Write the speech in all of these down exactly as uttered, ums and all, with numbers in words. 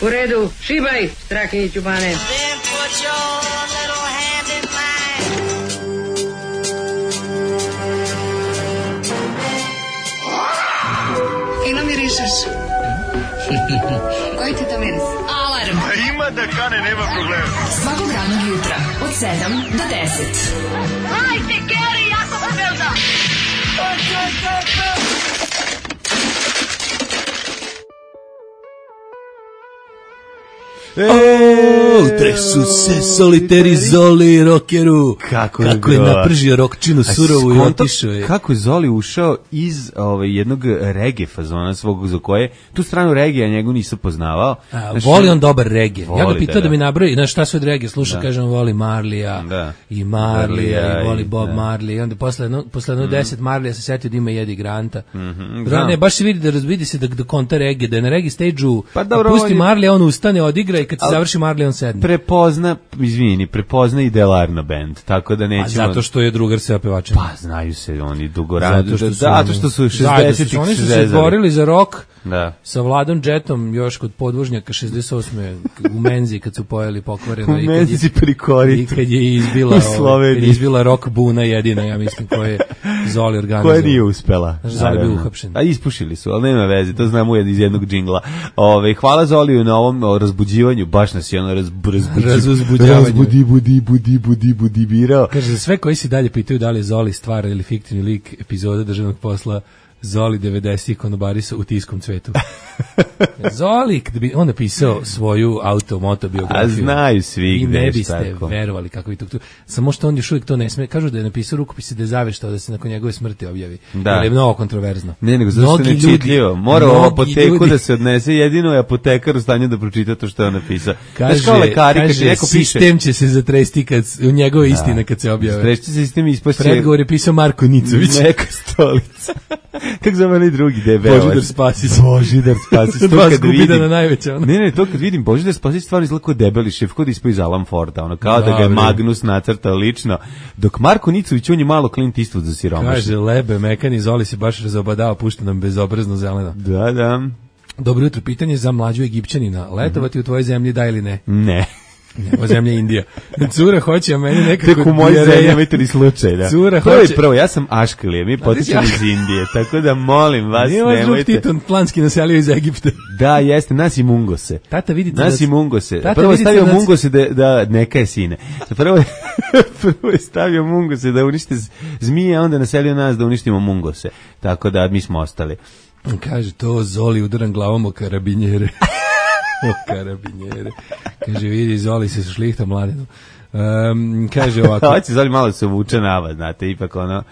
U redu, šibaj, Strahinjiću bane. Fino mirišeš. Koji ti to miris? Alarm. A ima da kane, nema problema. Svakog radnog jutra, od sedam do deset. Hajde, Geri, jako se velda. O, tresu se soliteri Zoli rokeru. Kako, kako je napržio rokčinu surovu i otišao je. Kako je Zoli ušao iz ovaj, jednog reggae fazona svog za koje, tu stranu reggae njegu nisam poznavao. A, znaš, voli on dobar reggae. Ja ga pitao da, da mi nabroji, znaš šta sve od reggae sluša, da. Kažem voli Marlija da. i Marlija i voli Bob da. Marley i onda posle jedno, posle jedno mm. deset Marlija se setio da ima Jedi Granta. Mm-hmm, da. Ne, baš se vidi da razvidi se da, da konta reggae, da je na reggae stage-u pa, dobro, pusti Marlija, on ustane, odigra i kad se završi Marley on sedne. Prepozna, izvini, prepozna i Delarno band, tako da nećemo... A zato što je drugar sa pevačem. Pa, znaju se oni dugorano. Zato što su, zato što su šezdesetih Oni su se izborili za rock da. Sa Vladom Jetom još kod podvožnjaka šezdeset osme u Menzi kad su pojeli pokvareno. U Menzi pri koritu. I kad je izbila, ovaj, kad je izbila rock buna jedina, ja mislim, koja je Zoli organizovao. Koja nije uspela. Zoli bio uhapšen. A ispušili su, ali nema veze, to znamo iz jednog džingla. Ove, hvala Zoliju na ovom razbuđivanju, baš nas je ono razbu, razbuđavanje. Razbudi, budi, budi, budi, budi, birao. Kaže, za sve koji se dalje pitaju da li je Zoli stvar ili fiktivni lik epizoda državnog posla, Zoli devedesetih konobarisa u Tiskom cvetu. Zoli, kada bi on napisao svoju automotobiografiju. A znaju svi gde je ne biste tako. Verovali kako bi to... Samo što on još uvijek to ne sme. Kažu da je napisao rukopise da je zaveštao da se nakon njegove smrti objavi. Da. Jer je mnogo kontroverzno. Ne, nego zato što ne čitljivo. Mora u apoteku ljudi. Da se odnese. Jedino je apotekar u stanju da pročita to što je on napisao. Kaže, kao lekari, kaže neko sistem piše, će se zatresti kad, u njegove da. Istine kad se objave. Strešće se sistem ispošće. Predgovor je pisao Marko Nicović. Neka stolica. Kako zove onaj drugi debel? Božidar Spasić. Božidar Spasić. To kad vidim. Na najveća, ne, ne, to kad vidim Božidar Spasić stvarno izgleda kao debeli šef, kao da ispao iz Alan Forda, ono, kao da, da ga je Magnus nacrtao lično. Dok Marko Nicović, on je malo Clint Eastwood za siromašne. Kaže, lebe, mekani, Zoli se baš razobadao, pušta nam bezobrazno zeleno. Da, da. Dobro jutro, pitanje za mlađu Egipćanina. Letovati mm-hmm. u tvojoj zemlji, da ili ne? Ne. Nema zemlja Indija. Cura hoće, a meni nekako... Tek u mojoj zemlji imate ni slučaj, da. Cura to hoće... je prvo, ja sam Aškalije, mi potičemo iz Indije, tako da molim vas, nije nemojte... Nije vas Titon planski naselio iz Egipta. Da, jeste, nas i Mungose. Tata, vidite... Nas da... i Mungose. Tata, prvo je stavio da... Mungose da, da neka je sine. Prvo je, prvo je stavio Mungose da unište zmije, a onda naselio nas da uništimo Mungose. Tako da mi smo ostali. Kaže, to Zoli udaran glavom o karabinjere. O karabinjere. Kaže, vidi, Zoli se šlihta mladinu. Um, kaže ovako. Hoće Zoli malo se uvuče nava, znate, ipak ono,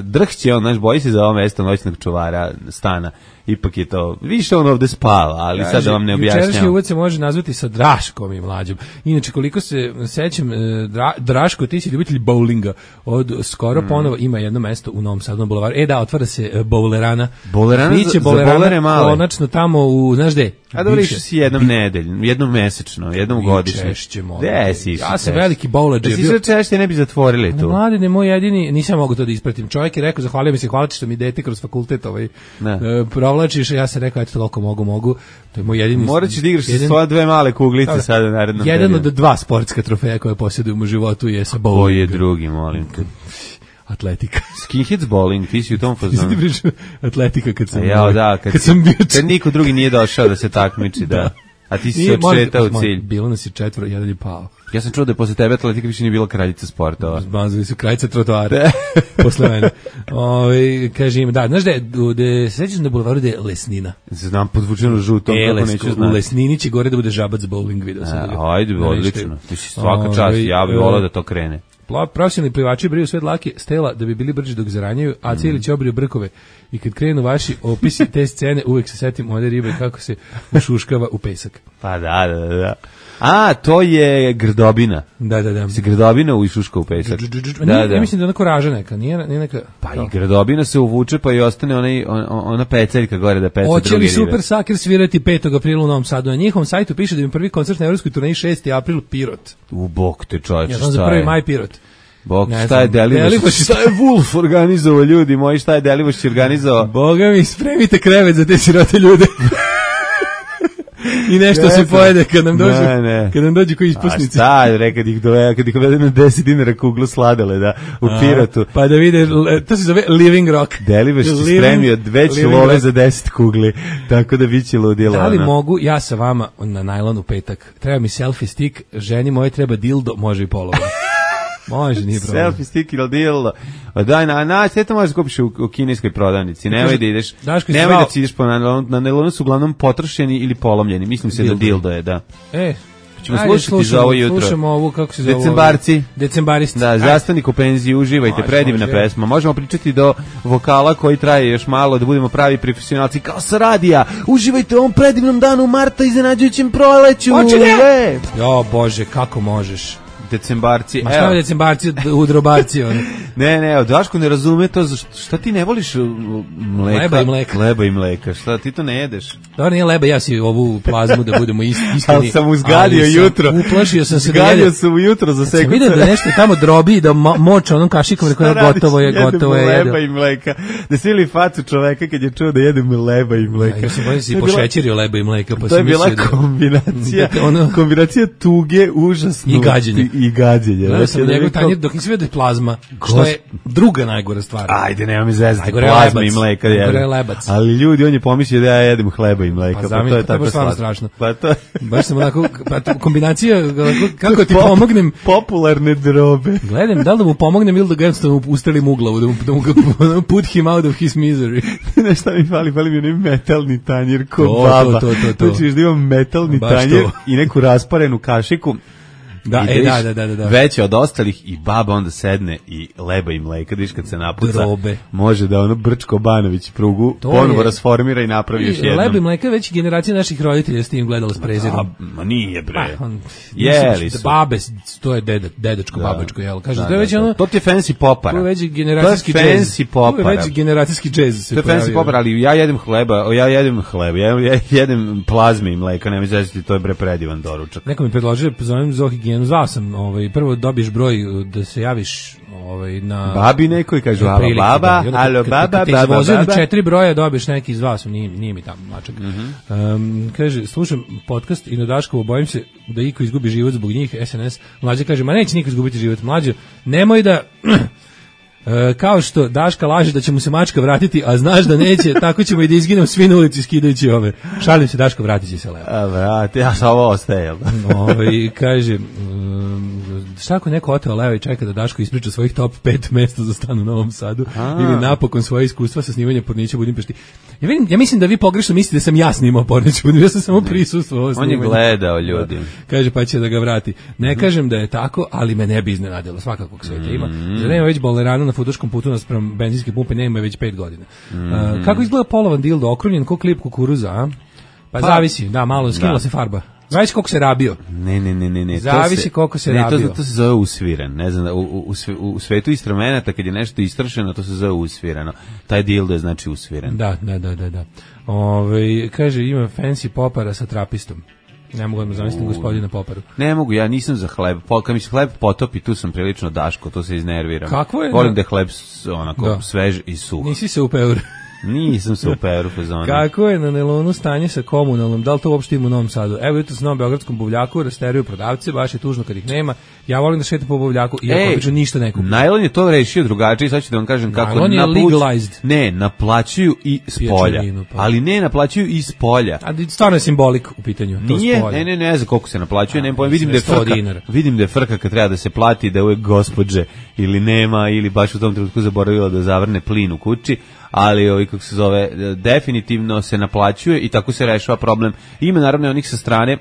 drhće on, znaš, boji se za ovo mesto noćnog čuvara stana. Ipak je to, više on ovde spava, ali kaže, sad da vam ne objašnjam. Jučerašnji uvod se može nazvati sa Draškom i mlađom. Inače, koliko se sećam, dra, Draško, ti si ljubitelj bowlinga, od skoro mm. ponovo ima jedno mesto u Novom Sadu na bulevaru. E da, otvara se bowlerana. Bowlerana Biće za, bowlerana, za bowlere male. Konačno tamo u, znaš gde? A dobro, išao si jednom nedeljno, jednom mesečno, jednom godišnje. Češće, molim. Gde si Ja sam veliki bowler. Da si išao češće, ne bi zatvorili tu. Mladine, moj jedini, nisam mogu to da ispratim. Čovjek je rekao, zahvalio mi se, hvala ti što mi dete kroz fakultet ovaj, uh, provlačiš, ja sam rekao, eto, toliko mogu, mogu. To je moj jedini... Morat ćeš da igraš jedan, svoje dve male kuglice da, sada u narednom jedan periodu. od dva sportska trofeja koje posjedujem u životu je sa bowlingom. Koji je drugi, molim te? Atletika. Skinheads bowling, ti si u tom fazonu. Ti pričao atletika kad sam... Ja, da, kad, kad sam bio... Kad niko drugi nije došao da se takmiči, da. A ti si se odšetao u cilj. Bilo nas je četvoro, jedan je pao. Ja sam čuo da je posle tebe atletika više nije bila kraljica sportova. Zbazili su kraljica trotoara. Posle mene. Ove, kaže im, da, znaš da je, da se sećaš na bulevaru da je Lesnina. Znam, podvučeno žutom, e, kako neću znati. U Lesnini će gore da bude žabac bowling, vidio sam. A, ajde, odlično. Ti si svaka čast, ja bih volao da to krene. Profesionalni plivači briju sve dlake stela da bi bili brži dok zaranjaju, a Cilić obriju brkove. I kad krenu vaši opisi te scene, uvek se setim one ribe kako se ušuškava u pesak. Pa da, da, da. A, to je grdobina. Da, da, da. Se grdobina ušuška u pesak. Da, da. Ja mislim da je ona koraža neka, nije, nije neka... Pa i grdobina se uvuče pa i ostane onaj, on, ona peceljka gore da peca druge ribe. Hoće li Super Saker svirati petog aprila u Novom Sadu? Na njihovom sajtu piše da im prvi koncert na evropskoj turneji šesti april Pirot. U bok te čovječe, ja znam za prvi maj Pirot. Bog, šta znam, je Delivoš, šta je Wolf organizovao, ljudi moji, šta je Delivoš organizovao? Boga mi, spremite krevet za te sirote ljude. I nešto se pojede kad nam dođu, ne, ne. kad nam dođu koji ispusnici. A šta, re, kad ih dove, kad ih dovede na deset dinara kuglu sladole, da, u A, Piratu. Pa da vide, to se zove Living Rock. Delibaš ti spremio već love za deset kugli, tako da biće ludilo. Da li ona. Mogu ja sa vama na najlon u petak? Treba mi selfie stick, ženi moje treba dildo, može i polovo. Može, nije problem. Selfie stick ili dildo. Daj, na, na, sve to možeš da kupiš u, u kineskoj prodavnici. Nemoj da ideš, nemoj da ideš po nailonu. Na nailonu su uglavnom potrošeni ili polomljeni. Mislim se dildo. Da dildo je, da. E, ćemo ajde, slušati slušamo, za ovo jutro. Slušamo ovu, kako se zove? Decembarci. Decembaristi. Da, zastavnik u penziji, uživajte, može, predivna može. Pesma. Možemo pričati do vokala koji traje još malo, da budemo pravi profesionalci kao sa radija. Uživajte u ovom predivnom danu marta, iznenađujućem proleću. Počinje! Jo, Bože, kako možeš? Decembarci. Ma šta je decembarci, udrobarci oni? Ne, ne, Daško ne razume to, šta ti ne voliš mleka? Leba i mleka. Leba i mleka, šta ti to ne jedeš? Dobro, nije leba, ja si ovu plazmu da budemo ist, iskreni. Ali sam uzgadio jutro. Uplašio sam se uzgadio da jedem. Uzgadio sam ujutro za sekundu. Sam vidio da nešto tamo drobi, da mo, moča onom kašikom, rekao je gotovo je, gotovo je. Leba i mleka. Da si ili facu čoveka kad je čuo da jedem leba i mleka. Ja, ja sam bolje si pošećerio leba i mleka. Pa to je bila kombinacija, da, ono, kombinacija tuge, užasno. I gađenja. I gađenja. Gledao sam njegov tanjir dok nisi vidio plazma, što je druga najgora stvar. Ajde, nema mi zezati, plazma i mleka jedem. Ali ljudi, on je pomislio da ja jedem hleba i mleka, pa, pa to je tako strašno. Pa to baš sam onako, pa to, kombinacija, kako ti pomognem. Popularne drobe. Gledam, da li da mu pomognem ili da ga jednostavno ustrelim u glavu, da mu, da mu put him out of his misery. Ne, šta mi fali, fali mi onaj metalni tanjir ko baba. To, to, to, to. Znači, da imam metalni baš tanjir to. I neku rasparenu kašiku. Da, e, da, da, da, da. Veće od ostalih i baba onda sedne i leba i mleka, viš kad se napuca, drobe. Može da ono Brčko Banović prugu to ponovo je, rasformira i napravi još jednom. Leba i mleka već generacija naših roditelja s tim gledala s prezirom. Ma nije bre. Pa, on, Jeli su. Babe, to je deda, dedačko, da, babačko, jel? Kaže, da, to je već da, ono... To ti je fancy popara. To je već generacijski džez. Fancy popara. To je već generacijski džez. To je fancy popara, ali ja jedem hleba, ja jedem hleba, ja jedem plazme i mleka, nema izvesti, to je bre predivan doručak. Neko mi predložio, zovem Zohigijenu, zvao sam, ovaj, prvo dobiješ broj da se javiš ovaj, na... Babi neko i kaže, alo baba, alo baba, baba, baba. Kad te na četiri broja dobiješ neki zvao sam, nije, nije mi tamo mačak. Mm -hmm. um, kaže, slušam podcast i na Daškovo, bojim se da iko izgubi život zbog njih, S N S. Mlađe kaže, ma neće niko izgubiti život. Mlađe, nemoj da... E, kao što Daška laže da će mu se mačka vratiti, a znaš da neće, tako ćemo i da izginemo svi na ulici skidajući ove. Šalim se, Daška vratit će se levo. A vrati, ja sam ovo ostaje. Ove, kaže, um, šta ako neko oteo levo i čeka da Daško ispriča svojih top pet mesta za stan u Novom Sadu, a. ili napokon svoje iskustva sa snimanjem Pornića u Budimpešti. Ja, vidim, ja mislim da vi pogrešno mislite da sam ja snimao Pornića u Budimpešti, ja sam samo prisustvovao snimanje. On je gledao ljudi. Kaže, pa će da ga vrati. Ne mm. kažem da je tako, ali me ne bi iznenadilo, svakakvog sveta ima. Mm. Zar nema već bolerana na futuškom putu naspram benzinske pumpe, nema već pet godina. Mm. Uh, kako izgleda polovan dildo, okrunjen ko klip kukuruza, a? Pa, pa zavisi, da, malo skinula se farba. Zavisi koliko se rabio. Ne, ne, ne, ne, ne. Zavisi koliko se ne, rabio. To, to se zove usviren. Ne znam, u, u, u svetu instrumenta kad je nešto istršeno, to se zove usvireno. Taj dildo je znači usviren. Da, da, da, da, da. Ove, kaže, ima fancy popara sa trapistom. Ne mogu da zamislim gospodina Poparu. Ne mogu, ja nisam za hleb. Kad mi se hleb potopi, tu sam prilično Daško, to se iznerviram. Kako je? Volim da je hleb onako da. svež i suh. Nisi se upeo. Nisam se upeo u fazonu. Kako je na nelonu stanje sa komunalnom? Da li to uopšte ima u Novom Sadu? Evo jutro sam na beogradskom buvljaku, rasteruju prodavce, baš je tužno kad ih nema. Ja volim da šetam po buvljaku i ako obično ništa ne kupim. Najlon je to rešio drugačije, sad ću da vam kažem kako. Najlon je legalized. Ne, naplaćuju i s polja. Pa. Ali ne, naplaćuju i s polja. A stvarno je simbolik u pitanju. To nije, ne, ne, ne znam koliko se naplaćuje, ne pojem, vidim da je frka, vidim da je frka kad treba da se plati, da je uvek gospođe ili nema, ili baš u tom trenutku zaboravila da zavrne plin u kući. Ali ovaj kako se zove definitivno se naplaćuje i tako se rešava problem. Ima naravno onih sa strane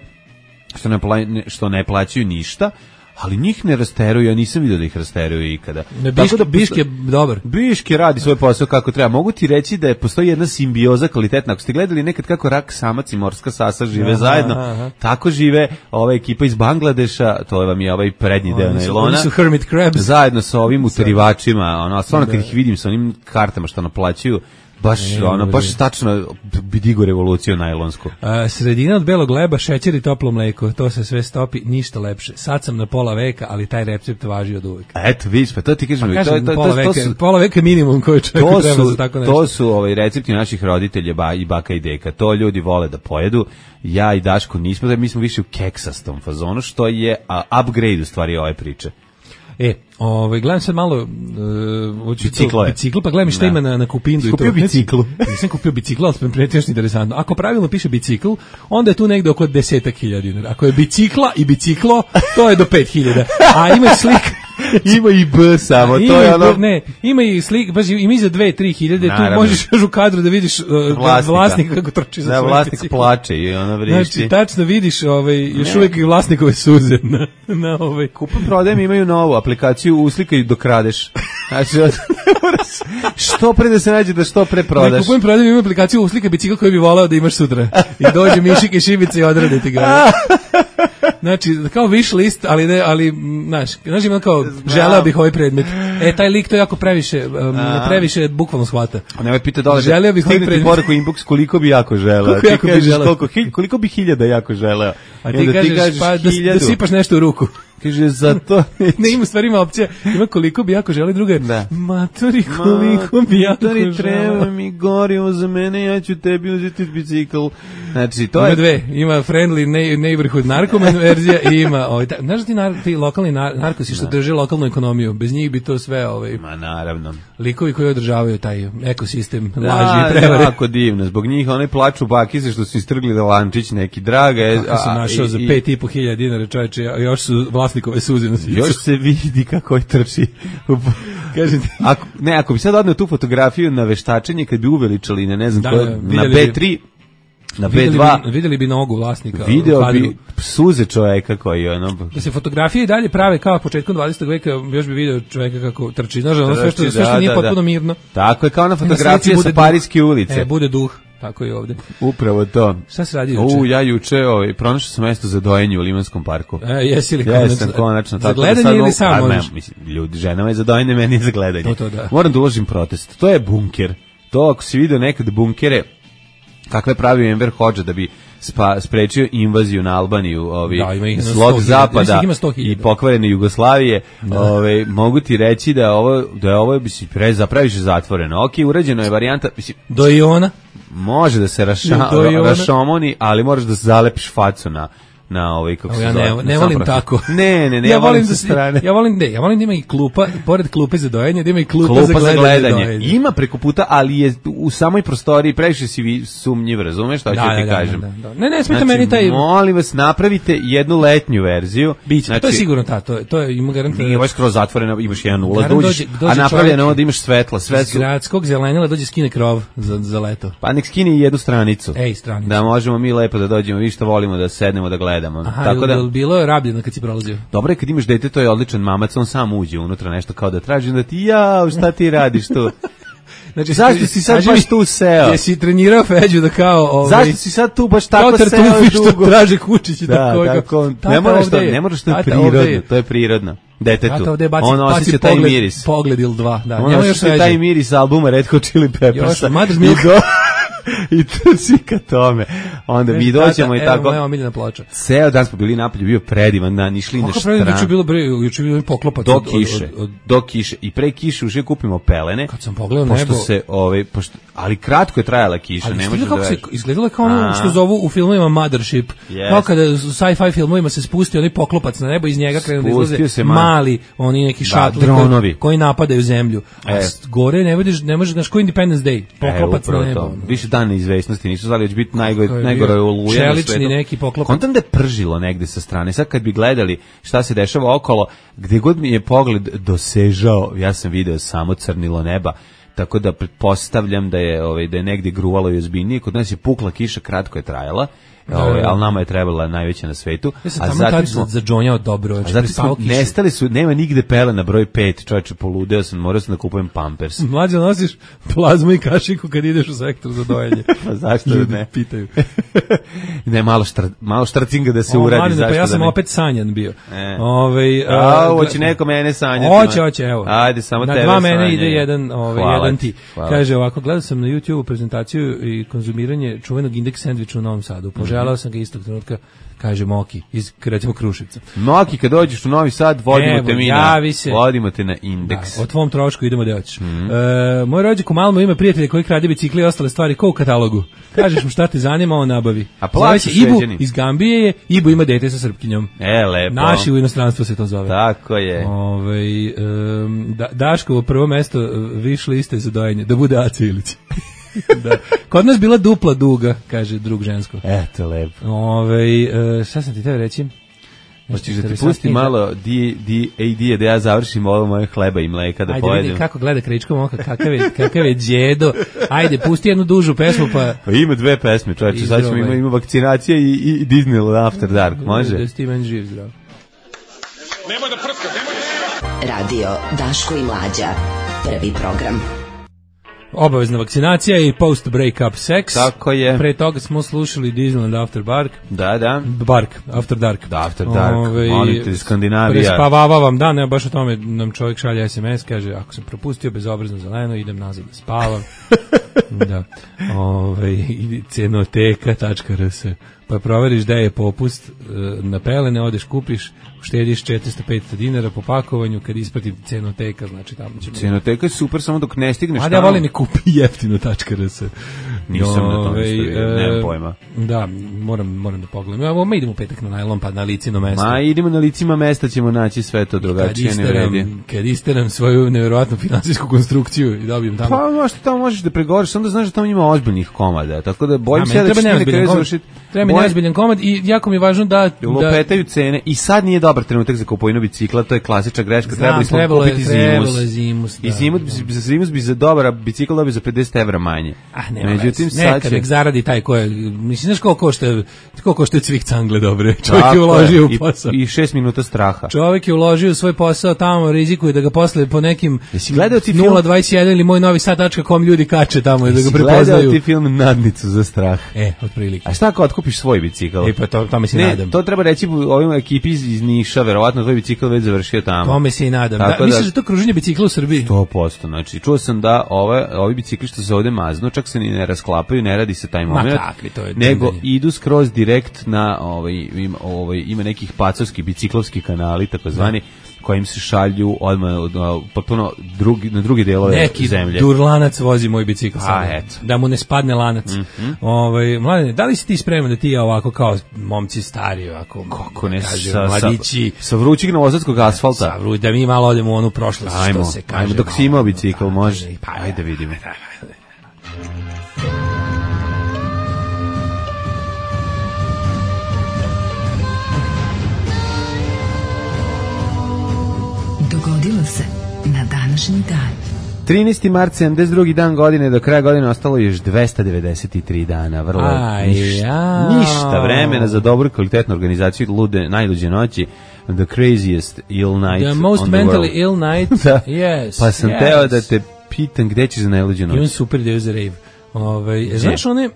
što ne pla, što ne plaćaju ništa, ali njih ne rasteruju, ja nisam vidio da ih rasteruju ikada. Ne, Biške, da Biške dobar. Biške radi svoj posao kako treba. Mogu ti reći da je postoji jedna simbioza kvalitetna. Ako ste gledali nekad kako rak samac i morska sasa žive aha, zajedno, aha. tako žive ova ekipa iz Bangladeša, to je vam je ovaj prednji deo nailona. Oni su hermit crabs. Zajedno sa ovim utarivačima, ono, stvarno kad ih vidim sa onim kartama što naplaćuju, Baš, ne, ono, baš tačno bi digo revoluciju najlonsku. A, sredina od belog leba, šećer i toplo mleko, to se sve stopi, ništa lepše. Sad sam na pola veka, ali taj recept važi od uvek. Eto, vidiš, pa to ti kažem, Pa kažem, to, to, pola, to, veka, to su, pola veka minimum koji čovjeku to treba su, za tako nešto. to su ovaj, recepti naših roditelja ba, i baka i deka. To ljudi vole da pojedu. Ja i Daško nismo, da mi smo više u keksastom fazonu, što je a, upgrade u stvari ove priče. E, ovaj gledam sad malo uh, biciklo, bicikl, pa gledam šta da. ima na na Kupindu i to. Kupio biciklu. Nisam kupio bicikl, ali sam pretešno interesantno. Ako pravilno piše bicikl, onda je tu negde oko deset hiljada dinara. Ako je bicikla i biciklo, to je do pet hiljada. A ima slika ima i B samo, ima to je ono... Ne, ima i slik, baš ima i za dve do tri hiljade, tu možeš još u kadru da vidiš uh, vlasnika. vlasnika kako trči za da, svoj vlasnik bicikl. plače i ono vrišti. Znači, tačno vidiš ovaj, još uvijek i vlasnikove suze na, na ovaj... Kupom prodajem imaju novu aplikaciju, uslikaj i dokradeš. Znači, što pre da se nađe da što pre prodaš. Ne, kupujem prodajem imaju aplikaciju uslika bicikl koji bi volao da imaš sutra. I dođe mišik i šibica i odrade ti ga. Znači, kao wish list, ali ne, ali, znaš, znaš ima kao, želeo bih ovaj predmet. E, taj lik to jako previše, um, previše bukvalno shvata. A nemoj pita dole, želeo bih ovaj predmet. Poruku inbox koliko bi jako želeo. Koliko jako bi želeo. Koliko, koliko bi hiljada jako želeo. A ti kažeš, ti kažeš pa da, da sipaš nešto u ruku. Kaže, za to... ne, ima stvari, ima opcija. Ima koliko bi jako želi, druga je, da. Matori, koliko bi jako želi. Matori, treba mi gorivo za mene, ja ću tebi uzeti bicikl. Znači, to ima je... dve, ima friendly neighborhood narkoman verzija i ima, ovaj, ta, znaš ti, nar, ti lokalni nar, narkosi što da. drže lokalnu ekonomiju, bez njih bi to sve, ovaj... Ma, naravno. Likovi koji održavaju taj ekosistem, da, laži i prevare. Jako divno, zbog njih one plaču bakice što su istrgli da lančić neki draga. Kako sam našao i, za pet i po hiljada dinara, čovječe, još su vlasnikove suze na svicu. Još se vidi kako je trči. Kažete. Ako, ne, ako bi sad odneo tu fotografiju na veštačenje, kad bi uveličali, ne, ne znam, da, ko, na B tri, na B dva, videli bi, videli bi nogu vlasnika. Video bi suze čoveka koji je ono... Da se fotografije i dalje prave kao početkom dvadesetog veka, još bi video čoveka kako trči. Znaš, ono sve što, sve što da, nije da, potpuno mirno. Tako je, kao na fotografije sa Parijske ulice. E, bude duh. Tako i ovde. Upravo to. Šta se radi juče? U, ja juče ovaj, pronašao sam mesto za dojenje u Limanskom parku. E, jesi li konačno? Jesam, konačno. Za gledanje da ili sam možeš? Ne, mislim, ljudi, ženama je za dojenje, meni je za gledanje. To, to, da. Moram da uložim protest. To je bunker. To, ako si vidio nekad bunkere, kakve pravio Enver Hodža da bi spa, sprečio invaziju na Albaniju, ovi, da, slog zapada i pokvarene Jugoslavije, da. Ove, mogu ti reći da ovo, da je ovo mislim, pre, zapraviš zatvoreno. Ok, urađeno je varijanta... Mislim, do Iona? Može da se raša, rašomoni, ali moraš da zalepiš facu na na ovaj kako se ja zove. Ne, ne volim tako. Ne, ne, ne, ja ja volim sa strane. Ja volim ne, ja volim da ima i klupa, pored klupe za dojenje, da ima i klupa, klupa za gledanje. Za gledanje. Ima preko puta, ali je u samoj prostoriji previše si sumnjiv, razumeš šta ću da, ti da, kažem. Da, da, da. Ne, ne, smeta znači, meni taj. Molim vas, napravite jednu letnju verziju. Biće, znači, to je sigurno ta, to je to je ima garantirano. Nije baš skroz zatvoreno, imaš jedan ulaz, dođeš, a napravljeno onda imaš svetla, sve su gradskog zelenila dođe skine krov za za leto. Pa nek skine jednu stranicu. Ej, stranicu. Da možemo mi lepo da dođemo, vi što volimo da sednemo da gledamo. Tako da bilo je rabljeno kad si prolazio. Dobro je kad imaš dete, to je odličan mamac, on sam uđe unutra nešto kao da traži, da ti ja, šta ti radiš tu? Znači, zašto si sad baš tu seo? Jesi trenirao Feđu da kao... Ovaj, zašto si sad tu baš tako seo dugo? Kao tartufi što traže kučići. Da, tako, tako ne moraš to, ne moraš to je prirodno, to je prirodno. Detetu, on osjeća taj miris. Pogled ili dva, da. On osjeća taj miris albuma Red Hot Chili Peppersa. Još, Mother's Milk. I trči ka tome. Onda mi dođemo i tako. Evo, evo miljena ploča. Ceo dan smo bili napolju, bio predivan dan, išli na štran. Kako bilo bre, juče bilo poklopac do kiše, od, od, od... do kiše. I pre kiše už kupimo pelene. Kad sam pogledao pošto nebo, se, ovaj, pošto, ali kratko je trajala kiša, ali ne može da se izgledalo kao ono što zovu u filmovima Mothership. Yes. Kao kada u sci-fi filmovima se spusti onaj poklopac na nebo, iz njega krenu da izlaze mali, oni neki šatli koji, koji napadaju zemlju. A e. gore ne vidiš, ne možeš, znaš, ko Independence Day, poklopac e, na nebo. Više dan neizvesnosti, nisu znali da će biti najgore oluje na svetu. Neki poklopac. Kontam da je pržilo negde sa strane. Sad kad bi gledali šta se dešava okolo, gde god mi je pogled dosežao, ja sam video samo crnilo neba. Tako da pretpostavljam da je ovaj da je negdje gruvalo i ozbiljnije. Kod nas je pukla kiša, kratko je trajala. Ovaj, al nama je trebala najveća na svetu. Ja sam a zatim smo za džonjao dobro, a zatim smo nestali su, nema nigde pelena broj pet, čoveče, poludeo sam, morao sam da kupujem Pampers. Mlađe nosiš plazmu i kašiku kad ideš u sektor za dojenje. Pa zašto ne? Pitaju. Ne, malo štr, malo štrcinga da se o, uradi, mladine, zašto pa ja sam da ne? opet sanjan bio. E. Ovaj a, hoće neko mene sanjati. Hoće, hoće, evo. Ajde, samo na tebe dva sanje. mene ide jedan, ovaj hvala jedan ti. Hvala. Kaže ovako, gledao sam na YouTubeu prezentaciju i konzumiranje čuvenog indeks sendviča u Novom Sadu. Poželao sam ga istog trenutka, kaže Moki iz recimo Kruševca. Moki, kad dođeš u Novi Sad, vodimo Evo, te mi na, se. vodimo te na indeks. Da, o tvom trošku idemo da hoćeš. Mm-hmm. E, moj rođak u Malmu ima prijatelje koji krade bicikli i ostale stvari kao u katalogu. Kažeš mu šta te zanima, on nabavi. A plaćaš Ibu Šveđani. iz Gambije je, Ibu ima dete sa Srpkinjom. E, lepo. Naši u inostranstvu se to zove. Tako je. Ove, um, da, Daškovo prvo mesto viš liste za dojenje, da bude Aca Ilić. Da. Kod nas bila dupla duga, kaže drug žensko. Eto, lepo. Ove, uh, šta sam ti teo reći? Hoćeš da ti pusti malo D A D da ja završim ovo moje hleba i mleka da ajde, pojedem. Ajde vidi kako gleda Kričko Moka, kakav je, kakav je djedo. Ajde, pusti jednu dužu pesmu pa... Pa ima dve pesme, čovječe, sad ćemo ima, ima vakcinacija i, i Disneyland After Dark, može? Da si meni živ, zdrav. Nemoj da prska, nemoj da... Radio Daško i Mlađa, prvi program. Obavezna vakcinacija i post break-up sex. Tako je. Pre toga smo slušali Disneyland After Dark. Da, da. Bark, After Dark. Da, After Dark. Ove, molim te, Skandinavija. Prespavava vam dan, ne, baš o tome nam čovjek šalje S M S, kaže, ako sam propustio bezobrazno zeleno, idem nazad da spavam. Da. Ove, cenoteka tačka r s. Pa proveriš da je popust na pelene, odeš kupiš, uštediš četiristo pedeset dinara po pakovanju, kad isprati cenoteka, znači tamo će... Cenoteka je super, samo dok ne stigneš tamo. A ja volim i kupi jeftino tačka r s. Nisam na tome stavio, nemam pojma. Da, moram, moram da pogledam. Evo, mi idemo u petak na najlon, pa na licino mesto. Ma, idemo na licima mesta, ćemo naći sve to drugačije, ne vredi. Kad isteram svoju nevjerojatnu finansijsku konstrukciju i dobijem tamo... Pa, možda tamo možeš da pregovoriš, onda znaš da tamo ima ozbiljnih komada, tako da bojim ja, se da će ti na kraju završiti... Treba mi neozbiljan komad i jako mi je važno da... Lupetaju cene i sad nije dobar trenutak za kupovinu bicikla, to je klasična greška, trebali smo kupiti Zimus. Zimus da, I Zimus, da. za Zimus bi za dobar bicikl dobio za pedeset evra manje. Ah, međutim, sad će... Nek zaradi taj ko je... Mislim, znaš koliko košta, koliko košta cvik cangle dobre? Čovjek je uložio u posao. I, I šest minuta straha. Čovjek je uložio u svoj posao, tamo rizikuje da ga posle po nekim nula dvadeset jedan ili moj novi sad tačka com ljudi kače tamo i da ga prepoznaju. Gledao ti film Nadnicu za strah? E, otprilike. A šta ako otkupiš svoj bicikl? E, pa to, tome se ne, nadam. To treba reći ovim ekipi iz Niša, verovatno tvoj bicikl već završio tamo. Tome se i nadam. Da, da, misliš da to kruženje bicikla u Srbiji? sto posto, znači čuo sam da ove, ovi bicikli što se ovde maznu, čak se ni ne rasklapaju, ne radi se taj moment, kakvi, to je nego dendanje. Idu skroz direkt na, ovaj, ima, ovaj, ima nekih pacovski biciklovski kanali, takozvani, kojim se šalju odmah potpuno drugi, na drugi delove neki zemlje. Neki durlanac vozi moj bicikl sada, da mu ne spadne lanac. Mm-hmm. Ovaj, Mladene, da li si ti spreman da ti ja ovako kao momci stari, ovako, kako ne, kažem, sa, mladići, sa, sa vrućeg novosadskog asfalta. Sa vruć, da mi malo odemo u onu prošlost, ajmo, što se kaže. Ajmo, dok si imao bicikl, da, može. Pa, ajde da vidimo. Dogodilo se na današnji dan. trinaesti mart, sedamdeset drugi dan godine, do kraja godine ostalo još dvesta devedeset tri dana, vrlo Aj, ništa, ja. ništa vremena za dobru kvalitetnu organizaciju lude, najluđe noći, the craziest ill night the most on the mentally world. ill night, da. yes. Pa sam yes. teo da te pitam gde ćeš za najluđe noći. Imam super ideju za rave. Ove, znaš one,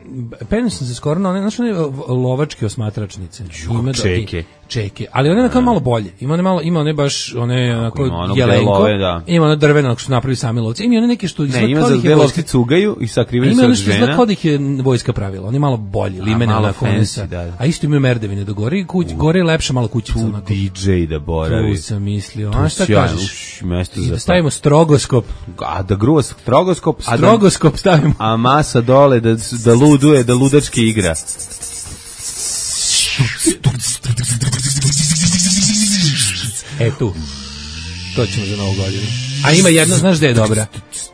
penio sam se skoro na one, znaš one lovačke osmatračnice. Ima čeke. Čeke, ali one onako malo bolje. Ima one malo, ima one baš one onako jelenko. Love, da. Ima one drveno što su napravili sami lovci. Ima one neke što ne, ima za gde lovci cugaju i sakrivaju se od žena. Ima ono što kao da ih je vojska pravila. Oni malo bolji, limene malo onako. fancy, da, da. A isto imaju merdevine do gore i kuć, gore je lepša malo kućica. Tu onako. D J da boravi. Tu sam mislio. A šta kažeš? Mesto I za da stavimo strogoskop. A da gruva strogoskop. Strogoskop stavimo. A masa dole da, da luduje, da ludački igra. E tu, to ćemo za novu godinu. A ima jedna, znaš gde je dobra?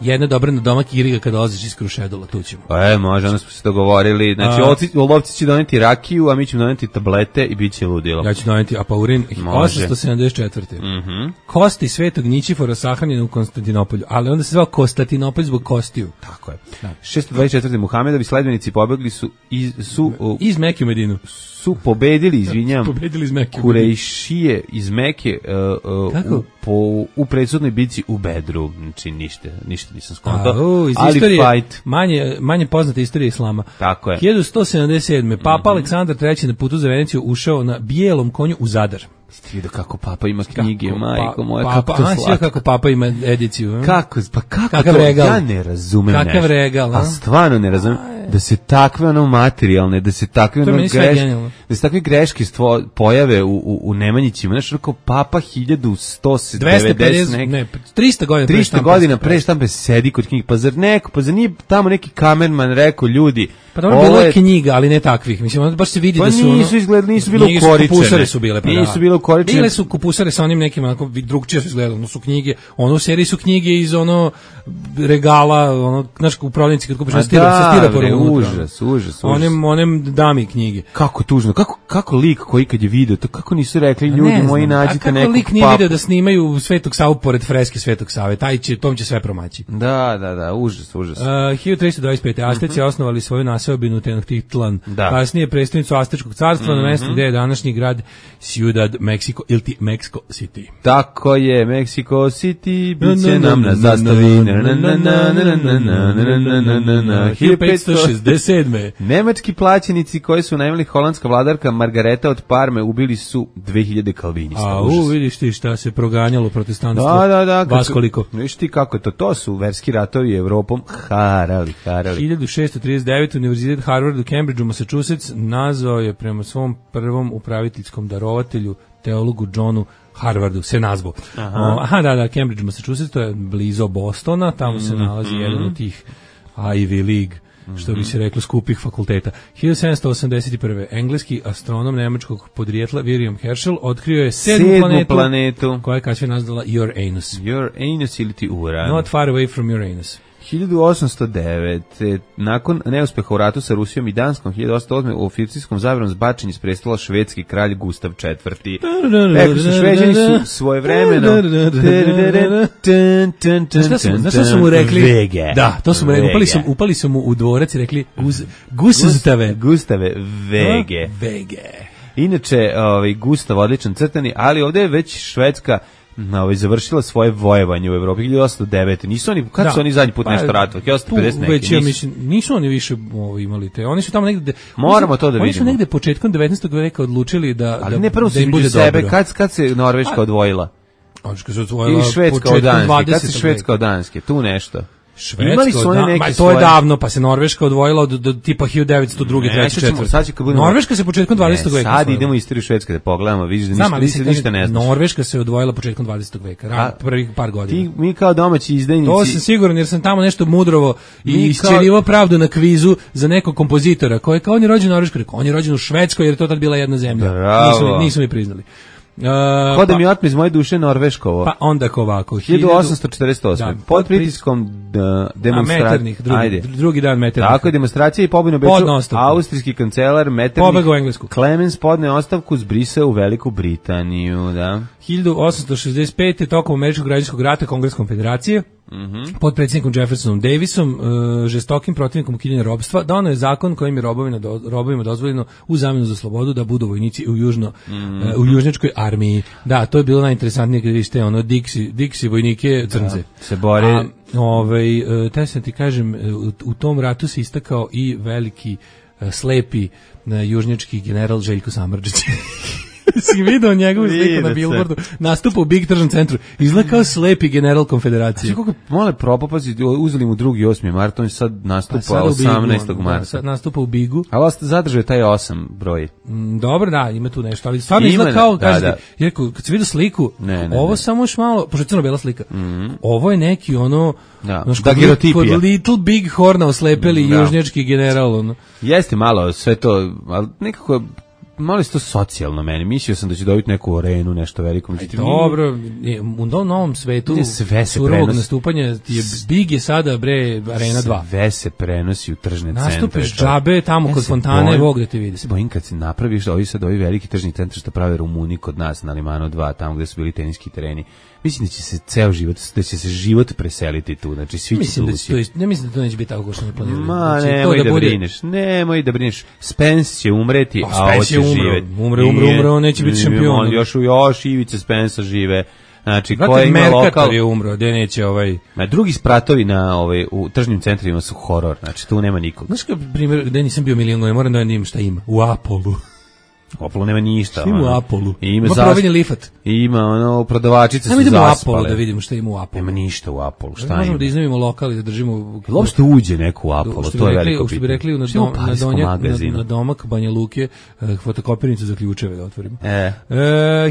Jedna dobra na domak Iriga kada dolaziš iz Krušedula, tu ćemo. Pa e, može, onda smo se dogovorili. Znači, a, lovci će doneti rakiju, a mi ćemo doneti tablete i bit će ludilo. Ja ću doneti apaurin. osamsto sedamdeset četvrte. Mm-hmm. Kosti Svetog Ničifora sahranjene u Konstantinopolju, ali onda se zvao Konstantinopolj zbog kostiju. Tako je. Da. šesto dvadeset četvrte. Muhamedovi sledbenici pobegli su iz, su, uh, iz Mekke u Medinu. Su pobedili, izvinjam, pobedili iz Mekke. Kurejšije iz Mekke uh, uh, u, po, u predsudnoj bici u Bedru. Znači, ništa, ništa nisam skontao. Iz ali istorije, fight. Manje, manje poznate istorije islama. Tako je. hiljadu sto sedamdeset sedme. Papa mm-hmm. Aleksandar treći na putu za Veneciju ušao na bijelom konju u Zadar. Ste vidio kako papa ima knjige, kako, majko moja, papa, kako to slatko. Kako papa ima ediciju. A? Kako, pa kako Kakav to, regal. Ja ne razumem Kakav nešto. regal, a? A stvarno ne razumem da se takve ono materijalne, da se takve ono greške, da se takve greške stvo, pojave u, u, u Nemanjićima. Znaš, kao papa hiljadu sto devedeset, ne, trista godina pre trista godina pre štampe sedi kod knjige, pa zar neko, pa zar nije tamo neki kamerman rekao ljudi, pa dobro, bilo je knjiga, ali ne takvih. Mislim, ono baš se vidi pa da su nisu ono, izgledali, nisu bilo ukoričene. Kupusare su bile, pa nisu bilo ukoričene. Bile su kupusare sa onim nekim, onako, drugčije su izgledali, ono su knjige, ono u seriji su knjige iz ono regala, ono, znaš, u prodavnici kad kupiš, stira, sa stiroporom unutra. Užas, užas. Onem, onem dami knjige. Kako tužno, kako, kako lik koji kad je video, to kako nisu rekli ljudi ne moji nađite nekog papu. Kako lik nije video da snimaju Svetog Savu pored freske Svetog Save, taj će, tom će sve promaći. Da, da, da, užas, užas. Uh, hiljadu tristo dvadeset pete. Azteci mm-hmm. osnovali svoju naseobinu Tenochtitlan, da. Kasnije predstavnicu Aztečkog carstva mm-hmm. na mestu gde je današnji grad Ciudad Mexico ili ti Mexico City. Tako je, Mexico City, bit će nam na zastavi. hiljadu petsto šezdeset sedme. Nemački plaćenici koji su najmali holandska vladarka Margareta od Parme ubili su dve hiljade kalvinista. A u, vidiš ti šta se proganjalo protestantstvo. Da, da, da. Vas koliko. Vidiš ti kako je to, to su verski ratovi Evropom harali, harali. hiljadu šesto trideset devete. Univerzitet Harvard u Cambridgeu, Massachusetts, nazvao je prema svom prvom upraviteljskom darovatelju, teologu Johnu Harvardu, se nazvao. Aha. O, aha, da, da, Cambridge, Massachusetts, to je blizu Bostona, tamo se nalazi mm-hmm. jedan od tih Ivy League, što bi se reklo, skupih fakulteta. hiljadu sedamsto osamdeset prve. Engleski astronom nemačkog podrijetla William Herschel otkrio je sedmu, sedmu planetu, planetu, koja je kasnije nazvala Uranus. Uranus ili ti Uran. Not far away from Uranus. hiljadu osamsto devete. Nakon neuspeha u ratu sa Rusijom i Danskom, hiljadu osamsto osme. u oficirskom zabranom zbačenju iz prestola švedski kralj Gustav četvrti. Rekli su, Šveđani su svojevremeno. Znaš što su mu rekli? Vege. Da, to su mu rekli. Upali su, upali su mu u dvorac i rekli Gustave. Gustave Vege. Vege. Inače, ovaj, Gustav odličan crtani, ali ovdje je već Švedska ovaj završila svoje vojevanje u Evropi hiljadu osamsto devete. Nisu oni, kad da, su oni zadnji put pa, nešto ratovali? hiljadu osamsto pedeset neki. Već, ja mislim, nisu oni više ovaj, imali te. Oni su tamo negde. Moramo to da vidimo. Oni su negde početkom devetnaestog veka odlučili da ali da, ne prvo da im bude sebe, kad kad se Norveška odvojila? Norveška se odvojila. I Švedska od Danske. Kad se Švedska od Danske? Tu nešto. Švedska, su da, ma, to svoje... je davno, pa se Norveška odvojila od, do, do tipa hiljadu devetsto druge, treće, četvrte. Budemo... Norveška se početkom dvadesetog veka. Sad idemo istoriju Švedske da pogledamo, vidiš da ništa, ništa, ništa ne znaš. Norveška se odvojila početkom dvadesetog veka, ran, prvih par godina. Ti, mi kao domaći izdajnici... To sam siguran jer sam tamo nešto mudrovo i isčerivao pravdu na kvizu za nekog kompozitora koji je kao on je rođen u Norveškoj, rekao, on je rođen u Švedskoj jer je to tad bila jedna zemlja. Nisu, nisu mi priznali. Uh, Ko da pa, mi otme iz moje duše Norveškovo. Pa onda ovako. hiljadu osamsto četrdeset osme. Da, pod pritiskom demonstracije. Drugi, drugi dan Meternih. Tako je, demonstracije i pobjenu Beču. Austrijski kancelar Meternih. Pobegao u Englesku. Clemens podne ostavku, zbrisao u Veliku Britaniju. Da. hiljadu osamsto šezdeset pete. tokom američkog građanskog rata Kongres konfederacije. Mm-hmm. Pod predsjednikom Jeffersonom Davisom, uh, žestokim protivnikom ukidanja robstva, donao je zakon kojim je robovima, do, robovima dozvoljeno u zamjenu za slobodu da budu vojnici u južno mm-hmm. uh, u južnjačkoj armiji. Da, to je bilo najinteresantnije kad vidite ono Dixi, Dixi vojnike crnce. Da, se bore. A, ovaj, uh, taj sam ti kažem, u, u tom ratu se istakao i veliki uh, slepi uh, južnjački general Željko Samardžić. Si vidio njegovu sliku na billboardu, nastupa u Big Tržnom centru, izgleda kao slepi general konfederacije. Znači kako male propopazi, uzeli mu drugi osmi mart, on sad nastupa sad osamnaestog marta. Da, sad nastupa u Bigu. Ali vas zadržuje taj osam broj. Mm, dobro, da, ima tu nešto, ali stvarno izgleda kao, da, kažete, da. Jer kad se vidio sliku, ne, ne, ovo ne. Samo još malo, pošto je crno-bela slika, mm-hmm. ovo je neki ono, da, znaš, kod, kod Little Big Horna oslepeli da. Južnjački general. Ono. Jeste malo sve to, ali nekako malo je to socijalno meni. Mislio sam da će dobiti neku arenu, nešto veliko. Aj, dobro, u novom svetu surovog nastupanja je Big je sada, bre, Arena dva. Sve se prenosi u tržne centre. Nastupiš džabe tamo ja kod fontane, Bog da te vidi. Se bojim kad se napraviš, ovi sad ovi veliki tržni centri što prave Rumuni kod nas na Limanu dva, tamo gde su bili teniski tereni. Mislim da će se ceo život, da će se život preseliti tu, znači svi će mislim da to jest, ne mislim da to neće biti tako kao što ne planiraju. Ma, znači, nemoj da, da bude... brineš, nemoj da brineš. Spence će umreti, a, a ovo će živeti. Umre, umre, umre, on neće biti šampion. Još, još Ivica Spensa žive. Znači, ko je ima lokal je umro, gde neće ovaj. Ma drugi spratovi na ovaj u tržnim centrima su horor. Znači tu nema nikog. Znaš kao primjer, gde nisam bio milion godina, moram da vidim šta ima. U Apolu. U Apolu nema ništa. Ima u Apolu. Ima, ima proveni lifat. Ima ono prodavačice su zaspale. Ajmo u Apolu da vidimo šta ima u Apolu. Nema ništa u Apolu. Šta možemo ima? da iznajmimo lokal i da držimo. Uopšte uđe neko u Apolu, to je veliko pitanje. Što bi rekli na dom, na donjak, na, na domak Banja Luke, uh, fotokopirnicu za ključeve da otvorimo. E. Uh,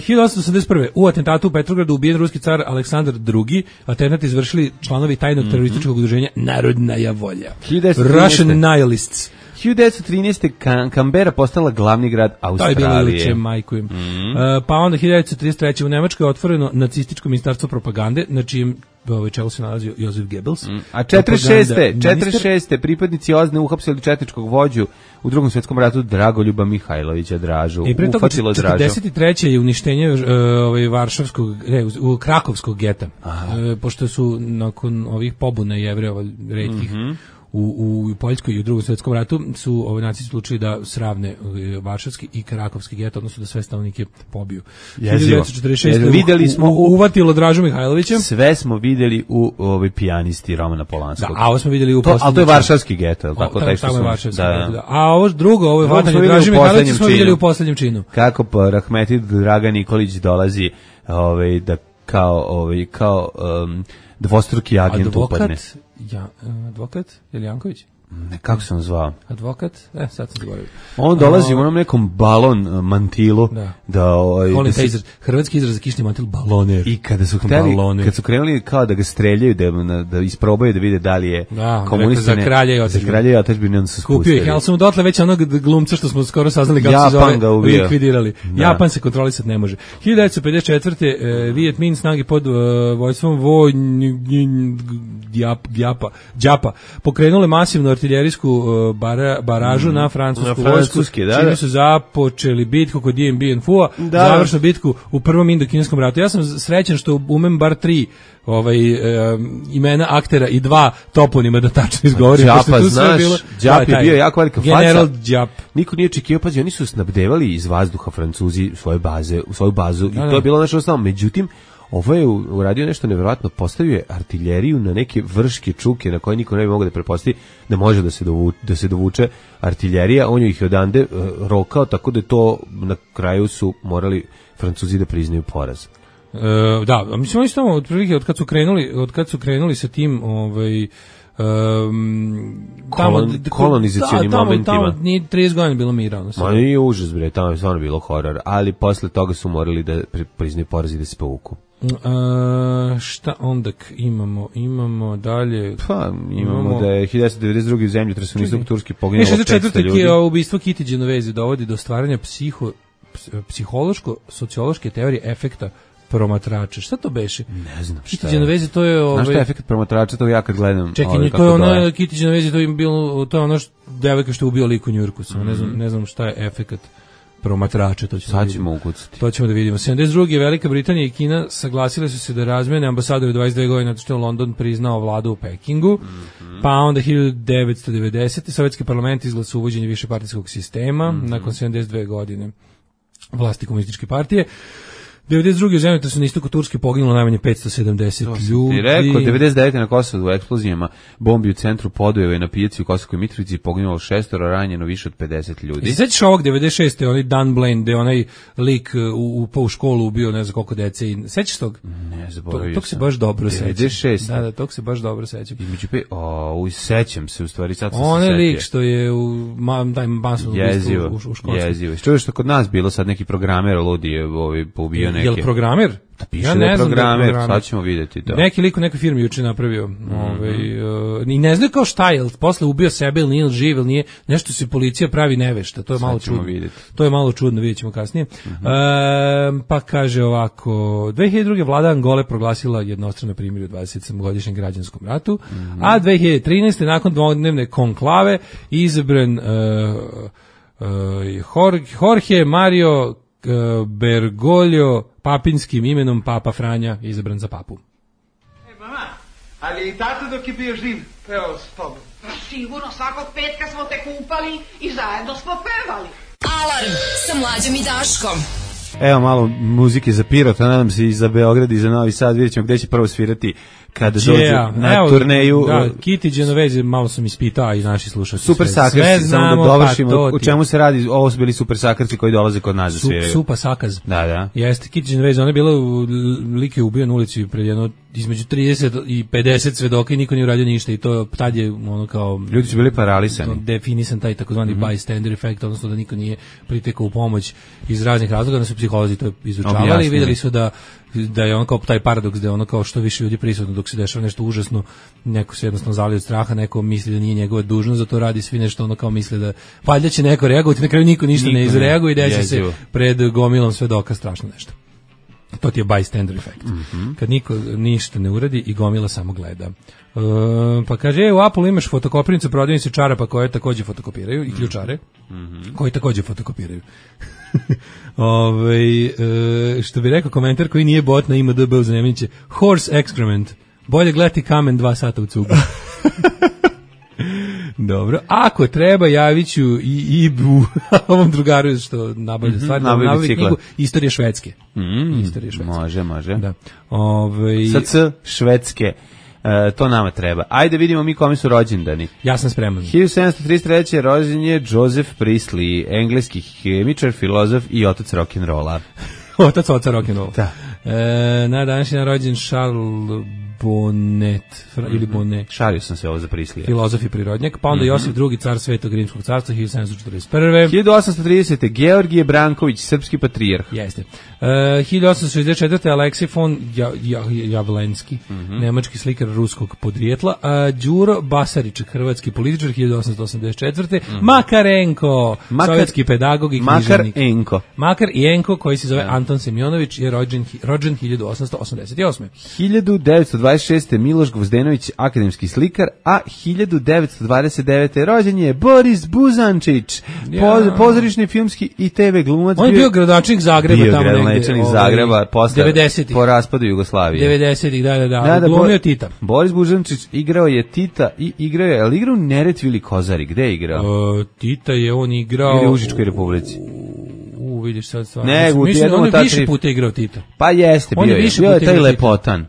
hiljadu osamsto osamdeset prve u atentatu u Petrogradu ubijen ruski car Aleksandar drugi. Atentat izvršili članovi tajnog mm-hmm. terorističkog udruženja Narodnaja volja. Russian Nihilists. hiljadu devetsto trinaeste. Kambera postala glavni grad Australije. To je bilo juče, majkujem. Mm-hmm. Uh, pa onda hiljadu devetsto trideset treće. u Nemačkoj je otvoreno nacističko ministarstvo propagande, na čijem ovaj čelu se nalazio Josef Goebbels. Mm. A četrdeset šeste. četrdeset šeste. pripadnici O Z N E uhapsili četničkog vođu u Drugom svjetskom ratu Dragoljuba Mihajlovića Dražu. I pre toga četrdeset treće. je uništenje uh, ovaj varšavskog, ne, u krakovskog geta. Uh, pošto su nakon ovih pobuna Jevrejeva retkih mm-hmm. U, u Poljskoj i u Drugom svjetskom ratu su ovi nacisti odlučili da sravne varšavski i krakovski geto, odnosno da sve stanovnike pobiju. hiljadu devetsto četrdeset šeste. Videli smo u, u, uvatilo Dražu Mihajlovića. Sve smo videli u ovoj pijanisti Romana Polanskog. Da, a ovo smo videli u to, ali to je varšavski geto, je li tako? O, taj što tamo je smo, varšavski da, geto, da. A ovo drugo, ovo je vatanje Draže Mihajlovića smo videli u poslednjem činu. Kako pa Rahmetli Dragan Nikolić dolazi ovaj, da kao, ovaj, kao um, dvostruki agent advokat, upadne. Ja, advokat Jeljanković? Ne, kako se on zvao? Advokat? E, sad sam zaboravio. On dolazi o, u onom nekom balon mantilu. Da. da, ovaj, Volim da taj izraz, hrvatski izraz za kišni mantil, baloner. I kada su, hteli, kad su krenuli kao da ga streljaju, da, da isprobaju da vide da li je da, komunista. Za kralja i otečbine. Za kralja i otečbine, onda su spustili. Kupio ih, ali sam dotle već onog glumca što smo skoro saznali kako se zove, likvidirali. Da. Japan se kontrolisati ne može. hiljadu devetsto pedeset četvrte. E, Viet Minh snagi pod uh, vojstvom Voj Djapa, Djapa pokrenule masivnu artiljerijsku uh, bara, baražu mm, na francusku na vojsku, da, čime da. su započeli bitku kod Dien Bien Phu, da. završnu bitku u prvom indokineskom ratu. Ja sam srećan što umem bar tri ovaj, um, imena aktera i dva toponima da tačno izgovorim. Djapa, znaš, Djap je bio jako velika faca. General Djap. Niko nije očekivao, pazi, oni su snabdevali iz vazduha Francuzi svoje baze, svoju bazu da, i to je bilo naše osnovno. Međutim, ovo je uradio nešto nevjerojatno, postavio je artiljeriju na neke vrške čuke na koje niko ne bi mogao da prepostavi da može da se dovuče, da se dovuče artiljerija, on ih je odande uh, rokao, tako da to na kraju su morali Francuzi da priznaju poraz. E, da, mislim oni su tamo otprilike od kad su krenuli, od kad su krenuli sa tim, ovaj Um, tamo, Kolon, kolonizacijnim da, tamo, momentima. Tamo nije trideset godina bilo mira. Ma nije užas, bre, tamo je stvarno bilo horor, ali posle toga su morali da priznaju poraz i da se povuku. Uh, šta onda imamo? Imamo dalje... Pa, imamo, imamo da je hiljadu devetsto devedeset druge u zemlju tresonistok Turski poginulo petsto ljudi. Je ubistvo Kitty Genovese dovodi do stvaranja psiho, psihološko-sociološke teorije efekta promatrača. Šta to beše? Ne znam šta Kitty Genovese, to je... Ovaj... Znaš šta je efekt promatrača, to ja kad gledam... Čekaj, ovaj, to je ono, Kitty Genovese, to je bilo, to je ono što devojka što je ubio lik u Njurku, samo mm. ne znam, ne znam šta je efekt promatrača, to ćemo, sad ćemo ukucati. To ćemo da vidimo. sedamdeset druge. Velika Britanija i Kina saglasile su se da razmene ambasadore dvadeset dve godine, zato što je London priznao vladu u Pekingu. Mm-hmm. Pa onda hiljadu devetsto devedesete. Sovjetski parlament izglasao uvođenje višepartijskog sistema mm-hmm. nakon sedamdeset dve godine vlasti komunističke partije. devedeset druge. u zemlji su na istoku Turske poginulo najmanje petsto sedamdeset ljudi. Ti rekao, devedeset devete. na Kosovu u eksplozijama bombi u centru Podujeva i na pijaci u Kosovskoj Mitrovici poginulo šestoro, ranjeno više od pedeset ljudi. Sećaš ovog devedeset šeste. onaj Dan Blaine, gde onaj lik u, u, u školu ubio ne znam koliko dece. I, sećaš tog? Ne, zaboravio to, tog se baš dobro sećam. devedeset šeste. Da, da, tog se baš dobro sećam. Između pe... O, sećam se, u stvari, sad sam on se setio. Onaj lik što je u masovnom ubistvu u, u školstvu. Jezivo, jezivo. Što je što kod nas bilo sad neki programer ludi je ovaj, poubio neki. Jel programer? Da piše ja da je programer, sad ćemo vidjeti to. Neki lik u nekoj firmi juče napravio. Mm-hmm. Ovaj, uh, I ne znaju kao šta je, posle ubio sebe ili nije živ ili nije, nešto se policija pravi nevešta, to je sad malo čudno. Vidjeti. To je malo čudno, vidjet ćemo kasnije. Mm-hmm. Uh, pa kaže ovako, dve hiljade druge vlada Angole proglasila jednostrano primirje u dvadesetsedmogodišnjem građanskom ratu, mm-hmm. a dve hiljade trinaeste nakon dvodnevne konklave izabran uh, uh, Jorge Mario Bergoglio papinskim imenom Papa Franja izabran za papu. E, mama, ali i tato dok je bio živ pevao s tobom? Sigurno, svakog petka smo te kupali i zajedno smo pevali. Alarm sa Mlađom i Daškom. Evo malo muzike za Pirota, nadam se i za Beograd i za Novi Sad, vidjet ćemo gde će prvo svirati kada dođu na evo, turneju. Da, Kiti Genovese, malo sam ispitao i naši slušalci. Super Sakarci, samo da dovršimo, pa u čemu se radi, ovo su bili Super Sakarci koji dolaze kod nas da sviraju. Supa Sakaz. Da, da. Jeste, Kiti Genovese, ona je bila u lik je ubio na ulici pred jedno, između trideset i pedeset svedoka i niko nije uradio ništa i to tad je ono kao... Ljudi su bili paralisani. Definisan taj takozvani mm-hmm. bystander efekt, odnosno da niko nije pritekao u pomoć iz raznih razloga, da su psiholozi to izučavali i vidjeli su da da je ono kao taj paradoks da je ono kao što više ljudi prisutno dok se dešava nešto užasno, neko se jednostavno zali od straha, neko misli da nije njegova dužnost, zato radi svi nešto ono kao misle da valjda će neko reagovati, na kraju niko ništa niko ne izreaguje i desi se pred gomilom svedoka strašno nešto. To ti je bystander efekt. Mm-hmm. Kad niko ništa ne uradi i gomila samo gleda. E, pa kaže, e, u Apple imaš fotokopirnicu, prodavnice čarapa koje takođe fotokopiraju i ključare mm-hmm. koji takođe fotokopiraju. Ove, e, što bi rekao komentar koji nije bot na I M D B u Zanjemniće, horse excrement, bolje gledati kamen dva sata u cugu. Dobro, ako treba javit ću i Ibu, ovom drugaru što nabavlja mm-hmm, stvari, nabavlja knjigu Istorija Švedske. Mm, Istorija Švedske. Može, može. Da. Ove, S C Švedske. E, to nama treba. Ajde vidimo mi kome su rođendani. Ja sam spreman. hiljadu sedamsto trideset treće rođen je Joseph Priestley, engleski hemičar, filozof i otac rock'n'rolla. Otac oca rock'n'rolla. Da. E, na današnji dan rođen Charles Bonnet, mm-hmm. ili Bonnet. Šario sam se ovo za Priestley. Filozof i prirodnjak, pa onda mm-hmm. Josip drugi, car Svetog Rimskog carstva, hiljadu sedamsto četrdeset prve. hiljadu osamsto tridesete. Georgije Branković, srpski patrijarh. Jeste. Uh, hiljadu osamsto šezdeset četvrte. Aleksej von ja, ja, Javlenski, mm-hmm. nemački slikar ruskog podrijetla. Uh, Đuro Basarić, hrvatski političar, hiljadu osamsto osamdeset četvrte. Mm-hmm. Makarenko, Makar, sovjetski pedagog i književnik. Makarenko. Makar i Enko, koji se zove Anton Semjonović, je rođen, rođen hiljadu osamsto osamdeset osme. hiljadu devetsto dvadeset šeste. Miloš Gvozdenović, akademski slikar, a hiljadu devetsto dvadeset devete. rođen je Boris Buzančić, ja. pozorišni, filmski i te ve glumac. On je bio gradonačelnik Zagreba bio tamo negde. Gradonačelnik Zagreba posle devedesetih po raspadu Jugoslavije. devedesetih da, da, da. da, da glumio Tita. Boris Buzančić igrao je Tita i igrao je, ali igrao u Neretvi ili Kozari, gde je igrao? Uh, Tita je on igrao... Ili u Užičkoj republici. U, vidiš sad stvar. Ne, u mislim, on je više puta igrao Tita. Pa jeste, bio je, bio je taj lepotan.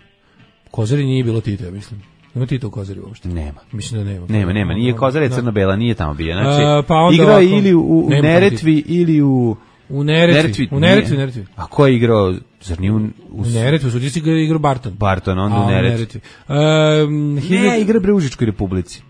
Kozari nije bilo Tita, ja mislim. Nema Tita u Kozari uopšte. Nema. Mislim da nema. Nema, nema. Nije Kozara je crno-bela, nije tamo bio. Znači, A, pa igrao je ili u, u Neretvi ili u... U Neretvi. U Neretvi, Neretvi. A ko je igrao? Zar nije u... U Neretvi, su ti si igrao Barton. Barton, onda u Neretvi. Um, ne, igra bre u Užičkoj republici.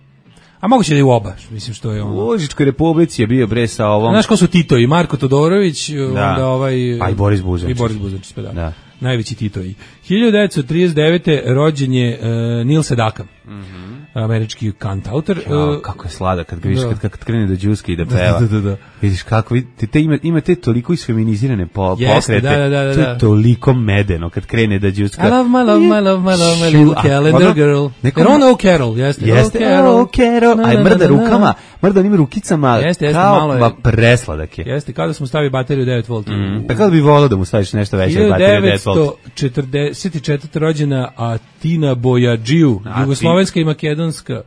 A moguće da je u oba, mislim što je ono. U Užičkoj republici je bio bre sa ovom... Znaš ko su Tito i Marko Todorović, da. Onda ovaj... Pa i Boris Buzančić. I Boris Buzančić, pa da. Da. Najveći Titoji. hiljadu devetsto trideset devete. rođen je uh, Neil Sedaka, mm-hmm. američki kantautor. Ja, kako je sladak kad vidiš, kad, kad krene da džuska i da peva. Da, da, da. Vidiš kako, vidite, te ima, imate toliko isfeminizirane po, Jeste, pokrete, da, da, da, to je toliko medeno kad krene da džuska. I love my love, my love, my love, my little calendar girl. Jer on O Carol, jeste. Jeste, O Carol. Aj mrda rukama, mrda onim rukicama, jeste, jeste, kao malo je, presladak je. Jeste, kao da smo stavili bateriju devet volti. Mm. Pa kada bi volao da mu staviš nešto veće od baterije devet volti. hiljadu devetsto četrdeset četvrte. rođena Atina Bojađiju, jugoslovenska i makedonska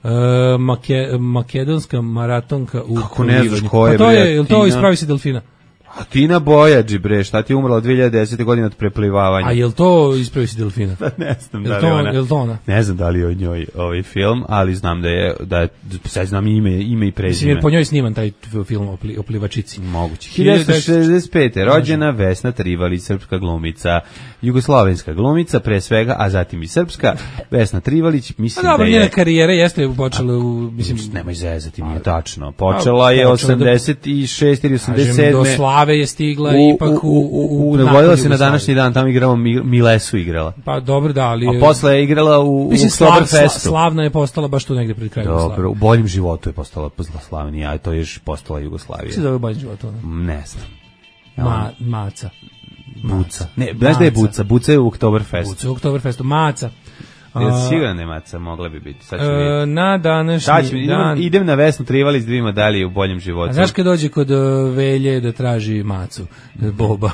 uh, make, makedonska maratonka u kako ne znaš ko je, pa to je, je to ispravi se delfina? Atina Bojađi, bre, šta ti je umrla od dve hiljade desete. godine od preplivavanja. A je li to ispravi se delfina? Ne znam jel da to, li ona. Je li to ona? Ne znam da li je o njoj ovaj film, ali znam da je, da je, sad znam ime, ime i prezime. Mislim, jer po njoj sniman taj film o, pli, o plivačici. Moguće. hiljadu devetsto šezdeset pete. rođena Vesna Trivalić, srpska glumica, jugoslovenska glumica, pre svega, a zatim i srpska. Vesna Trivalić, mislim a, dobro, da je... njena karijera jeste počela u... Mislim, nemoj zezati, nije tačno. Počela je osamdeset šeste ili osamdeset sedme. Do Save je stigla u, ipak u... u, u navodila se na današnji dan, tamo igramo Milesu igrala. Pa dobro, da, ali... A posle je igrala u, u Oktoberfestu. Sla, slavna je postala baš tu negde pred krajem Jugoslavije. Dobro, u boljem životu je postala slavnija, a to je još postala Jugoslavija. Kako se zove boljem životu? Ne znam. Ma, maca. Buca. Ne, znaš da je Buca? Buca je u Oktoberfestu. Buca u Oktoberfestu. Maca. Ja sigurno ne maca, mogla bi biti. Sad ću e, na današnji dan... Idem na Vesnu Trivali s dvije medalje u boljem životu. A znaš kad dođe kod uh, Velje da traži macu? Boba.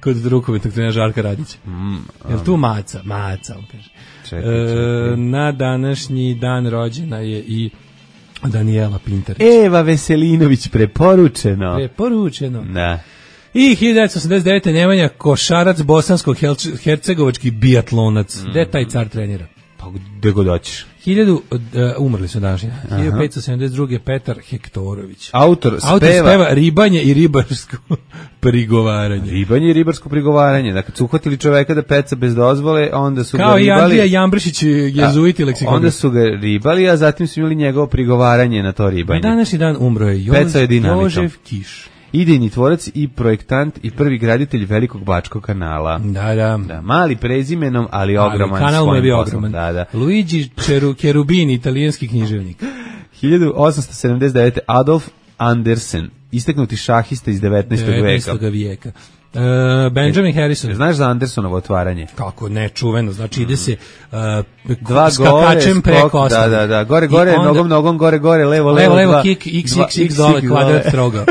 Kod rukometnog trenera Žarka Radića. Mm, um. Jel tu maca? Maca, on kaže. Čekaj, čekaj. E, na današnji dan rođena je i Danijela Pintarić. Eva Veselinović, preporučeno. Preporučeno. Da. I hiljadu devetsto osamdeset devete. Nemanja Košarac, bosansko-hercegovački biatlonac. Mm. Gde taj car trenira? Pa gde god hoćeš. Hiljadu, uh, umrli su današnji. hiljadu petsto sedamdeset druge. Petar Hektorović. Autor speva. Autor speva Ribanje i ribarsko prigovaranje. Ribanje i ribarsko prigovaranje. Dakle, su uhvatili čoveka da peca bez dozvole, onda su Kao ga ribali. Kao i Andrija Jambrišić, jezuiti leksikograf. Onda su ga ribali, a zatim su imali njegovo prigovaranje na to ribanje. Na današnji dan umro je Jožef Kiš. Idejni tvorac i projektant i prvi graditelj Velikog Bačkog kanala. Da, da. Da, mali prezimenom, ali ogroman. Ali kanal mu je bio poslom. ogroman. Da, da. Luigi Cherubini, italijanski književnik. hiljadu osamsto sedamdeset devete. Adolf Andersen, istaknuti šahista iz devetnaestog veka. devetnaestog vijeka. Uh, Benjamin Harrison. Znaš za Andersonovo otvaranje? Kako ne, čuveno. Znači ide se uh, dva skakačem gore, preko skok, osnove. Da, da, da. Gore, gore, onda, nogom, nogom, gore, gore, levo, levo, levo, levo, dva, kick, x, dva, x, x, dole, kvadrat, stroga.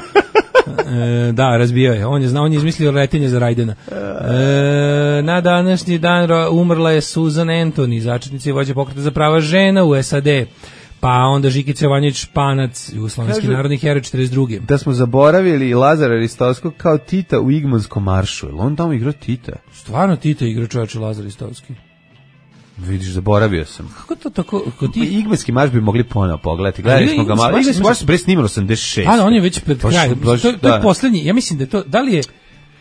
E, da, razbio je. On je znao, on je izmislio letenje za Rajdena. E, na današnji dan umrla je Susan Anthony, začetnica i vođa pokreta za prava žena u S A D. Pa onda Žikica Jovanović Španac, jugoslovenski narodni heroj četrdeset druge. Da smo zaboravili Lazara Ristovskog kao Tita u Igmanskom maršu. Jel on tamo igrao Tita? Stvarno Tita igra čovječe Lazar Ristovski. Vidiš, zaboravio sam. Kako to tako? Kod ti... Igmanski marš bi mogli ponovo pogledati. Gledali smo ga malo. Igmanski marš se bre snimalo osamdeset šest. A, on je već pred krajem. To, to je da. Poslednji. Ja mislim da je to, da li je...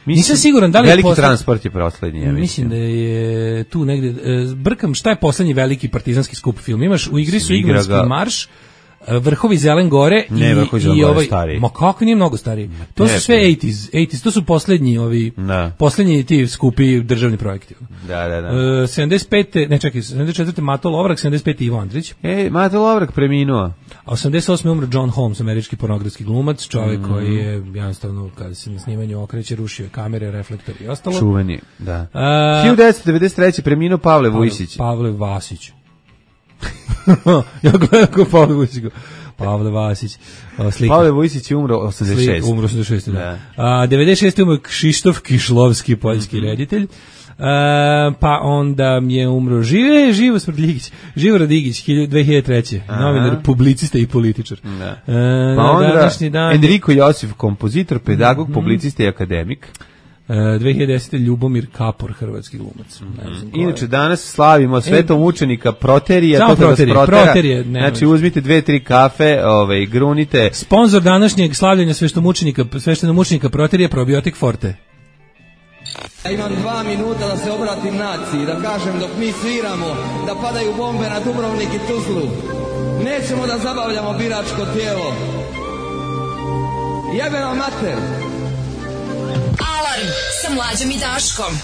Mislim, nisam siguran da li je veliki poslednji... transport je poslednji, ja mislim. Mislim da je tu negde... Brkam, šta je poslednji veliki partizanski skup film? Imaš, u igri su Igmanski marš, Vrhovi Zelen gore i, ne, Vrhovi Zelen gore stariji. Ma kako nije mnogo stariji? To ne, su sve osamdeset, osamdeset, to su poslednji ovi, da. Poslednji ti skupi državni projekti. Da, da, da. Uh, sedamdeset pete, ne čekaj, sedamdeset četvrte Mato Lovrak, sedamdeset pete Ivo Andrić. E, Mato Lovrak preminuo. A osamdeset osme umro John Holmes, američki pornografski glumac, čovjek mm. koji je jednostavno, kada se na snimanju okreće, rušio kamere, reflektori i ostalo. Čuveni, da. Uh, hiljadu devetsto devedeset treće preminuo Pavle Vujsić. Pavle Vasić. Ja gledam ko Pavle Vujsić. Pavle Vasić. Slika. Pavle Vujsić je umro osamdeset šeste. Slika, umro osamdeset šeste, da. da. A, devedeset šeste umro Kšištof Kišlovski, poljski mm-hmm. reditelj. A, pa onda je umro Žive, Živo Smrdljigić, Živo Radigić, dve hiljade treće. Novinar, publicista i političar. Da. A, pa onda dan... Enrico Josif, kompozitor, pedagog, mm-hmm. publicista i akademik. dve hiljade desete. Ljubomir Kapor, hrvatski glumac. Mm-hmm. Inače, danas slavimo svetom učenika Proterija. Samo Proterije, Proterije. Znači, uzmite dve, tri kafe, ove, grunite. Sponzor današnjeg slavljanja sveštenomučenika, sveštenomučenika Proterija, Probiotik Forte. Ja imam dva minuta da se obratim naciji, da kažem dok mi sviramo, da padaju bombe na Dubrovnik i Tuzlu. Nećemo da zabavljamo biračko tijelo. Jebe vam mater! Alarm sa Mlađom i Daškom.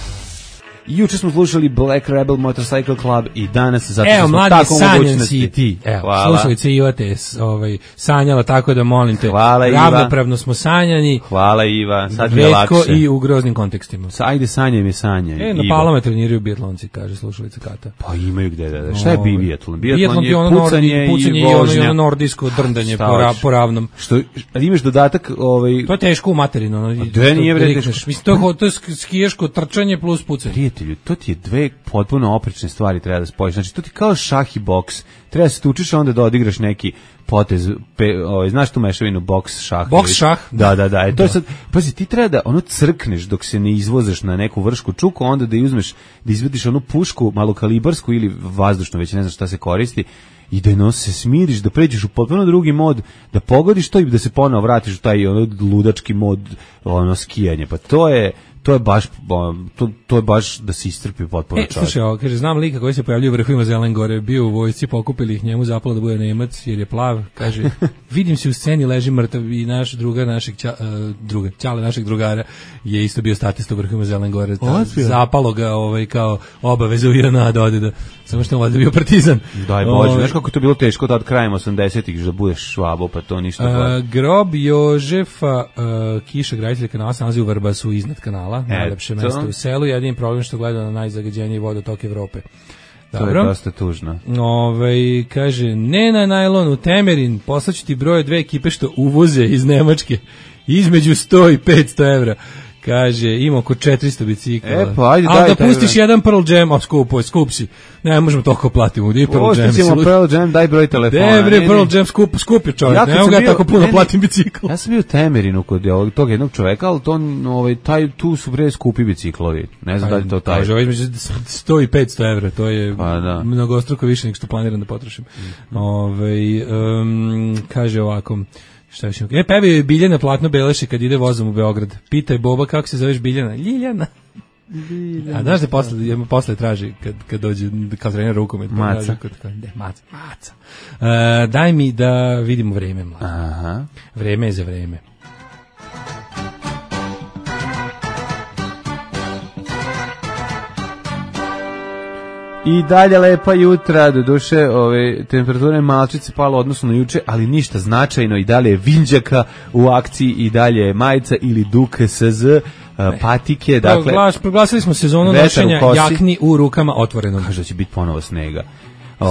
Juče smo slušali Black Rebel Motorcycle Club i danas zato evo, smo tako u mogućnosti. Evo, mladi, sanjan si ti. Evo, slušalice Iva te ovaj, sanjala, tako da molim te. Hvala, Iva. Ravnopravno smo sanjani. Hvala, Iva. Sad mi je lakše. Retko i u groznim kontekstima. Ajde, sanjaj mi sanjaj. E, na Palome treniraju bijatlonci, kaže slušalica Kata. Pa imaju gde da da. Šta je bi bijatlon? Bijatlon je ono pucanje, pucanje i ono, i ono nordijsko drndanje po, ra, po ravnom. Što, imaš dodatak... Ovaj... To je teško u materinu. Ono, dve nije vre teško. Mislim, to je, to je skijaško trčanje plus pucanje. Prijatelju, to ti je dve potpuno oprečne stvari treba da spojiš. Znači, to ti kao šah i boks. Treba da se tučiš, onda da odigraš neki potez, pe, ovaj, znaš tu mešavinu boks, šah. Boks, šah? Da, da, da. E, to je sad, pazi, ti treba da ono crkneš dok se ne izvozeš na neku vršku čuku, onda da uzmeš, da izvediš onu pušku, malokalibarsku ili vazdušnu, već ne znam šta se koristi, i da no, se smiriš, da pređeš u potpuno drugi mod, da pogodiš to i da se ponovo vratiš u taj ono ludački mod ono skijanje. Pa to je to je baš to, to je baš da se iscrpi potpuno e, čovjek. Slušaj, ovo, kaže, znam lika koji se pojavljuje u vrhovima Zelen Gore, bio u vojsci, pokupili ih, njemu zapalo da bude Nemac jer je plav, kaže, vidim se u sceni, leži mrtav i naš druga, našeg ča, uh, druga, ćale našeg drugara je isto bio statista u vrhovima Zelen Gore, ta, zapalo ga ovaj, kao obaveza u J N A da ode da, samo što on bio partizan. Daj Bože, znaš kako je to bilo teško da od krajem osamdesetih da budeš švabo, pa to ništa. Uh, grob Jožefa uh, Kiša, graditelja kanala, se nalazi u Vrbasu iznad kanala, e, najlepše to? mesto u selu, jedin problem što gleda na najzagađeniji vodotok Evrope. Dobro. To je dosta tužno. Ove, kaže, ne na najlon u Temerin, poslaću ti broje dve ekipe što uvoze iz Nemačke, između sto i petsto evra. Kaže, ima oko četiristo bicikla. E, pa, ajde, ali daj, da taj pustiš broj. jedan Pearl Jam, a skupo je, skup si. Ne, možemo toliko platimo. Di Pearl Jam? Pustićemo Pearl Jam, daj broj telefona. De, bre, Pearl Jam, skup, skup je čovjek. Ja ne mogu ja tako puno ne, platim bicikl. Ja sam bio u Temerinu kod ovog, tog jednog čoveka, ali to, ovaj, taj, tu su bre skupi biciklovi. Ne znam da li to taj. Kaže, ovo između sto i petsto evra, to je pa, da. mnogostruko više nego što planiram da potrošim. Mm. Ove, um, kaže ovako, šta više? E, pevio je Biljana Platno Beleše kad ide vozom u Beograd. Pitaj Boba kako se zoveš Biljana. Ljiljana. Biljana. A znaš da posle, posle traži kad, kad dođe kao trener rukomet. Maca. Kod, ne, maca. maca. Uh, daj mi da vidimo vreme, mlad. Aha. Vreme je za vreme. I dalje lepa jutra, do duše ove, temperatura je malčice pala odnosno na juče, ali ništa značajno, i dalje je vinđaka u akciji, i dalje je majica ili Duke S Z, patike, dakle... Glas, proglasili smo sezonu nošenja jakni u rukama otvorenom. Kaže da će biti ponovo snega.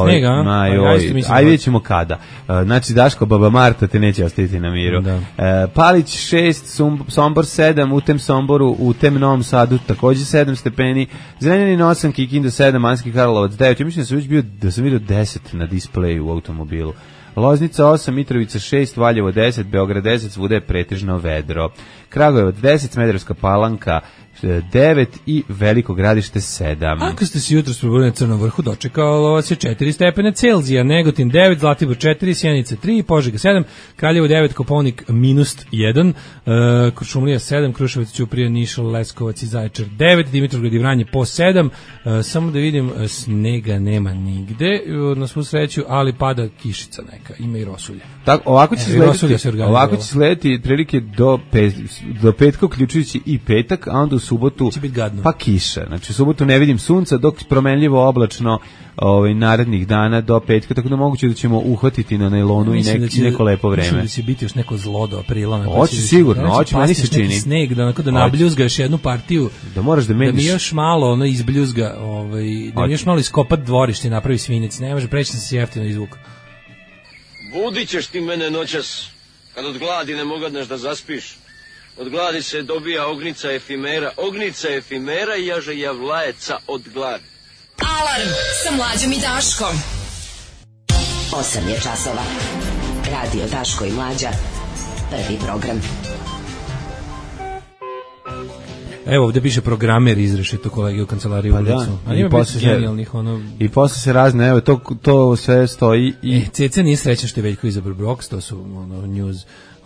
Snega, a? Aj, oj, aj vidjet ćemo kada. Znači, Daško, Baba Marta te neće ostaviti na miru. Da. E, Palić šest, Sombor sedam, u tem Somboru, u tem Novom Sadu takođe sedam stepeni, Zrenjanin osam, Kikinda sedam, Manski Karlovac devet. Ja mislim da sam već bio, da sam vidio deset na displeju u automobilu. Loznica osam, Mitrovica šest, Valjevo deset, Beograd deset, svuda je pretežno vedro. Kragujevac deset, Smederevska Palanka devet i Veliko Gradište sedam. Ako ste se jutros probudili na Crnom vrhu, dočekalo vas je četiri stepene Celzija, Negotin devet, Zlatibor četiri, Sjenica tri, Požega sedam, Kraljevo devet, Kopaonik minus jedan, uh, Kuršumlija sedam, Kruševac, Ćuprija, Niš, Leskovac i Zaječar devet, Dimitrovgrad i Vranje po sedam, uh, samo da vidim, snega nema nigde, na svu sreću, ali pada kišica neka, ima i rosulje. Tako, ovako će slediti, ovako će slediti prilike do, pet, do petka, uključujući i petak, a onda u subotu pa kiša. Znači u subotu ne vidim sunca, dok promenljivo oblačno ovaj narednih dana do petka, tako da moguće da ćemo uhvatiti na nailonu i nek, će, neko lepo vreme. Mislim da će biti još neko zlo do aprila. Hoće sigurno, hoće, meni se čini. Sneg, da onako da nabljuzga još jednu partiju. Da moraš da meniš. Da mi još malo ono izbljuzga, ovaj, da mi još malo iskopat dvorište i napravi svinjec. Ne može preći da se jeftino izvuka. Budit ćeš ti mene noćas, kad od gladi ne mogadneš da zaspiš. Od gladi se dobija ognica efimera, ognica efimera i jaže javlajeca od gladi. Alarm sa Mlađom i Daškom. osam je časova. Radio Daško i Mlađa. Prvi program. Evo ovdje piše programer izrešito kolege u kancelariji pa ulicu. Da, a ima biti genijalnih ono... I posle se razne, evo to, to sve stoji. I... E, Ceca nije srećan što je Veljko izabrao Brox, to su ono, news.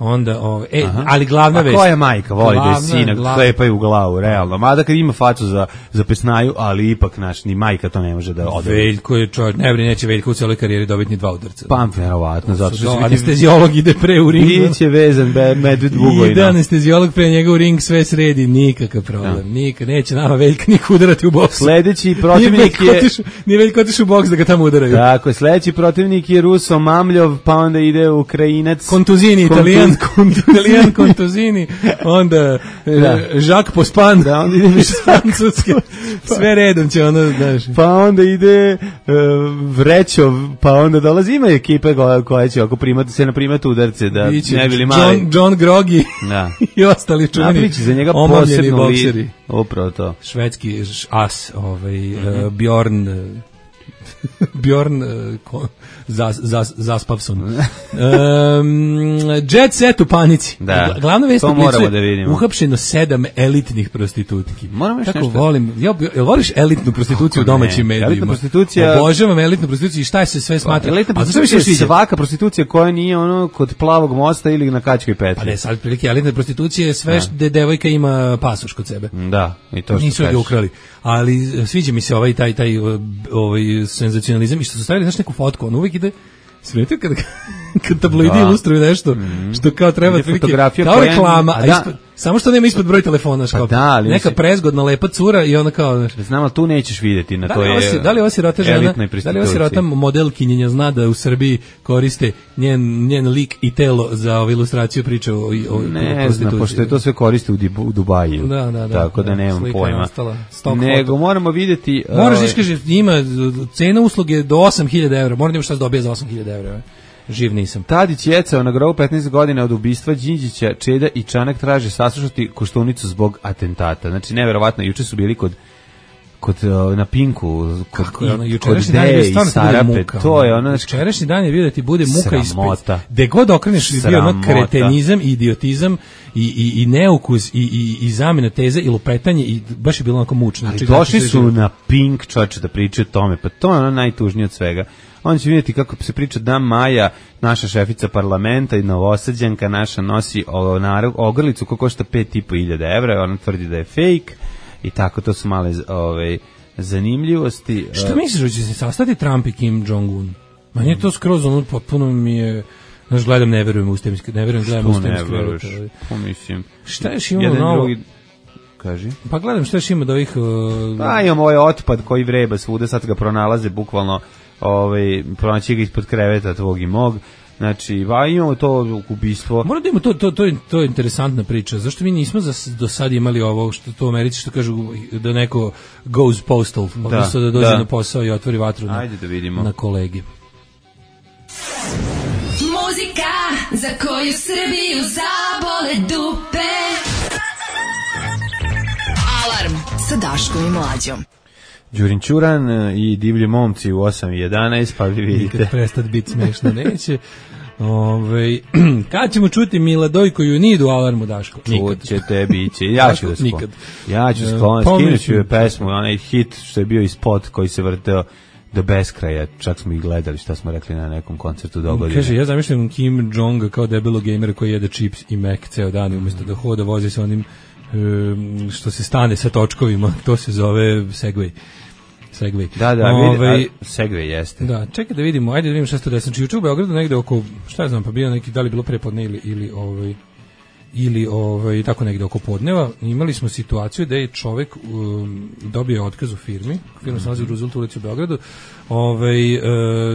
Onda, ove, e, aha, ali glavna vest. A koja majka voli da je sina klepaju u glavu, realno. Mada kad ima facu za, za pesnaju, ali ipak naš, ni majka to ne može da ode. Veljko je čovjek, ne brini, neće Veljko u celoj karijeri dobiti ni dva udarca. Pa, verovatno, zato što do, anestezijolog ide pre u ring. Biće vezan be, medved Bugojna. Ide anestezijolog pre njega u ring, sve sredi, nikakav problem. Ja. Nikad, neće nama Veljka niko udarati u boks. Sledeći protivnik je... Nije Veljko otišao u boks da ga tamo udaraju. Tako, sledeći protivnik je Ruso Mamljov, pa onda ide Ukrajinac. Kontuzini, Italijan, kontuzini. Ian Kontuzini, onda da. Jacques Pospan, da, onda ide više francuske, sve redom će ono, znaš. Pa onda ide uh, Vrećov, pa onda dolazi, ima ekipe koja, koja će ako primati se na primati udarce, da Biće ne bili mali. John, John Grogi da. i ostali čuveni napriči za njega posebno bokseri. Upravo to. Švedski as, ovaj, mm-hmm. uh, Bjorn... Bjorn uh, zas, zas, Zaspavson. um, Jet set u panici. Da. Glavna vest to moramo da vidimo. Uhapšeno sedam elitnih prostitutki. Moramo još Tako nešto. volim. Ja, jel voliš elitnu prostituciju u domaćim medijima? Elitna prostitucija. Obožavam elitnu prostituciju i šta se sve smatra. Elitna prostitucija je svaka prostitucija koja nije ono kod Plavog mosta ili na Kačkoj petlji. Pa ne, sad prilike elitna prostitucija je sve gde devojka ima pasoš kod sebe. Da, i to što nisu ga ukrali. Ali sviđa mi se ovaj taj taj ovaj senzacionalizam i što su stavili znaš neku fotku, on uvijek ide smijete kad, kad tabloidi ilustruju nešto mm. što kao treba prilike, kao reklama, a ispod, samo što nema ispod broj telefona, pa da, neka si... prezgodna lepa cura i ona kao... Znam, ali tu nećeš vidjeti, na da to je si, da li ova sirota žena, da li ova sirota modelkinjenja zna da u Srbiji koriste njen, njen lik i telo za ovu ilustraciju priče o, o ne znam, pošto je to sve koriste u, u Dubaju, da, da, da, tako da, da nemam pojma. Nego foto. Moramo vidjeti... Moraš iskaži, ima cena usluge do osam hiljada evra, moram da ima šta se dobije za osam hiljada evra. Živ nisam. Tadić jecao na grobu petnaest godina od ubistva Đinđića, Čeda i Čanak traže saslušati Koštunicu zbog atentata. Znači, neverovatno, juče su bili kod kod na Pinku, kod, je ono, kod Deje i Sarape, to je ono... Jučerašnji dan je bio da ti bude muka ispred. Gde god okreneš je bio ono kretenizam, idiotizam i, i, i neukus i, i, i zamena teze i lupetanje i baš je bilo onako mučno. Ali došli su na Pink, čoče, da pričaju o tome, pa to je ono najtužnije od svega. On će vidjeti kako se priča da Maja, naša šefica parlamenta i Novosađanka, naša nosi ogrlicu koja košta pet i po hiljada evra, ona tvrdi da je fake i tako, to su male ove, zanimljivosti. Šta misliš da će se sastati Trump i Kim Jong-un? Manje je to skroz, ono potpuno mi je... Znaš, gledam, ne verujem u ustemski, ne verujem, gledam ustemski. Što ne veruješ? Pa mislim... Šta još imamo novo? Drugi... Kaži. Pa gledam šta još ima da ovih... Uh... Pa imamo ovaj otpad koji vreba svuda, sad ga pronalaze bukvalno, ovaj, pronaći ga ispod kreveta tvog i mog. Znači, va, imamo to ubistvo. Moram da imamo, to, to, to, je, to je interesantna priča. Zašto mi nismo za, do sad imali ovo, što to u Americi što kažu da neko goes postal, odnosno da, da dođe da. na posao i otvori vatru na, Ajde da vidimo. na kolegi. Muzika za koju Srbiju zabole dupe. Alarm sa Daškom i Mlađom. Đurin Ćuran i divlji momci u osam i jedanaest, pa vi vidite. Nikad prestat biti smešno neće. Ove, kad ćemo čuti Miladojko Junidu u Alarmu, Daško? Čut ćete, bit će. Ja ću da sklon. Ja ću sklon, skinut ću je pesmu, onaj hit što je bio i spot koji se vrteo do beskraja, čak smo ih gledali šta smo rekli na nekom koncertu dogodine. Kaže, ja zamišljam Kim Jong kao debelo gamera koji jede čips i Mac ceo dan, umjesto da hoda vozi sa onim um, što se stane sa točkovima, to se zove Segway. Segway. Da, da, Ove, vidi, a, Segway jeste. Da, čekaj da vidimo, ajde da vidimo šta se to desilo. Znači, juče u Beogradu negde oko, šta ja znam, pa bio neki, da li bilo prepodne ili, ili ovaj, ili ovaj, tako negde oko podneva, imali smo situaciju da je čovek um, dobio otkaz u firmi, firma se nalazi u Roosevelt ulici u Beogradu, ovaj, uh,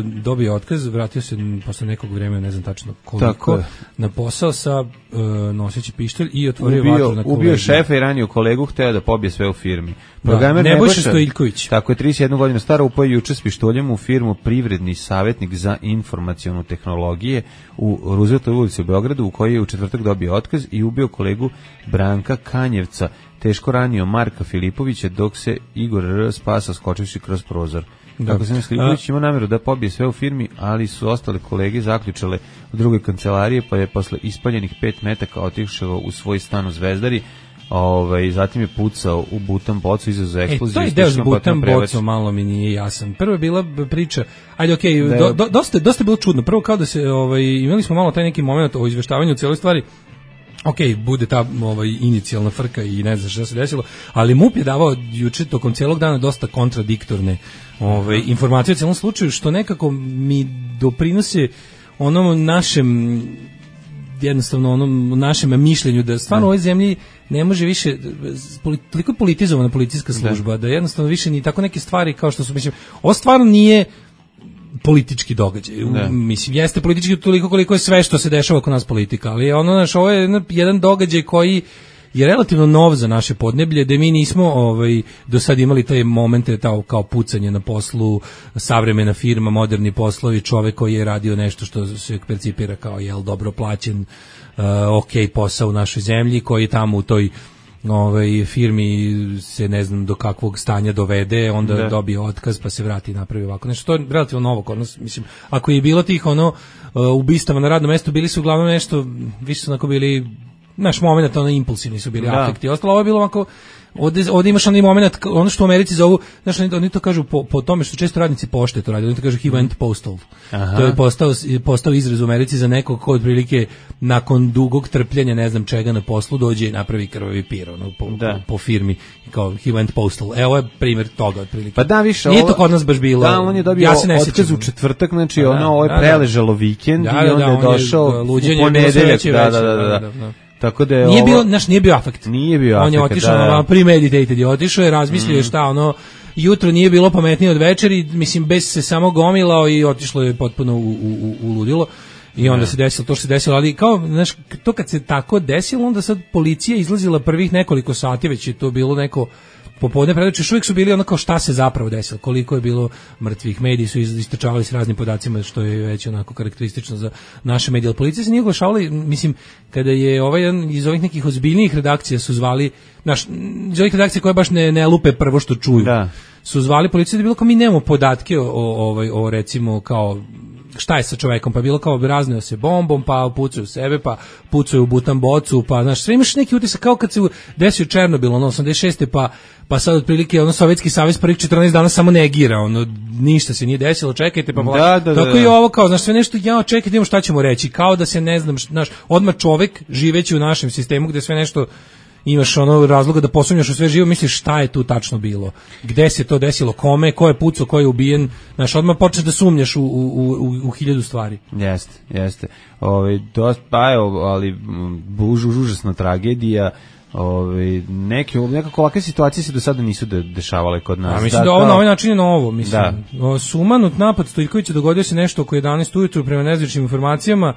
dobio otkaz, vratio se posle nekog vremena, ne znam tačno koliko, na posao sa uh, noseći pištolj i otvorio ubio, vatru na kolegu. Ubio šefa i ranio kolegu, hteo da pobije sve u firmi. Programer da, Nebojša Stojiljković. Tako je, trideset jedna godina stara, upao juče s pištoljem u firmu Privredni savjetnik za informacionu tehnologije u Rooseveltovoj ulici u Beogradu, u kojoj je u četvrtak dobio otkaz i ubio kolegu Branka Kanjevca, teško ranio Marka Filipovića, dok se Igor R. spasa skočivši kroz prozor. Kako se Filipović ima namjeru da pobije sve u firmi, ali su ostale kolege zaključale u drugoj kancelarije, pa je posle ispaljenih pet metaka otišao u svoj stan u Zvezdari. Ovaj, zatim je pucao u butan bocu, izazvao eksploziju. E, to je deo s butan bocom, malo mi nije jasan. Prvo je bila priča, ajde okej, okay, do, do, dosta, dosta je bilo čudno. Prvo kao da se, ovaj, imali smo malo taj neki moment o izveštavanju u cijeloj stvari. Ok, bude ta ovaj, inicijalna frka i ne znam šta se desilo, ali MUP je davao juče tokom cijelog dana dosta kontradiktorne ovaj, informacije u cijelom slučaju, što nekako mi doprinose onom našem jednostavno onom našem mišljenju da stvarno u ovoj zemlji ne može više, toliko je politizovana policijska služba, da. da jednostavno više ni tako neke stvari kao što su, mislim, ovo stvarno nije politički događaj. Ne. Mislim, jeste politički toliko koliko je sve što se dešava kod nas politika, ali ono, znaš, ovo je jedan događaj koji je relativno nov za naše podneblje, da mi nismo ovaj, do sad imali taj momente tao, kao pucanje na poslu, savremena firma, moderni poslovi, čovek koji je radio nešto što se percipira kao jel, dobro plaćen, uh, ok posao u našoj zemlji, koji je tamo u toj ovaj firmi se ne znam do kakvog stanja dovede, onda da. dobije otkaz pa se vrati i napravi ovako. Nešto to je relativno novo kod nas, mislim. Ako je bilo tih ono ubistava na radnom mestu, bili su uglavnom nešto, više su onako bili, naš moment, ono impulsivni su bili, da. Afekti. Ostalo ovo je bilo ovako, ovde, ovde imaš onaj moment, ono što u Americi zovu, znaš, oni to kažu po, po tome što često radnici pošte to radi, oni to kažu he went postal. Aha. To je postao, postao izraz u Americi za nekog ko otprilike nakon dugog trpljenja, ne znam čega na poslu, dođe i napravi krvavi pir, ono, po, po, po firmi, kao he went postal. Evo ovo je primjer toga otprilike. Pa da, više, nije to kod nas baš bilo. Da, on je dobio ja se ne otkaz u četvrtak, znači da, ono, ovo je da, preležalo vikend da, i onda da, je došao u ponedeljak. Da, da, da, da. da. Tako da je nije ovo, bio, naš nije bio afekt. Nije bio afekt. On je otišao da, da. premeditated, je otišao i razmislio mm. šta ono, jutro nije bilo pametnije od večeri, mislim bez se samo gomilao i otišlo je potpuno u, u, u ludilo. I onda ne. se desilo to što se desilo, ali kao, znaš, to kad se tako desilo, onda sad policija izlazila prvih nekoliko sati, već je to bilo neko popodne predoče, još uvijek su bili ono kao šta se zapravo desilo, koliko je bilo mrtvih, mediji su istračavali s raznim podacima, što je već onako karakteristično za naše medije, ali policija se nije oglašavala, mislim, kada je ovaj iz ovih nekih ozbiljnijih redakcija su zvali, naš, iz ovih redakcija koje baš ne, ne lupe prvo što čuju, da. su zvali policiju da je bilo kao mi nemamo podatke o, o, o, o recimo kao šta je sa čovekom, pa bilo kao razneo se bombom, pa pucaju sebe, pa pucaju u butan bocu, pa znaš, sve imaš neki utisak kao kad se desio Černobil, ono, osamdeset šeste pa, pa sad otprilike, ono, Sovjetski savez prvih četrnaest dana samo negira, ono, ništa se nije desilo, čekajte, pa da, da, tako da. i ovo, kao, znaš, sve nešto, ja, čekajte, imamo šta ćemo reći, kao da se, ne znam, znaš, odmah čovek, živeći u našem sistemu, gde sve nešto imaš ono razloga da posumnjaš u sve živo, misliš šta je tu tačno bilo, gde se to desilo, kome, ko je pucao, ko je ubijen, znaš, odmah počneš da sumnjaš u, u, u, u hiljadu stvari. Jeste, jeste. Ove, dosta, pa evo, ali buž, užasna tragedija. Ove, neke, nekako ovakve situacije se do sada nisu de, dešavale kod nas. A mislim da, da ovo na ovaj način je novo, mislim. Da. Sumanut napad Stojkovića, dogodio se nešto oko jedanaest ujutru prema nezvaničnim informacijama.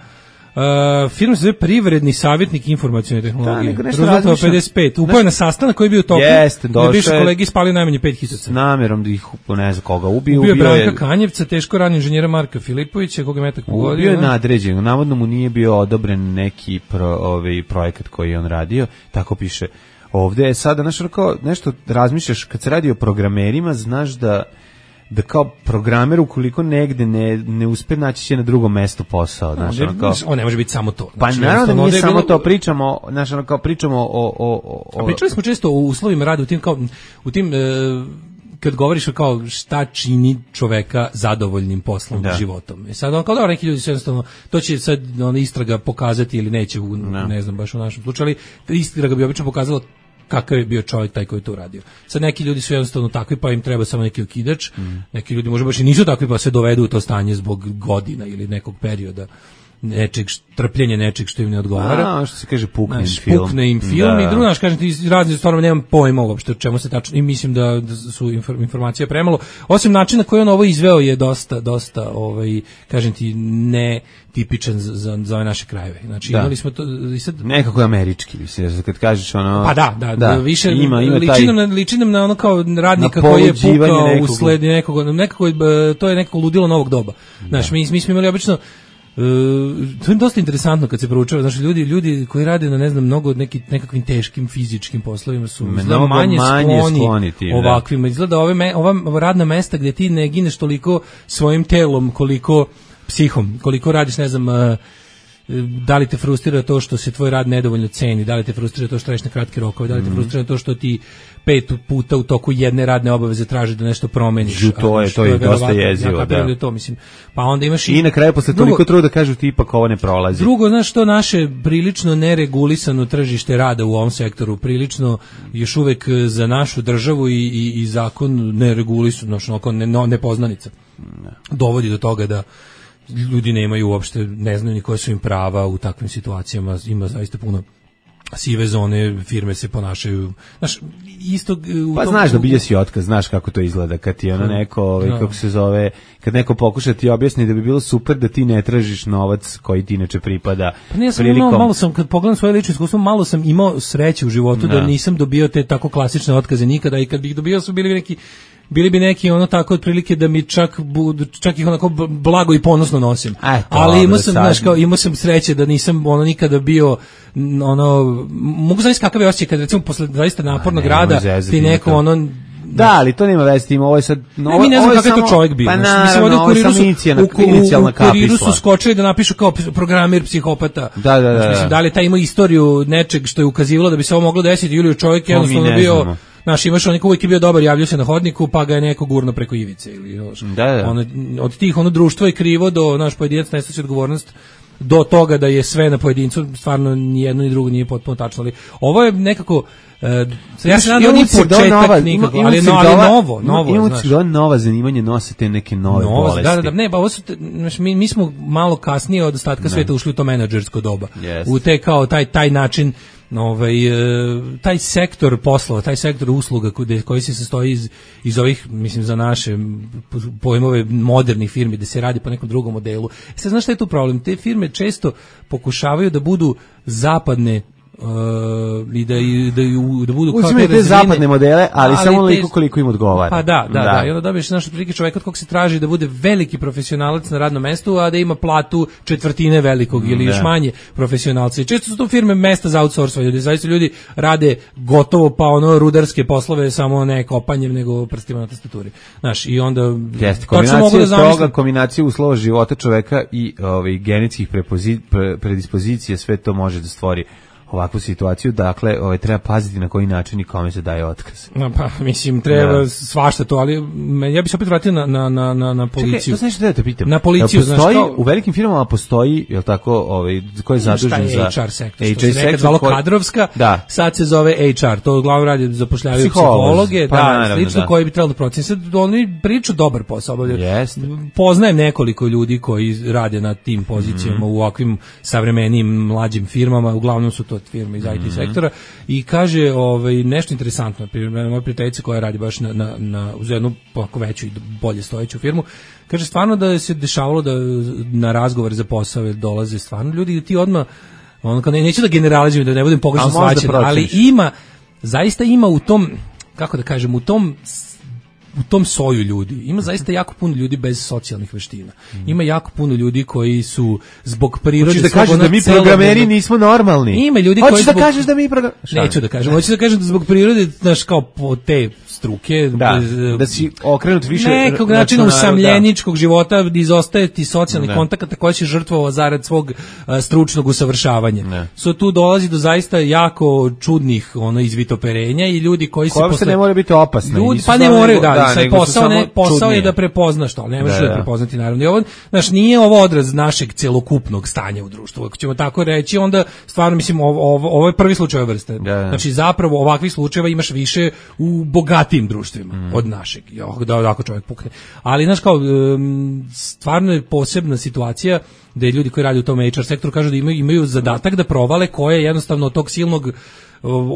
Uh, film se zove Privredni savjetnik informacione tehnologije. Da, Roosevelt pedeset pet. Upao je na sastanak koji je bio u toku. Jeste, došao je. Bivši kolegi spali najmanje pet hiljada. S namjerom da ih, ne znam koga, ubio. Ubio je Branka je... Kanjevca, teško ranjen inženjera Marka Filipovića, koga je metak pogodio. Ubio je nadređen, navodno mu nije bio odobren neki pro, ovaj, projekat koji je on radio, tako piše ovde. Sada, znaš, nešto razmišljaš, kad se radi o programerima, znaš da da kao programer ukoliko negde ne, ne uspe naći će na drugom mestu posao, znači no, kao on ne može biti samo to. Znači, pa naravno nije samo bilo... to, pričamo, znači ono kao pričamo o o o A pričali smo često o uslovima rada u tim kao u tim e, kad govoriš kao šta čini čoveka zadovoljnim poslom da. životom. I sad on kao da neki ljudi su jednostavno to će sad ona istraga pokazati ili neće u, no. ne znam baš u našem slučaju, ali istraga bi obično pokazala kakav je bio čovjek taj koji to uradio. Sad neki ljudi su jednostavno takvi pa im treba samo neki okidač, mm. neki ljudi možda baš i nisu takvi pa se dovedu u to stanje zbog godina ili nekog perioda nečeg trpljenja nečeg što im ne odgovara. A, što se kaže pukne im film. Pukne im film da. I drugo, znaš, kažem ti razne stvarno nemam pojma uopšte o čemu se tačno i mislim da, da su informacije premalo. Osim načina koji on ovo izveo je dosta, dosta ovaj, kažem ti, ne tipičan za, za, za ove naše krajeve. Znači da. imali smo to i sad nekako je američki, mislim, kad kažeš ono pa da, da, da. više ima, ima liči, nam na, liči nam na ono kao radnika koji je pukao nekog. usled nekog, nekako to je nekako ludilo novog doba. Da. Znaš, mi, mi smo imali obično Uh, to je dosta interesantno kad se proučava, znači ljudi ljudi koji rade na ne znam mnogo neki nekakvim teškim fizičkim poslovima su mnogo manje, manje skloni, skloni tim, ovakvim. Da. Izgleda ove me, ova radna mesta gdje ti ne gineš toliko svojim telom koliko psihom, koliko radiš ne znam uh, da li te frustrira to što se tvoj rad nedovoljno ceni, da li te frustrira to što radiš na kratke rokove, da li te frustrira to što ti pet puta u toku jedne radne obaveze traži da nešto promeniš. Žu, to je, to je, je dosta jezivo, ja da. da to, mislim. Pa onda imaš i, I na kraju posle drugo, toliko truda kažu ti ipak ovo ne prolazi. Drugo, znaš što naše prilično neregulisano tržište rada u ovom sektoru, prilično još uvek za našu državu i, i, i zakon neregulisano, znači ne, nepoznanica. Ne. Dovodi do toga da ljudi nemaju uopšte, ne znaju ni koje su im prava u takvim situacijama, ima zaista puno sive zone, firme se ponašaju, znaš, isto u pa tom, znaš da bilje si otkaz, znaš kako to izgleda kad ti ono neko, ovaj, no. kako se zove, kad neko pokuša ti objasni da bi bilo super da ti ne tražiš novac koji ti inače pripada. Pa ne, sam prilikom... imao, malo sam, kad pogledam svoje lično iskustvo, malo sam imao sreće u životu no. da nisam dobio te tako klasične otkaze nikada i kad bih dobio su bili neki bili bi neki ono tako otprilike da mi čak budu, čak ih onako blago i ponosno nosim. Eto, ali imao sam, znaš, kao, imao sam sreće da nisam ono nikada bio ono, mogu znaći kakav je osjećaj kad recimo posle zaista napornog rada ti neko ono da, ali to nema veze s tim, ovo je sad... No, ne, mi ne znam kakav je to čovjek bio. Pa naravno, ovo je samo inicijalna kapisla. U kuriru su skočili da napišu kao programer, psihopata. Da, da, da. Mislim, da li taj ima istoriju nečeg što je ukazivalo da bi se ovo moglo desiti, ili čovjek jednostavno bio... Znaš, imaš onik uvijek je bio dobar, javljao se na hodniku, pa ga je neko gurno preko ivice. Ili, još, da, da. Ono, od tih ono društvo je krivo do, naš pojedinac ne snosi odgovornost, do toga da je sve na pojedincu, stvarno ni jedno ni drugo nije potpuno tačno. Ali ovo je nekako... Uh, ja se nadam da nije početak nikako, ali, no, ali novo, novo, imamo znaš. Imamo nova zanimanja, nose te neke nove Novo, bolesti. Da, da, da, ne, ba, ovo su, te, znaš, mi, mi smo malo kasnije od ostatka sveta ušli u to menadžersko doba. Yes. U te kao taj, taj način, ovaj, taj sektor poslova, taj sektor usluga koji, koji se sastoji iz, iz ovih, mislim, za naše pojmove modernih firmi, gde se radi po nekom drugom modelu. Sad, znaš šta je tu problem? Te firme često pokušavaju da budu zapadne Uh, i da, i, da, da budu kao te, te zapadne modele, ali, ali samo koliko koliko im odgovara. Pa da, da, da, da. I onda dobiješ naš prilike čovjek od kog se traži da bude veliki profesionalac na radnom mestu, a da ima platu četvrtine velikog mm, ili još manje profesionalca. I često su to firme mesta za outsourcing, gdje zaista ljudi rade gotovo pa ono rudarske poslove, samo ne kopanjem, nego prstima na tastaturi. Znaš, i onda jeste kombinacija da toga, kombinacija uslova života čoveka i ovaj genetskih prepozi, pre, predispozicija, sve to može da stvori ovakvu situaciju, dakle, ovaj treba paziti na koji način i kome se daje otkaz. No, pa mislim treba da. Svašta to, ali ja bih se opet vratio na na na na na policiju. Čekaj, to znači da te pitam. Na policiju, postoji, znači kao, u velikim firmama postoji, je l' tako, ovaj ko je zadužen za H R sektor, što se nekad zvalo kadrovska, da. Sad se zove H R, to uglavnom radi zapošljavaju psihologe, pa, da, naravno, slično da. Koji bi trebalo da proceni. Sad oni priču dobar posao obavljaju. Yes. Poznajem nekoliko ljudi koji rade na tim pozicijama mm. u ovakvim savremenim mlađim firmama, uglavnom su to firme iz I T sektora i kaže ovaj nešto interesantno, primjer moja prijateljica koja radi baš na na na uz jednu ovako veću i bolje stojeću firmu, kaže stvarno da se dešavalo da na razgovor za posao dolaze stvarno ljudi i ti odmah on kao ne, neću da generalizujem da ne budem pogrešno shvaćen, ali ima zaista ima u tom, kako da kažem, u tom u tom soju ljudi. Ima zaista jako puno ljudi bez socijalnih veština. Ima jako puno ljudi koji su zbog prirode... Hoćeš da kažeš da mi programeri nismo normalni? Ima ljudi koji... Hoćeš da kažeš da mi programeri... Neću da kažem. Hoću da kažem da zbog prirode, znaš, kao po te struke... Da, bez, da si okrenut više... Nekog načina usamljeničkog da. života, da izostaje ti socijalnih kontakata koje si žrtvovao zarad svog uh, stručnog usavršavanja. Ne. So tu dolazi do zaista jako čudnih ono izvitoperenja i ljudi koji se... Koje posle... ne mora biti opasne. Ljudi, pa ne moraju, da, da sad posao, ne, posao je da prepoznaš to, ne možeš da, da prepoznati naravno. I ovo, znaš, nije ovo odraz našeg celokupnog stanja u društvu. Ako ćemo tako reći, onda stvarno mislim ovo, ovo, ovo je prvi slučaj ove vrste. Da, da. Znači zapravo ovakvih slučajeva imaš više u bogatijim društvima mm. od našeg. Da, da ako čovjek pukne. Ali znaš kao stvarno je posebna situacija da je ljudi koji rade u tom H R sektoru kažu da imaju, imaju zadatak da provale koje jednostavno od tog silnog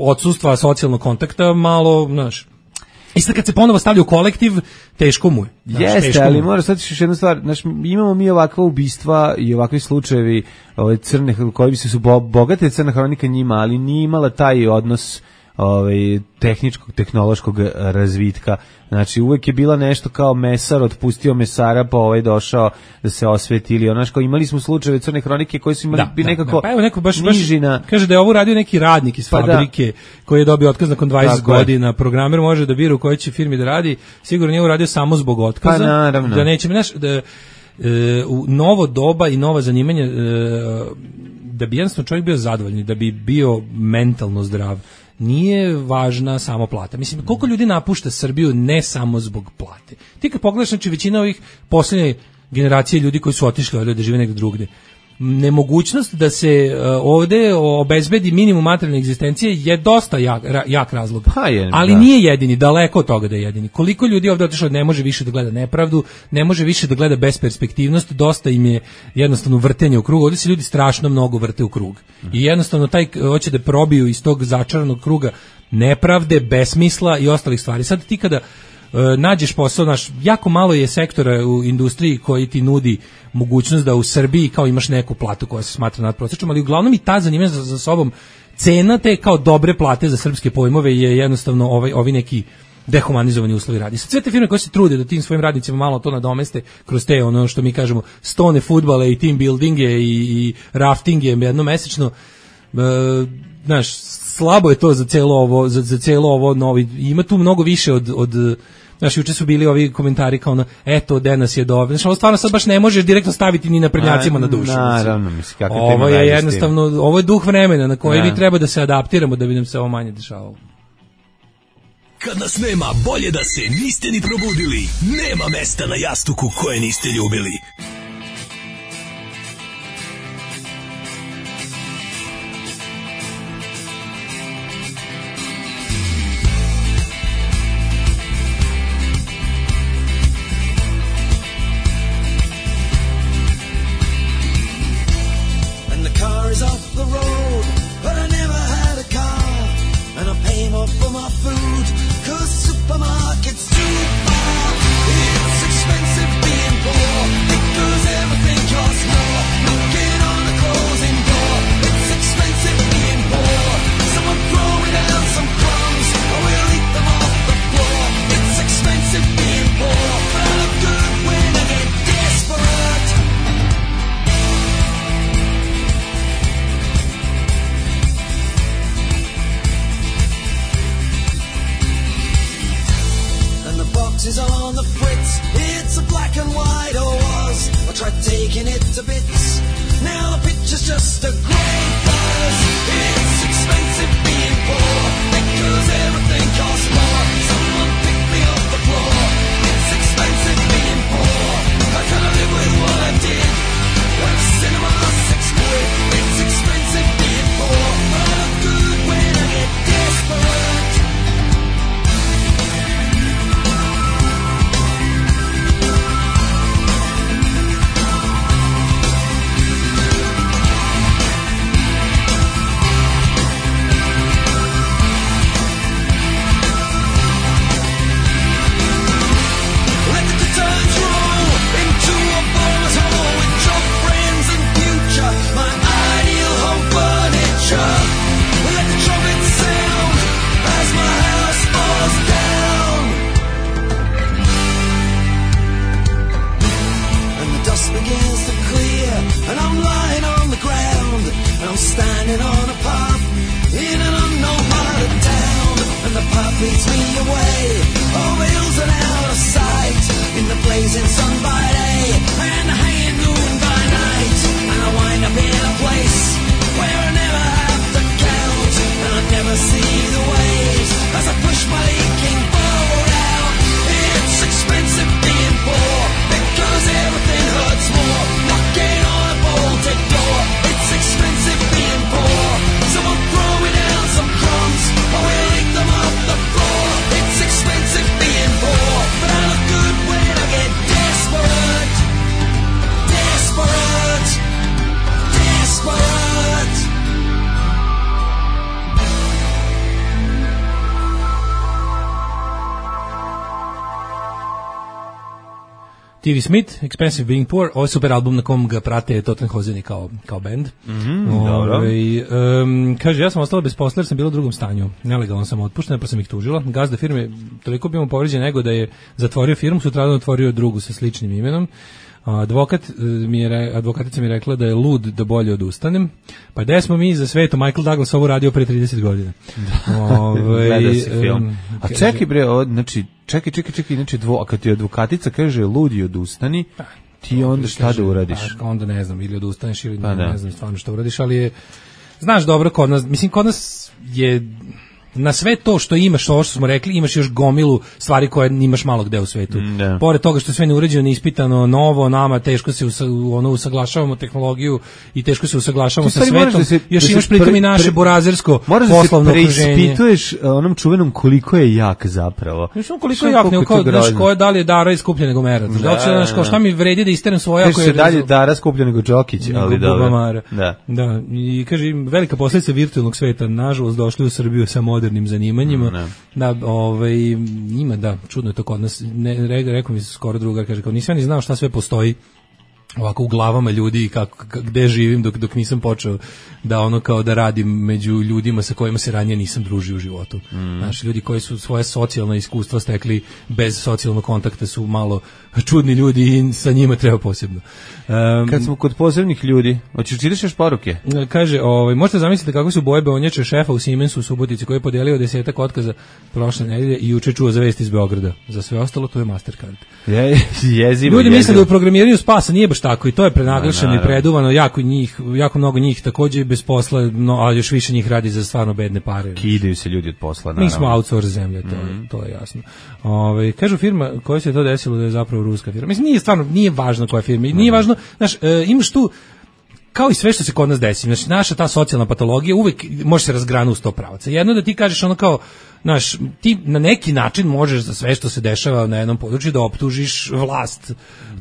odsustva socijalnog kontakta malo, znaš, i sad kad se ponovo stavlja u kolektiv, teško mu je. Znaš, jeste, ali moraš sad još jednu stvar, znaš, imamo mi ovakva ubistva i ovakvi slučajevi ove crne, koji bi se su bogate crna hronika njima, ali nije imala taj odnos ovaj tehničkog tehnološkog razvitka. Znači uvek je bila nešto kao mesar otpustio mesara pa ovaj došao da se osveti ili onaš kao imali smo slučajeve crne hronike koji su imali da, bi nekako da, pa evo neko baš, baš kaže da je ovo radio neki radnik iz pa fabrike da. Koji je dobio otkaz nakon dvadeset tako godina je. Programer može da bira u kojoj će firmi da radi, sigurno nije uradio samo zbog otkaza, pa, naravno. Da neće, znaš, da e, u novo doba i nova zanimanja e, da bi jednostavno čovjek bio zadovoljni, da bi bio mentalno zdrav, nije važna samo plata. Mislim, koliko ljudi napušta Srbiju ne samo zbog plate. Ti kad pogledaš, znači većina ovih posljednje generacije ljudi koji su otišli ovdje da žive negdje drugdje, nemogućnost da se uh, ovdje obezbedi minimum materijalne egzistencije je dosta jak, ra, jak razlog. Pa je, ali da. Nije jedini, daleko od toga da je jedini. Koliko ljudi ovdje otišlo ne može više da gleda nepravdu, ne može više da gleda besperspektivnost, dosta im je jednostavno vrtenje u krug. Ovdje se ljudi strašno mnogo vrte u krug. I jednostavno taj hoće da probiju iz tog začaranog kruga nepravde, besmisla i ostalih stvari. Sad ti kada nađeš posao, naš, jako malo je sektora u industriji koji ti nudi mogućnost da u Srbiji kao imaš neku platu koja se smatra nadprosječnom, ali uglavnom i ta zanima za, za sobom cena te kao dobre plate za srpske pojmove je jednostavno ovaj, ovi neki dehumanizovani uslovi rada. Sad sve te firme koje se trude da tim svojim radnicima malo to nadomeste kroz te ono što mi kažemo stone fudbale i team buildinge i, i raftinge jednomesečno, e, znaš, slabo je to za celo ovo, za, za celo ovo novi, ima tu mnogo više od, od znaš, juče su bili ovi komentari kao ono, eto, Denas je dobro. Znaš, ovo stvarno sad baš ne možeš direktno staviti ni na prednjacima na dušu. Naravno, mislim, kako ovo je jednostavno, ovo je duh vremena na koji mi treba da se adaptiramo da bi nam se ovo manje dešavalo. Kad nas nema, bolje da se niste ni probudili. Nema mesta na jastuku koje niste ljubili. T V Smith, Expensive Being Poor, ovo je super album na kom ga prate Tottenhozeni kao, kao band. Mm-hmm, dobro. Ove, um, kaže, ja sam ostala bez posla jer sam bila u drugom stanju. Nelegalno sam otpuštena pa sam ih tužila. Gazda firme toliko bi mu povređen nego da je zatvorio firmu, sutradan otvorio drugu sa sličnim imenom. Advokat mi je, advokatica mi je rekla da je lud da bolje odustanem. Pa gde smo mi za sveto? Michael Douglas ovo radio pre trideset godina. Ove, gleda se film. Um, a čekaj bre, o, znači, čekaj, čekaj, čekaj, znači, dvo, a kad ti advokatica kaže lud i odustani, ti onda šta kaže, da uradiš? Pa, onda ne znam, ili odustaneš ili pa, ne, ne znam stvarno šta uradiš, ali je, znaš dobro, kod nas, mislim, kod nas je na sve to što imaš, ovo što smo rekli, imaš još gomilu stvari koje imaš malo gde u svetu. Da. Pored toga što je sve neuređeno, neispitano, novo, nama teško se usa, ono, usaglašavamo tehnologiju i teško se usaglašavamo sa svetom. Da se, još da imaš pritom i naše burazersko poslovno okruženje. Moraš da se preispituješ onom čuvenom koliko je jak zapravo. Mislim, koliko je jak, nego kao, znaš, ko je da li je Dara iskupljen nego Mera. Da, da, znaš, kao šta mi vredi da isteram svoje ako je... da li je Dara skupljen nego Đokić, ali dobro. Da. Da, i kaže, velika posljedica virtualnog sveta, nažalost, došli u Srbiju sa modernim zanimanjima. Ne. Da, ovaj, ima, da, čudno je to kod nas. Ne, re, rekao mi skoro drugar, kaže, kao nisam ni znao šta sve postoji ovako u glavama ljudi kako gde živim dok dok nisam počeo da ono kao da radim među ljudima sa kojima se ranije nisam družio u životu. Mm. Znači ljudi koji su svoje socijalna iskustva stekli bez socijalnog kontakta su malo čudni ljudi i sa njima treba posebno. Um, Kad smo kod posebnih ljudi, hoćeš čitaš još poruke? Kaže, ovaj možete zamisliti kako su boje beonjače šefa u Siemensu u Subotici koji je podelio desetak otkaza prošle nedelje i juče čuo za vesti iz Beograda. Za sve ostalo to je Mastercard. Je, jezivo. Ljudi misle da u programiranju spasa nije baš tako i to je prenaglašeno i preduvano, jako njih, jako mnogo njih takođe bez posla, no, a još više njih radi za stvarno bedne pare. Kidaju se ljudi od posla, naravno. Mi smo outsource zemlja, to, mm. to je jasno. Ove, kažu firma koja se to desilo da je zapravo ruska firma. Mislim, nije stvarno, nije važno koja firma. Nije mm. važno, znaš, e, imaš tu, kao i sve što se kod nas desi, znači naša ta socijalna patologija uvek može se razgrana u sto pravaca. Jedno da ti kažeš ono kao, znaš, ti na neki način možeš za sve što se dešava na jednom području da optužiš vlast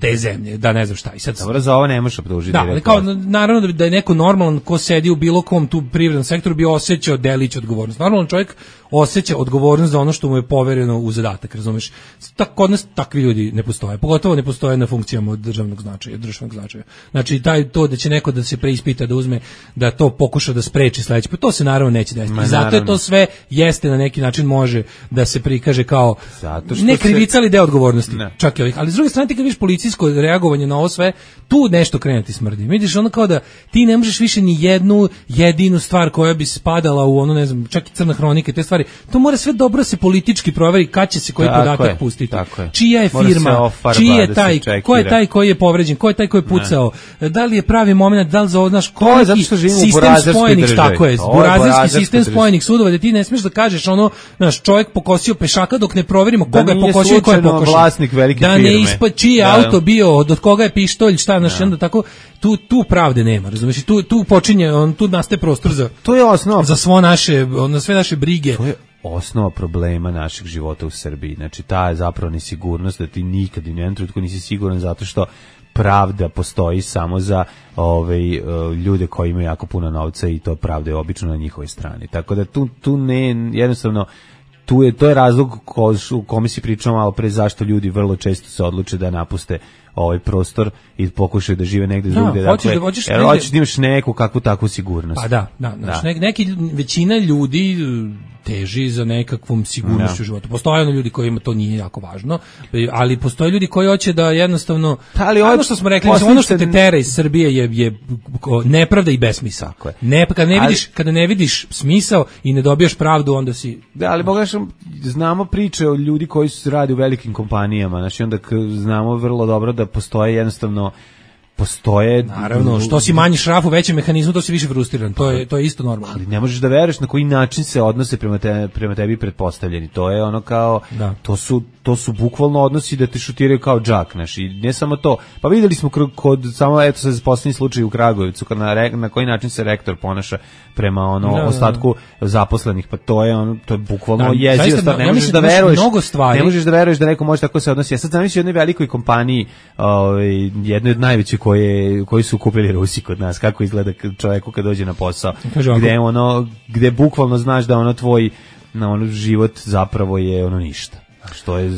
te zemlje, da ne znam šta. I sad, dobro, za ovo ne možeš optužiti. Da, ali kao, naravno da je neko normalan ko sedi u bilo kom tu privrednom sektoru bi osjećao delić odgovornost. Normalan čovjek osjeća odgovornost za ono što mu je povereno u zadatak, razumeš? Tako kod nas takvi ljudi ne postoje, pogotovo ne postoje na funkcijama od državnog značaja, državnog značaja. Znači taj to da će neko da se preispita, da uzme, da to pokuša da spreči sledeći, pa to se naravno neće desiti. I zato je to sve jeste na neki način može da se prikaže kao ne krivica ali deo odgovornosti. Ne. Čak i ovih, ali s druge strane ti kad vidiš policijsko reagovanje na ovo sve, tu nešto krene ti smrdi. Vidiš ono kao da ti ne možeš više ni jednu jedinu stvar koja bi spadala u ono, ne znam, čak i crna hronika, te stvari. To mora sve dobro se politički proveri kad će se koji tako podatak je, pustiti. Je. Čija je firma, čiji je taj, ko je taj koji je povređen, ko je taj koji je pucao, ne. Da li je pravi moment, da li za znaš ko je sistem spojenih, tako je, burazerski sistem spojenih sudova, da ti ne smiješ da kažeš ono, znaš, čovjek pokosio pešaka dok ne proverimo koga da je pokosio i ko je pokosio. Vlasnik velike da firme. Ne ispa čiji je da, auto bio, od koga je pištolj, šta, znaš, onda tako tu tu pravde nema, razumiješ? Tu tu počinje, on tu nastaje prostor za to je osnova za svo naše, na sve naše brige. To je osnova problema našeg života u Srbiji. Znači ta je zapravo nesigurnost da ti nikad i nijednom trenutku nisi siguran zato što pravda postoji samo za ove ljude koji imaju jako puno novca i to pravda je obično na njihovoj strani. Tako da tu tu ne jednostavno tu je to je razlog ko, u kome si pričao malo pre zašto ljudi vrlo često se odluče da napuste ovaj prostor i pokušaju da žive negde da, drugde. Dakle, da, hoćeš jer hoćeš da imaš neku kakvu takvu sigurnost. Pa da, da, da. Neki, neki većina ljudi teži za nekakvom sigurnošću u životu. Postoje ono ljudi kojima to nije jako važno, ali postoje ljudi koji hoće da jednostavno, ali ono što smo rekli, ono što te tera iz Srbije je, je nepravda i besmisao. Ne, kada ne vidiš, ali, kada ne vidiš smisao i ne dobijaš pravdu, onda si... Da, ali pogledaš, znamo priče o ljudi koji su radi u velikim kompanijama, znači onda znamo vrlo dobro da postoje jednostavno postoje naravno što si manji šraf u većem mehanizmu to si više frustriran, to je to je isto normalno. Ali ne možeš da veruješ na koji način se odnose prema te, prema tebi pretpostavljeni. To je ono kao da. to su to su bukvalno odnosi da te šutiraju kao džak, znaš, i ne samo to. Pa videli smo kod samo eto se poslednji slučaj u Kragujevcu kad na, na koji način se rektor ponaša prema ono da, ostatku da. zaposlenih, pa to je ono to je bukvalno da, jezivo stvar, ne ja možeš da veruješ. Ne možeš da veruješ da neko može tako se odnosi. Ja sad zamislim jednoj velikoj kompaniji, ovaj jednoj od najvećih koje koji su kupili Rusi kod nas, kako izgleda čovjeku kad dođe na posao, gde ono gde bukvalno znaš da ono tvoj na ono život zapravo je ono ništa. Što je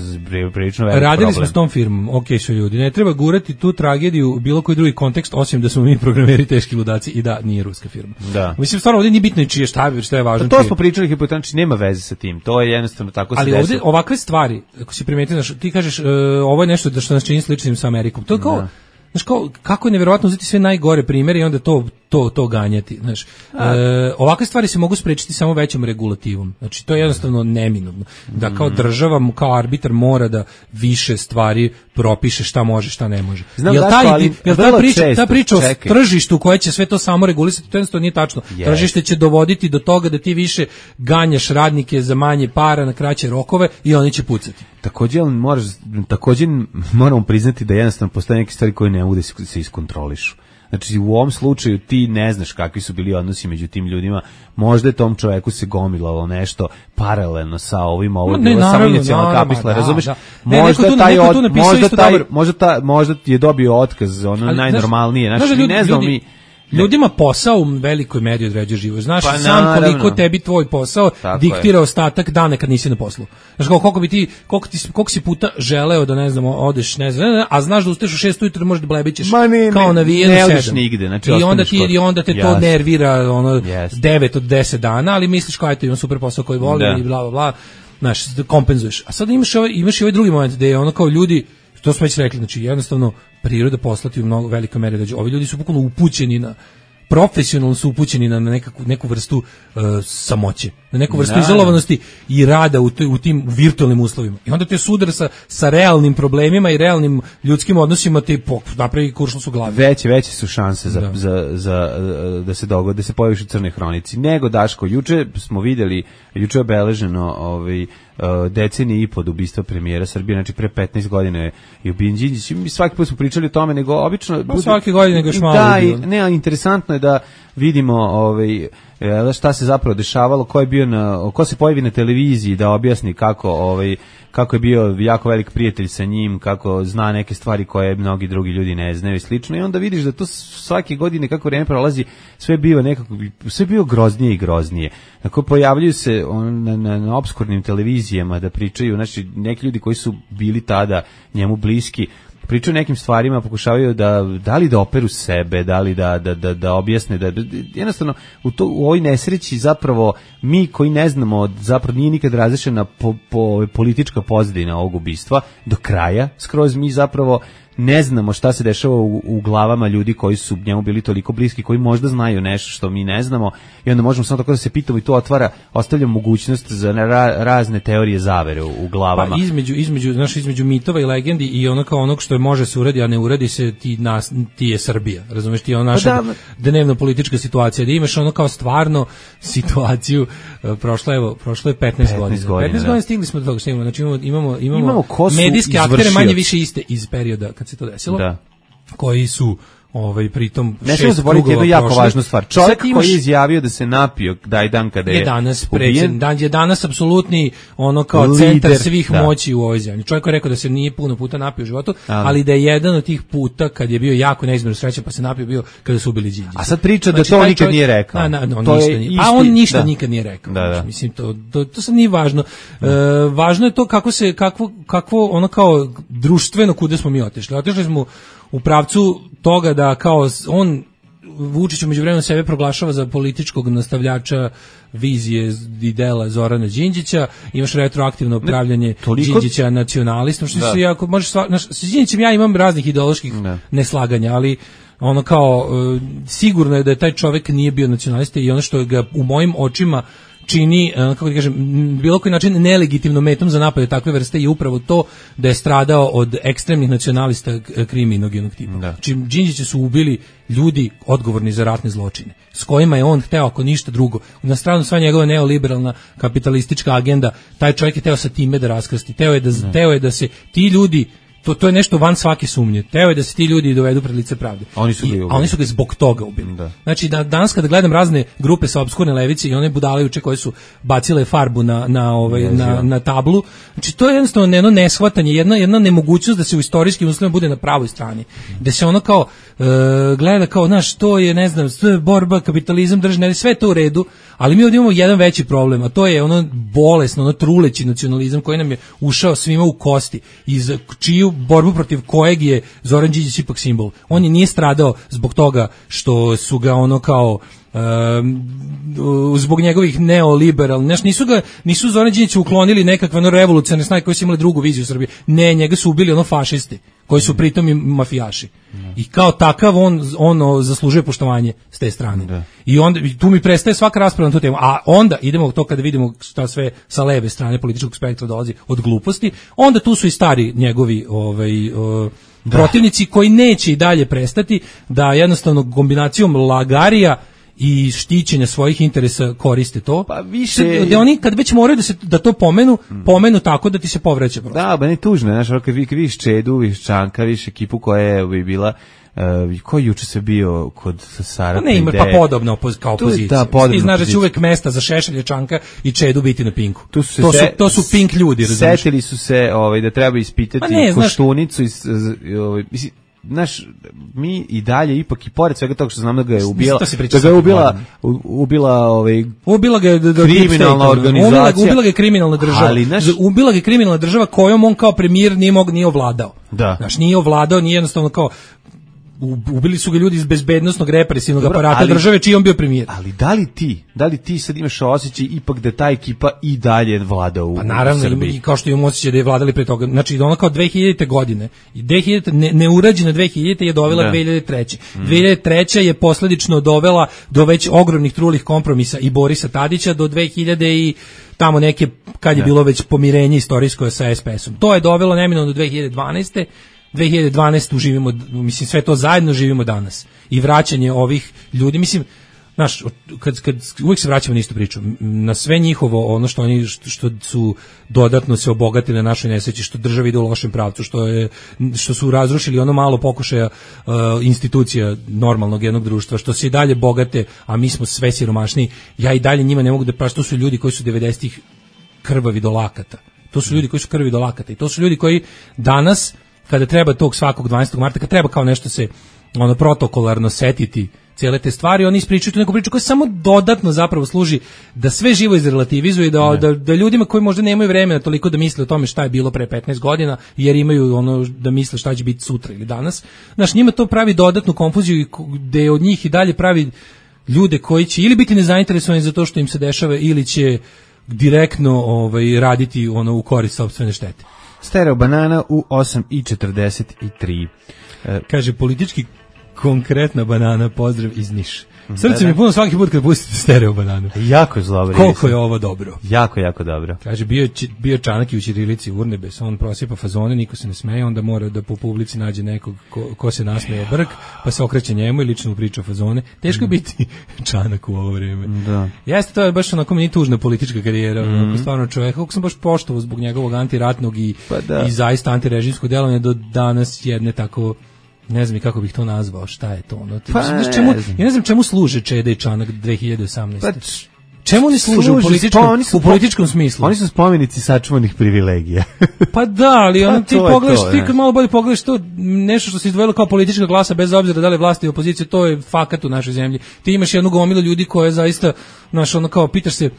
prilično veliki Radili problem. smo s tom firmom, okej su ljudi, ne treba gurati tu tragediju u bilo koji drugi kontekst, osim da smo mi programeri teški ludaci i da nije ruska firma. Da. Mislim, stvarno ovdje nije bitno i čije, šta je, šta je važno. Pa to smo pričali hipotetnički, nema veze sa tim, to je jednostavno tako se ali ovdje ovakve stvari, ako si primetio, ti kažeš, uh, ovo je nešto da što nas čini sličnim sa Amerikom, to je kao, znaš, kao, kako je nevjerovatno uzeti sve najgore primjere i onda to to to ganjati, znaš. E, ovakve stvari se mogu sprečiti samo većom regulativom. Znači to je jednostavno neminovno. Da kao država, kao arbitar mora da više stvari propiše šta može, šta ne može. Znam jel taj, ali, jel ta priča, često, ta priča o tržištu koje će sve to samo regulisati, to jednostavno nije tačno. Yes. Tržište će dovoditi do toga da ti više ganjaš radnike za manje para na kraće rokove i oni će pucati. Također moraš, također moramo priznati da jednostavno postoje neke stvari koje ne mogu da se iskontrolišu. Znači u ovom slučaju ti ne znaš kakvi su bili odnosi među tim ljudima, možda je tom čoveku se gomilalo nešto paralelno sa ovim, ovo je bilo samo inicijalna kapisla, razumeš? Da. Možda ne, taj od, možda taj, možda ta, možda je dobio otkaz, ono ali, najnormalnije, znači ne znamo mi Ljudima posao u velikoj meri određuje život. Znaš pa, sam naravno. koliko tebi tvoj posao tako diktira je. Ostatak dana kad nisi na poslu. Znaš koliko bi ti koliko ti koliko si puta želeo da ne znam odeš ne znam, a znaš da ustaješ u šest ujutro možeš da blebićeš kao navijen u sedam. Ne odeš nigde, znači i onda ti i onda te to yes. nervira ono yes. devet od deset dana, ali misliš kao eto imam super posao koji volim i bla bla bla. Znaš, kompenzuješ. A sad imaš ovaj imaš i ovaj drugi moment gde je ono kao ljudi, to smo već rekli, znači jednostavno priroda poslati u mnogo velikoj meri da ovi ljudi su bukvalno upućeni na profesionalno su upućeni na nekakvu neku vrstu uh, samoće, na neku vrstu da, izolovanosti i rada u, toj, u tim virtualnim uslovima. I onda te sudar sa, sa realnim problemima i realnim ljudskim odnosima te napravi kuršlus u glavi. Veće, veće su šanse za, da. Za, za, da se dogode, da se pojaviš u Crnoj hronici. Nego, Daško, juče smo vidjeli, juče je obeleženo ovaj, decenije i pod ubistva premijera Srbije, znači pre petnaest godina je ubijen Đinđić. Mi svaki put smo pričali o tome, nego obično... Pa svake godine nego još malo. Da, i, ne, interesantno je da vidimo ovaj, šta se zapravo dešavalo, ko je bio na, ko se pojavi na televiziji da objasni kako ovaj kako je bio jako velik prijatelj sa njim, kako zna neke stvari koje mnogi drugi ljudi ne znaju i slično. I onda vidiš da to svake godine kako vreme prolazi sve biva nekako sve bio groznije i groznije. Tako pojavljuju se on, na, na, na opskurnim televizijama da pričaju, znači neki ljudi koji su bili tada njemu bliski pričaju nekim stvarima, pokušavaju da da li da operu sebe, da li da da da, da objasne da, da jednostavno u to u ovoj nesreći zapravo mi koji ne znamo, zapravo nije nikad razrešena po, po politička pozadina ovog ubistva do kraja, skroz mi zapravo ne znamo šta se dešava u, u glavama ljudi koji su njemu bili toliko bliski, koji možda znaju nešto što mi ne znamo i onda možemo samo tako da se pitamo i to otvara, ostavlja mogućnost za ra, razne teorije zavere u, u glavama. Pa između, između, znaš, između mitova i legendi i ono kao onog što je može se uradi, a ne uradi se, ti, nas, ti je Srbija, razumeš, ti je ono naša pa da, dnevno politička situacija, da imaš ono kao stvarno situaciju, prošlo, evo, prošlo je petnaest godina. petnaest godina stigli smo do toga, stigli, znači imamo, imamo, imamo, imamo medijske aktere manje više iste iz perioda kad se to desilo, da. Koji su ovaj pritom ne šest zaboraviti jednu jako prošli. Važnu stvar. Čovjek imaš, koji je izjavio da se napio taj dan kada je, je danas predsjednik, dan je danas apsolutni ono kao lider, centar svih da. Moći u ovoj zemlji. Čovjek je rekao da se nije puno puta napio u životu, ali, ali da je jedan od tih puta kad je bio jako neizmjerno srećan pa se napio bio kada su ubili Đinđića. A sad priča znači, da to nikad čovjek, nije rekao. Na, na, no, to ništa nije. A on ništa da. Nikad nije rekao. Da, da. Znači, mislim to, to to sad nije važno. E, važno je to kako se kakvo kakvo ono kao društveno kuda smo mi otišli. Otišli smo u pravcu toga da kao on Vučić u međuvremenu sebe proglašava za političkog nastavljača vizije i dela Zorana Đinđića, imaš retroaktivno upravljanje toliko... Đinđića nacionalistom, što se jako možeš s Đinđićem ja imam raznih ideoloških ne. neslaganja, ali ono kao sigurno je da je taj čovjek nije bio nacionalista i ono što ga u mojim očima čini, kako da kažem, bilo koji način nelegitimno metom za napade takve vrste je upravo to da je stradao od ekstremnih nacionalista kriminogenog tipa. Da. Čim Đinđića su ubili ljudi odgovorni za ratne zločine, s kojima je on hteo, ako ništa drugo, na stranu sva njegova neoliberalna kapitalistička agenda, taj čovjek je hteo sa time da raskrsti, hteo je da, hteo je da se ti ljudi To, to je nešto van svake sumnje. Teo je da se ti ljudi dovedu pred lice pravde. Oni su, I, a oni su ga zbog toga ubili. Da. Znači, da, danas kada gledam razne grupe sa obskurne levice i one budalajuće koje su bacile farbu na, na, ovaj, na, na tablu, znači to je jednostavno jedno neshvatanje, jedna, jedna nemogućnost da se u istorijskim uslovima bude na pravoj strani. Da se ono kao uh, gleda kao, znaš, to je, ne znam, sve borba, kapitalizam, državne, sve to u redu, ali mi ovdje imamo jedan veći problem, a to je ono bolesno, ono truleći nacionalizam koji nam je ušao svima u kosti, iz čiju borbu protiv kojeg je Zoran Đinđić ipak simbol. On je nije stradao zbog toga što su ga ono kao um, zbog njegovih neoliberalnih, znaš, nisu ga, nisu Zoran Đinđića uklonili nekakve ono revolucionarne snage koji su imali drugu viziju Srbije. Ne, njega su ubili ono fašisti, koji su pritom i mafijaši. I kao takav on ono zaslužuje poštovanje s te strane. Da. I onda tu mi prestaje svaka rasprava na tu temu. A onda idemo u to kada vidimo šta sve sa leve strane političkog spektra dolazi od gluposti, onda tu su i stari njegovi ovaj o, protivnici koji neće i dalje prestati da jednostavno kombinacijom lagarija i štićenja svojih interesa koriste to. Pa više da oni kad već moraju da se da to pomenu, pomenu tako da ti se povreće prosto. Da, ba ne tužno, znaš, kad vi vidiš Čedu, vidiš Čanka, vidiš ekipu koja je bi bila Uh, ko juče se bio kod Sara ne ima pa podobno opoz, kao opozicija. Ti znaš da će uvek mesta za Šešelja, Čanka i Čedu biti na Pinku. Tu su to, se, su, to su Pink ljudi, razumiješ? Setili su se ovaj, da treba ispitati ne, Koštunicu. Iz, ovaj, mislim, naš, mi i dalje ipak i pored svega toga što znam da ga je ubila, da ga je ubila, ubila, ovaj, ubila ga je kriminalna organizacija. Ubila, ubila ga je kriminalna država. Ali, naš, ubila ga je kriminalna država kojom on kao premijer nije mog, nije ovladao. Da. Znaš, nije ovladao, nije jednostavno kao, ubili su ga ljudi iz bezbednosnog represivnog Dobro, aparata ali, države čiji on bio premijer. Ali da li ti, da li ti sad imaš osjećaj ipak da ta ekipa i dalje vlada u, pa naravno, u Srbiji? I kao što imamo osjećaj da je vladali pre toga. Znači, ono kao dve hiljadite godine. dve hiljadite, ne, neurađena dve hiljadite je dovela da. dve hiljadite treće. Mm. dve hiljadite treće je posledično dovela do već ogromnih trulih kompromisa i Borisa Tadića do dve hiljade i tamo neke, kad je da. bilo već pomirenje istorijsko sa es pe esom. To je dovelo neminovno do dve hiljade dvanaeste. dve hiljade dvanaeste živimo, mislim, sve to zajedno živimo danas. I vraćanje ovih ljudi, mislim, znaš, kad, kad uvijek se vraćamo na istu priču, na sve njihovo, ono što oni, što, što su dodatno se obogatili na našoj nesreći, što država ide u lošem pravcu, što je, što su razrušili ono malo pokušaja uh, institucija normalnog jednog društva, što se i dalje bogate, a mi smo sve siromašniji, ja i dalje njima ne mogu da prašim, to su ljudi koji su devedesetih krvavi do lakata. To su ljudi koji su krvi do lakata i to su ljudi koji danas, kada treba tog svakog dvanaestog marta, kada treba kao nešto se ono protokolarno setiti cijele te stvari, oni ispričaju tu neku priču koja samo dodatno zapravo služi da sve živo izrelativizuje, da, da, da ljudima koji možda nemaju vremena toliko da misle o tome šta je bilo pre petnaest godina, jer imaju ono da misle šta će biti sutra ili danas. Znaš, njima to pravi dodatnu konfuziju gde od njih i dalje pravi ljude koji će ili biti nezainteresovani za to što im se dešava ili će direktno ovaj, raditi ono u korist sopstvene štete. Stereo banana u osam i četrdeset tri. E, Kaže, politički konkretna banana, pozdrav iz Niša. Srce mi puno svaki put kad pustite stereo bananu. Jako je zlo. Koliko je ovo dobro. Jako, jako dobro. Kaže, bio, bio Čanak i u ćirilici Urnebes, on prosipa fazone, niko se ne smeje, onda mora da po publici nađe nekog ko, ko se nasmeje brk, pa se okreće njemu i lično priča fazone. Teško je biti Čanak u ovo vreme. Da. Jeste, to je baš onako meni tužna politička karijera, mm. onako stvarno čovjek, kako sam baš poštovao zbog njegovog antiratnog i, pa da. i zaista antirežimskog delovanja do danas jedne tako. Ne znam kako bih to nazvao, šta je to ono. Pa, ne čemu, ja ne znam čemu služe Čeda i Čanak dve hiljade osamnaeste. Pa, čemu oni služe, služe u političkom, oni su, u političkom smislu? Oni su spomenici sačuvanih privilegija. Pa da, ali ono, pa ti pogledaš, to, ti kad malo bolje pogledaš to, nešto što se izdvojilo kao politička glasa, bez obzira da li vlast i opozicija, to je fakat u našoj zemlji. Ti imaš jednu gomilu ljudi koje zaista, znaš, ono kao, pitaš se,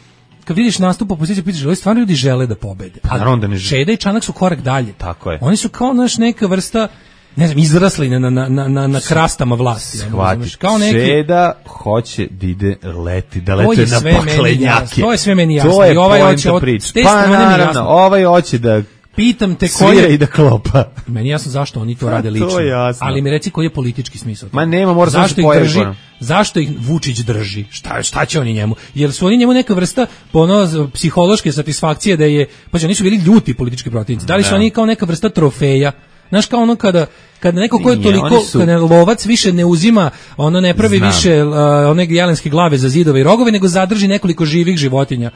kad vidiš nastup opozicije, pitaš, ali stvarno ljudi žele da pobede. Pa naravno da ne žele. Čeda i Čanak su korak dalje. Tako je. Oni su kao, naš, neka vrsta, ne znam, izrasli na, na, na, na, na krastama vlasti. Shvatiš, kao neki... Čeda hoće da ide leti, da lete na paklenjake. To je sve meni jasno. To je ovaj poenta priče. Pa naravno, ovaj hoće da pitam te koji je i da klopa. Meni jasno zašto oni to rade lično. To je jasno. Ali mi reci koji je politički smisao. Ma nema, mora zašto ih drži? Zašto ih Vučić drži? Šta šta će oni njemu? Jer su oni njemu neka vrsta ono psihološke satisfakcije da je, pa oni su bili ljuti politički protivnici. Da li su ne. oni kao neka vrsta trofeja? Znaš, kao ono kada kada neko ko je toliko, su... kada lovac više ne uzima, ono ne pravi Znam. više uh, one jelenske glave za zidove i rogove, nego zadrži nekoliko živih životinja.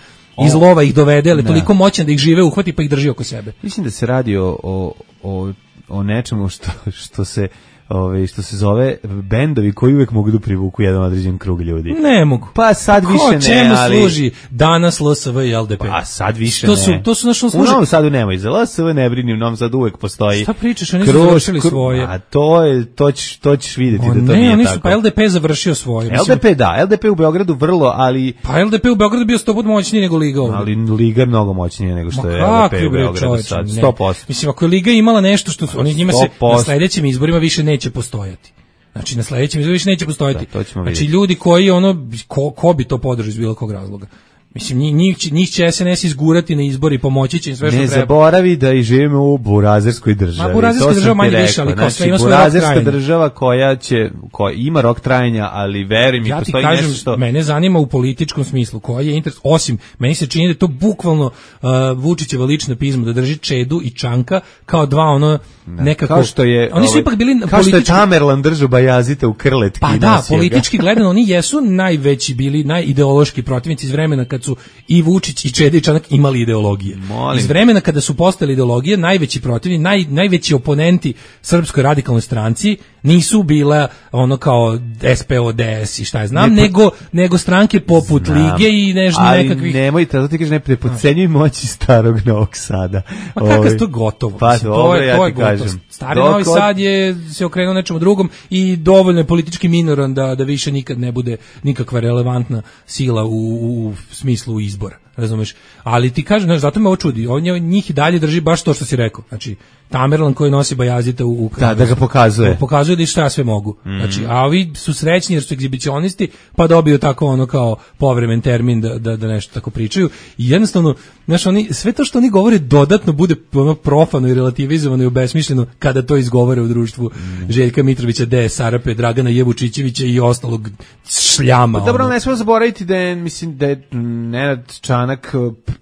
Iz o, lova ih dovede, ali toliko moćan da ih žive uhvati pa ih drži oko sebe. Mislim da se radi o, o, o, o nečemu što, što se Ove, što se zove bendovi koji uvek mogu da privuku jedan određen krug ljudi. Ne mogu. Pa sad Ko, više ne, čemu ali... služi danas L S V i L D P? Pa sad više to ne. Su, to su našo služi... U Novom Sadu nemoj, za L S V ne brini, u Novom Sadu uvek postoji. Šta pričaš, oni su završili kru... svoje. A to, je, to, ćeš, to ćeš vidjeti o, da to ne, nije oni tako. Su, pa L D P završio svoje. L D P da, L D P u Beogradu vrlo, ali... Pa L D P u Beogradu bio sto puta moćniji nego Liga ovdje. Ali Liga je mnogo moćnija nego što Ma je L D P u Beogradu sad, sto posto. Mislim, ako je Liga imala nešto što oni njima se na sledećim izborima više neće postojati. Znači na sledećem izboru više neće postojati. Da, znači ljudi koji ono ko, ko bi to podržao iz bilo kog razloga. Mislim njih njih će S N S izgurati na izbori i pomoći će im sve što ne treba. Ne zaboravi da i živimo u burazerskoj državi. Ma burazerska država manje više, ali kao sve ima svoj rok trajanja. Burazerska država koja će koja ima rok trajanja, ali veruj mi ja postoji kažem, nešto što mene zanima u političkom smislu koji je interes, osim meni se čini da je to bukvalno uh, Vučićeva lična pizma da drži Čedu i Čanka kao dva ono nekako kao što je oni su ovaj, ipak bili kao politički... što je Tamerlan držao Bajazita u krletki. Pa da, politički gledano oni jesu najveći bili najideološki protivnici iz vremena kad su i Vučić i Čeda i Čanak imali ideologije. Molim. Iz vremena kada su postali ideologije, najveći protivni, naj, najveći oponenti Srpskoj radikalnoj stranci Nisu bila ono kao S P O D S i šta je znam, ne, nego, nego stranke poput znam, Lige i nešto nekakvih... Ali nemojte, zato ti kažeš, ne prepodcenjuj moći starog Novog Sada. Pa kakav je to gotovo? Pa Mislim, dobro, to je, ja to je ti gotovo. kažem. Stari Novi Sad je se okrenuo nečemu drugom i dovoljno je politički minoran da, da više nikad ne bude nikakva relevantna sila u, u, u smislu izbora. Razumeš? Ali ti kažem, znaš, zato me ovo čudi. On je, njih i dalje drži baš to što si rekao. Znači, Tamerlan koji nosi Bajazita u, u da, da ga pokazuje. Pokazuje da i šta sve mogu. Mm. Znači, a ovi su srećni jer su egzibicionisti, pa dobiju tako ono kao povremen termin da, da, da nešto tako pričaju. I jednostavno, znaš, oni, sve to što oni govore dodatno bude ono profano i relativizovano i obesmišljeno kada to izgovore u društvu mm. Željka Mitrovića, Deje Sarape, Dragana Jevučićevića i ostalog šljama. Pa dobro, ono. Ne smemo zaboraviti da je, mislim, da je Nenad Čanak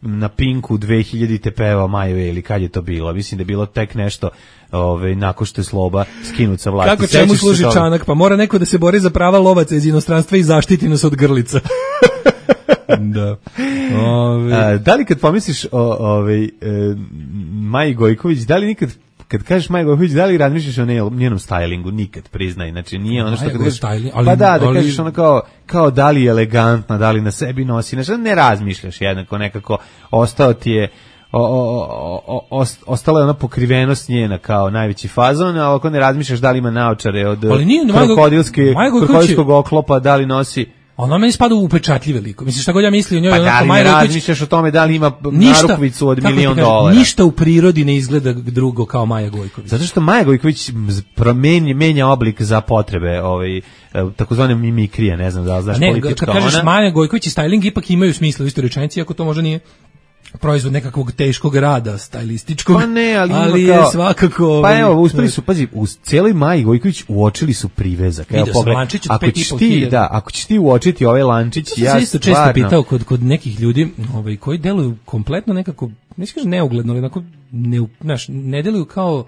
na Pinku dve hiljadite pevao Maju ili kad je to bilo? Mislim da je bilo tek nešto ovaj nakon što je Sloba skinut sa vlasti. Kako čemu služi Čanak? Pa mora neko da se bori za prava lovaca iz inostranstva i zaštiti nas od grlica. Da. Ove. A, da li kad pomisliš o ovaj e, Maji Gojković, da li nikad kad kažeš Maja Gojković, da li razmišljaš o njenom stylingu? Nikad, priznaj. Znači nije ono što kad kažeš, ali, pa da, da ali, kažeš ono kao, kao da li je elegantna, da li na sebi nosi, znači ne razmišljaš jednako, nekako ostao ti je O, o, o, o, ostala je ona pokrivenost njena kao najveći fazon, a ako ne razmišljaš da li ima naočare od krokodilskog oklopa, da li nosi... Ona meni spada u upečatljive liko. Mislim, šta god ja misli o njoj... Pa da li ne razmišljaš o tome da li ima narukvicu od milion dolara? Ništa u prirodi ne izgleda drugo kao Maja Gojković. Zato što Maja Gojković promenja, menja oblik za potrebe ovaj, takozvane mimikrije, ne znam da li znaš ne, politička. Kad kažeš ona... Maja Gojković i styling ipak imaju smisla u istoj rečenici, ako to možda nije proizvod nekakvog teškog rada, stajlističkog, pa ne, ali, ali je kao, svakako... Pa evo, uspeli su, pazi, u cijeloj Maji Gojković uočili su privezak. Evo, pogled, ako ćeš ti, da, ako ćeš ti uočiti ovaj lančić, ja sam isto često pitao kod, kod nekih ljudi ovaj, koji deluju kompletno nekako, ne kažem neugledno, ali onako, ne, znaš, ne deluju kao...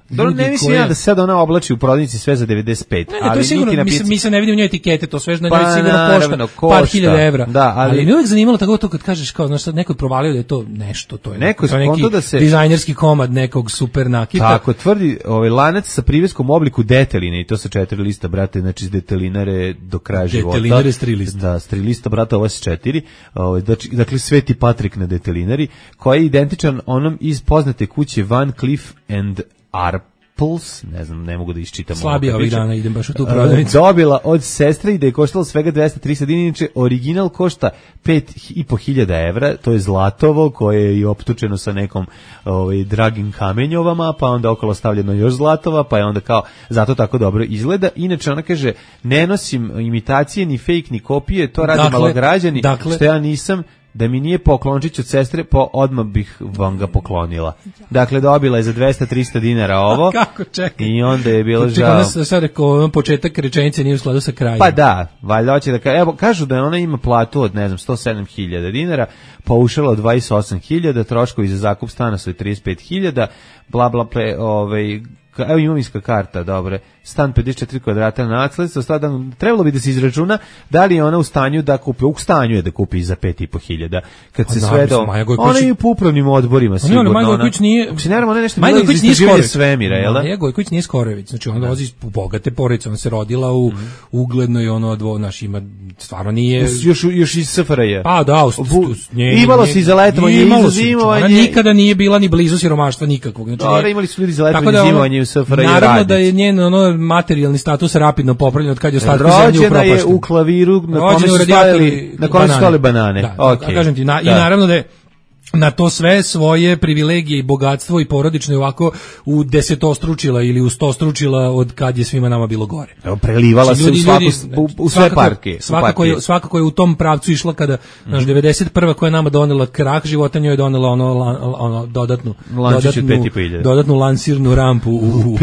Dobro, ne mislim koje... ja da se sad ona oblači u prodavnici sve za devedeset pet. Ne, ne, ali to je sigurno, mi, mi se ne vidimo u njoj etikete, to sve pa, je sigurno naravno, košta, košta par hiljada evra. Da, ali... ali mi uvijek zanimalo tako to kad kažeš, kao, znaš, sad neko provalio da je to nešto, to je neko, to neki da se... dizajnerski komad nekog super nakita. Tako, tvrdi ovaj lanac sa priveskom obliku deteline i to sa četiri lista, brate, znači iz detelinare do kraja života. Detelinare s tri lista. Da, s tri lista, brate, ovo je s četiri. Ovaj, dakle, Sveti Patrik na detelinari, koji je identičan onom iz poznate kuće Van Cleef and Arp. Puls, ne znam, ne mogu da iščitam. Slabije ovih dana, idem baš u tu prodavnicu. Dobila od sestre i da je koštalo svega dvesta trideset dinara, inače original košta pet i po hiljada evra, to je zlatovo koje je i optučeno sa nekom ovaj, dragim kamenjovama, pa onda okolo stavljeno još zlatova, pa je onda kao, zato tako dobro izgleda. Inače ona kaže, ne nosim imitacije, ni fake, ni kopije, to radi dakle, malograđani, dakle, što ja nisam, da mi nije poklončić od sestre, po odmah bih vam ga poklonila. Dakle, dobila je za dvesta trista dinara ovo. Kako čekaj? I onda je bilo čekaj, žao. Čekaj, sad rekao, početak rečenice nije u skladu sa krajem. Pa da, valjda hoće da kaže, evo, kažu da ona ima platu od, ne znam, sto sedam hiljada dinara, paušala od dvadeset osam hiljada, troškovi za zakup stana su trideset pet hiljada, bla, bla, ple, ovaj, evo imovinska karta, dobre, stan pedeset četiri kvadrata na nasledstvo, sada trebalo bi da se izračuna da li je ona u stanju da kupi, u stanju je da kupi za pet i po hiljada, kad se sve do, ona je u upravnim odborima, sigurno, Maja Gojković nije, ako se ne ona nešto bilo iz istraživanja svemira, jel da? Maja Gojković nije Skorojević, znači ona dolazi iz bogate porodice, ona se rodila u mm. uglednoj, ono, dvo, naš ima, stvarno nije... Još, još iz S F R J. Pa da, us, nje, imalo se i za letovanje, i za zimovanje. Ona nikada nije bila ni blizu siromaštva nikakvog. Znači, Dobre, imali su ljudi za letovanje i zimovanje u S F R J. Naravno da je njen ono, materijalni status rapidno popravljen od kad je ostatak zemlje upropašten. Rođena je u klaviru na kome su stavili, na kome su stavili banane. Da, okay. A kažem ti, na, da. I naravno da je na to sve svoje privilegije i bogatstvo i porodično ovako u desetostručila ili u stostručila od kad je svima nama bilo gore. Evo, prelivala se u, svaku, u, u sve svakako, parke. Svakako je, svakako je u tom pravcu išla kada, mm. naš, devedeset prva koja je nama donela krah života, njoj je donela ono, ono dodatnu, dodatnu, dodatnu lansirnu rampu u, u,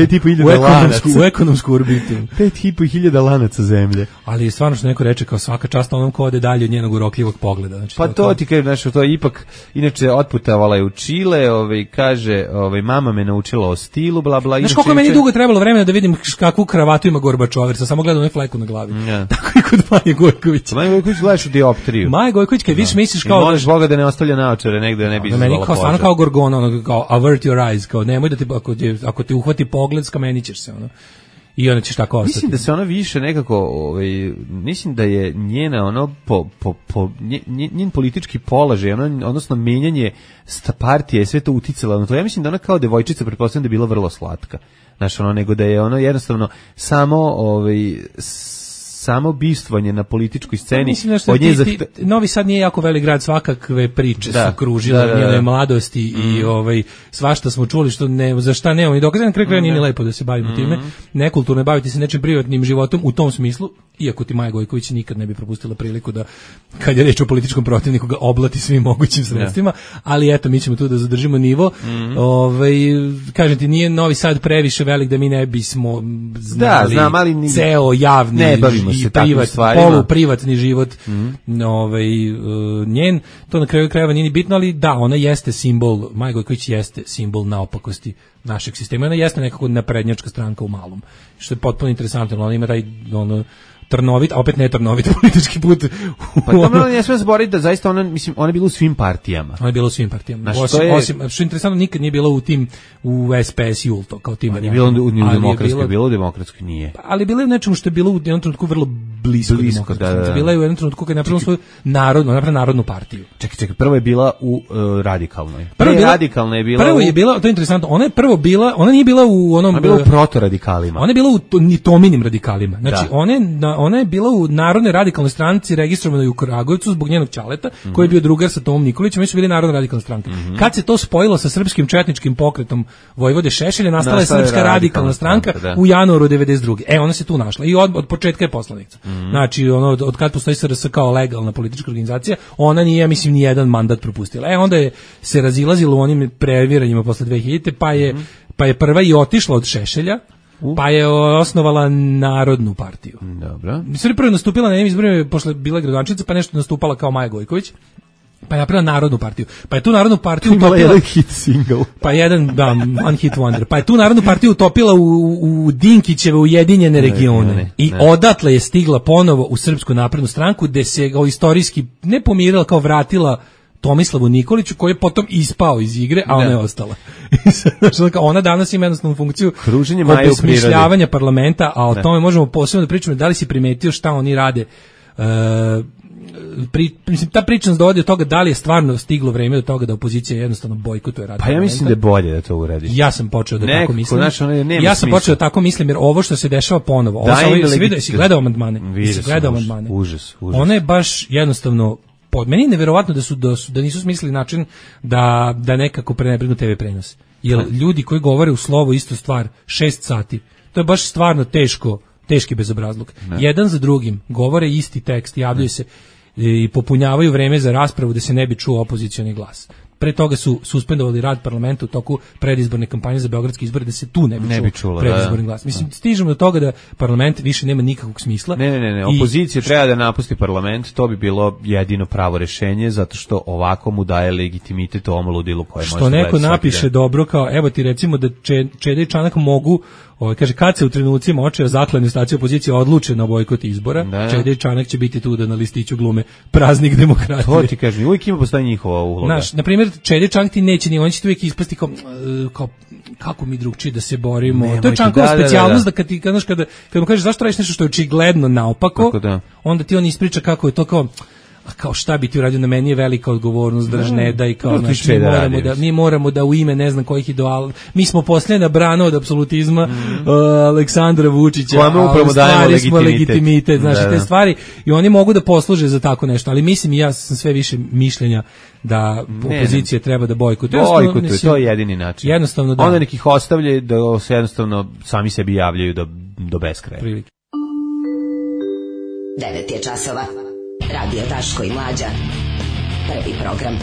u, ekonomsku, u ekonomsku orbitu. Pet i po hiljada lanaca zemlje. Ali stvarno što neko reče kao svaka čast onom ko ode dalje od njenog urokljivog pogleda. Znači, pa to, to ti kažem, znači, to je ipak, inače otputovala je u Čile, ovaj, kaže, ovaj, mama me naučila o stilu, bla, bla. Znaš koliko je meni dugo trebalo vremena da vidim kakvu kravatu ima Gorbačov, jer sam samo gledao onaj fleku na glavi. Ja. Tako i kod Maje Gojković. Maja Gojković gledaš u dioptriju. Maja Gojković, kad vidiš, misliš kao... I moliš Boga da ne ostavlja naočare, negde ne bi izazvala požar. Meni kao, stvarno kao Gorgona, ono, kao avert your eyes, kao nemoj da te, ako te, ako te uhvati pogled, skamenit ćeš se, ono. i ona ćeš tako ostati. Mislim da se ona više nekako, ovaj, mislim da je njena ono po, po, po njen, njen politički položaj, ono, odnosno menjanje sta partije, sve to uticalo na to. Ja mislim da ona kao devojčica, pretpostavljam da je bila vrlo slatka. Znaš, ono, nego da je ono jednostavno samo ovaj samo bistvovanje na političkoj sceni. Mislim da od nje ti, ti, Novi Sad nije jako velik grad, svakakve priče da, su kružile da, da, da. njene mladosti mm. i ovaj svašta smo čuli što ne za šta nemamo ni dokaza, na kraju krajeva nije ni lepo da se bavimo mm. time. Nekulturno je baviti se nečim privatnim životom u tom smislu, iako ti Maja Gojković nikad ne bi propustila priliku da kad je reč o političkom protivniku ga oblati svim mogućim sredstvima, yeah. ali eto mi ćemo tu da zadržimo nivo. Mm. Ovaj kažem ti nije Novi Sad previše velik da mi ne bismo znali da, znam, ali ni, ceo javni ne bavimo se privat, polu privatni život mm. ovaj uh, njen, to na kraju krajeva nije ni bitno, ali da, ona jeste simbol, Maja Gojković jeste simbol naopakosti našeg sistema, ona jeste nekako naprednjačka stranka u malom, što je potpuno interesantno, ona ima taj ono trnovit, a opet ne trnovit politički put. Pa dobro, ne smije zaboraviti da zaista ona, mislim, ona je bila u svim partijama. Ona je bila u svim partijama. Osim, je... osim, što je interesantno, nikad nije bila u tim, u S P S Julto, kao tim. Nije bila u, u demokratskoj, bila u demokratskoj, nije. Ali bila je u nečemu što je bilo u jednom trenutku vrlo blisko, blisko da, da, da. Bila je u jednom trenutku kad je napravila svoju narodnu, napravila narodnu partiju. Čekaj, čekaj, prvo je bila u uh, radikalnoj. Prvo je bila, radikalna je bila prvo u... je bila, to je interesantno, ona je prvo bila, ona nije bila u onom... Ona je bila u protoradikalima. Ona je bila u to, Tominim radikalima. Znači, ona je, ona je bila u Narodnoj radikalnoj stranci registrovano je u Kragujevcu zbog njenog ćaleta, mm-hmm. koji je bio drugar sa Tomom Nikolićem, oni su bili Narodna radikalna stranka. Mm-hmm. Kad se to spojilo sa srpskim četničkim pokretom Vojvode Šešelja, nastala je Srpska radikalna, radikalna stranka, stranka u januaru devedeset druge. E, ona se tu našla i od, od početka je poslanica. Mm-hmm. Znači, ono, od, od kad postoji S R S kao legalna politička organizacija, ona nije, mislim, ni jedan mandat propustila. E, onda je se razilazilo u onim previranjima posle dve hiljadite, pa je, mm-hmm. pa je prva i otišla od Šešelja, pa je osnovala Narodnu partiju. Dobro. Sve prvo nastupila na njenim izborima, posle bila gradonačelnica, pa nešto nastupala kao Maja Gojković. Pa je napravila Narodnu partiju. Pa je tu Narodnu partiju utopila... jedan hit single. Pa jedan, da, one hit wonder. Pa je tu Narodnu partiju utopila u, u Dinkićeve ujedinjene regione. Ne, ne, I ne. odatle je stigla ponovo u Srpsku naprednu stranku, gde se kao istorijski ne pomirila, kao vratila Tomislavu Nikoliću, koji je potom ispao iz igre, a ona ne. je ostala. Znači, ona danas ima jednostavnu funkciju obesmišljavanja parlamenta, a o ne. tome možemo posebno da pričamo. Da li si primetio šta oni rade? Uh, pri, mislim, ta priča nas dovodi od toga da li je stvarno stiglo vreme do toga da opozicija jednostavno bojkotuje rad. Pa ja mislim da je bolje da to uradi. Ja sam počeo da Neko, tako mislim. Naš, ja sam počeo da tako mislim, jer ovo što se dešava ponovo, ovo sa ovim, si vidio, si gledao amandmane? Si gledao amandmane? Užas, užas. Ona je baš jednostavno pod meni je neverovatno da su da, su, da nisu smislili način da da nekako prenebregnu T V prenos. Jer ljudi koji govore u slovo istu stvar šest sati, to je baš stvarno teško, teški bezobrazluk. Ne. Jedan za drugim govore isti tekst, javljaju ne. se i popunjavaju vreme za raspravu da se ne bi čuo opozicioni glas. Pre toga su suspendovali rad parlamenta u toku predizborne kampanje za beogradske izbore da se tu ne bi, ne bi čuo predizborni glas. Mislim, da. stižemo do toga da parlament više nema nikakvog smisla. Ne, ne, ne, ne. opozicija I... treba da napusti parlament, to bi bilo jedino pravo rešenje, zato što ovako mu daje legitimitet ovom ludilu koje može. Što neko napiše dobro, kao evo ti recimo da Čeda i Čanak mogu, ovaj kaže kad se u trenucima očeva zaklane stacije opozicije odluče na bojkot izbora, da. Čeda i Čanak će biti tu da na listiću glume praznik demokratije. To ti kažem, uvijek ima postoji njihova uloga. Znaš, na primjer, Čeda i Čanak ti neće ni, on će uvijek ispasti kao, kao kako mi drugčije da se borimo. Nemojte, to je Čankova da, specijalnost da, da, da. da kad ti kada kada kad mu kažeš zašto radiš nešto što je očigledno naopako, da. onda ti on ispriča kako je to kao a kao šta bi ti uradio, na meni je velika odgovornost, drž ne daj, kao no, naš, mi, da moramo da, mi moramo da u ime ne znam kojih ideala, mi smo posljedna brana od apsolutizma mm. uh, Aleksandra Vučića, a u stvari smo legitimitet, znači da, te stvari i oni mogu da posluže za tako nešto, ali mislim i ja sam sve više mišljenja da opozicija ne, treba da bojkotuje. Bojkotuje, to je jedini način. Jednostavno da. Onda nekih ostavljaju da se jednostavno sami sebi javljaju do, do beskraja. Prilike. devet je časova. Radio Daško i Mlađa. Prvi program.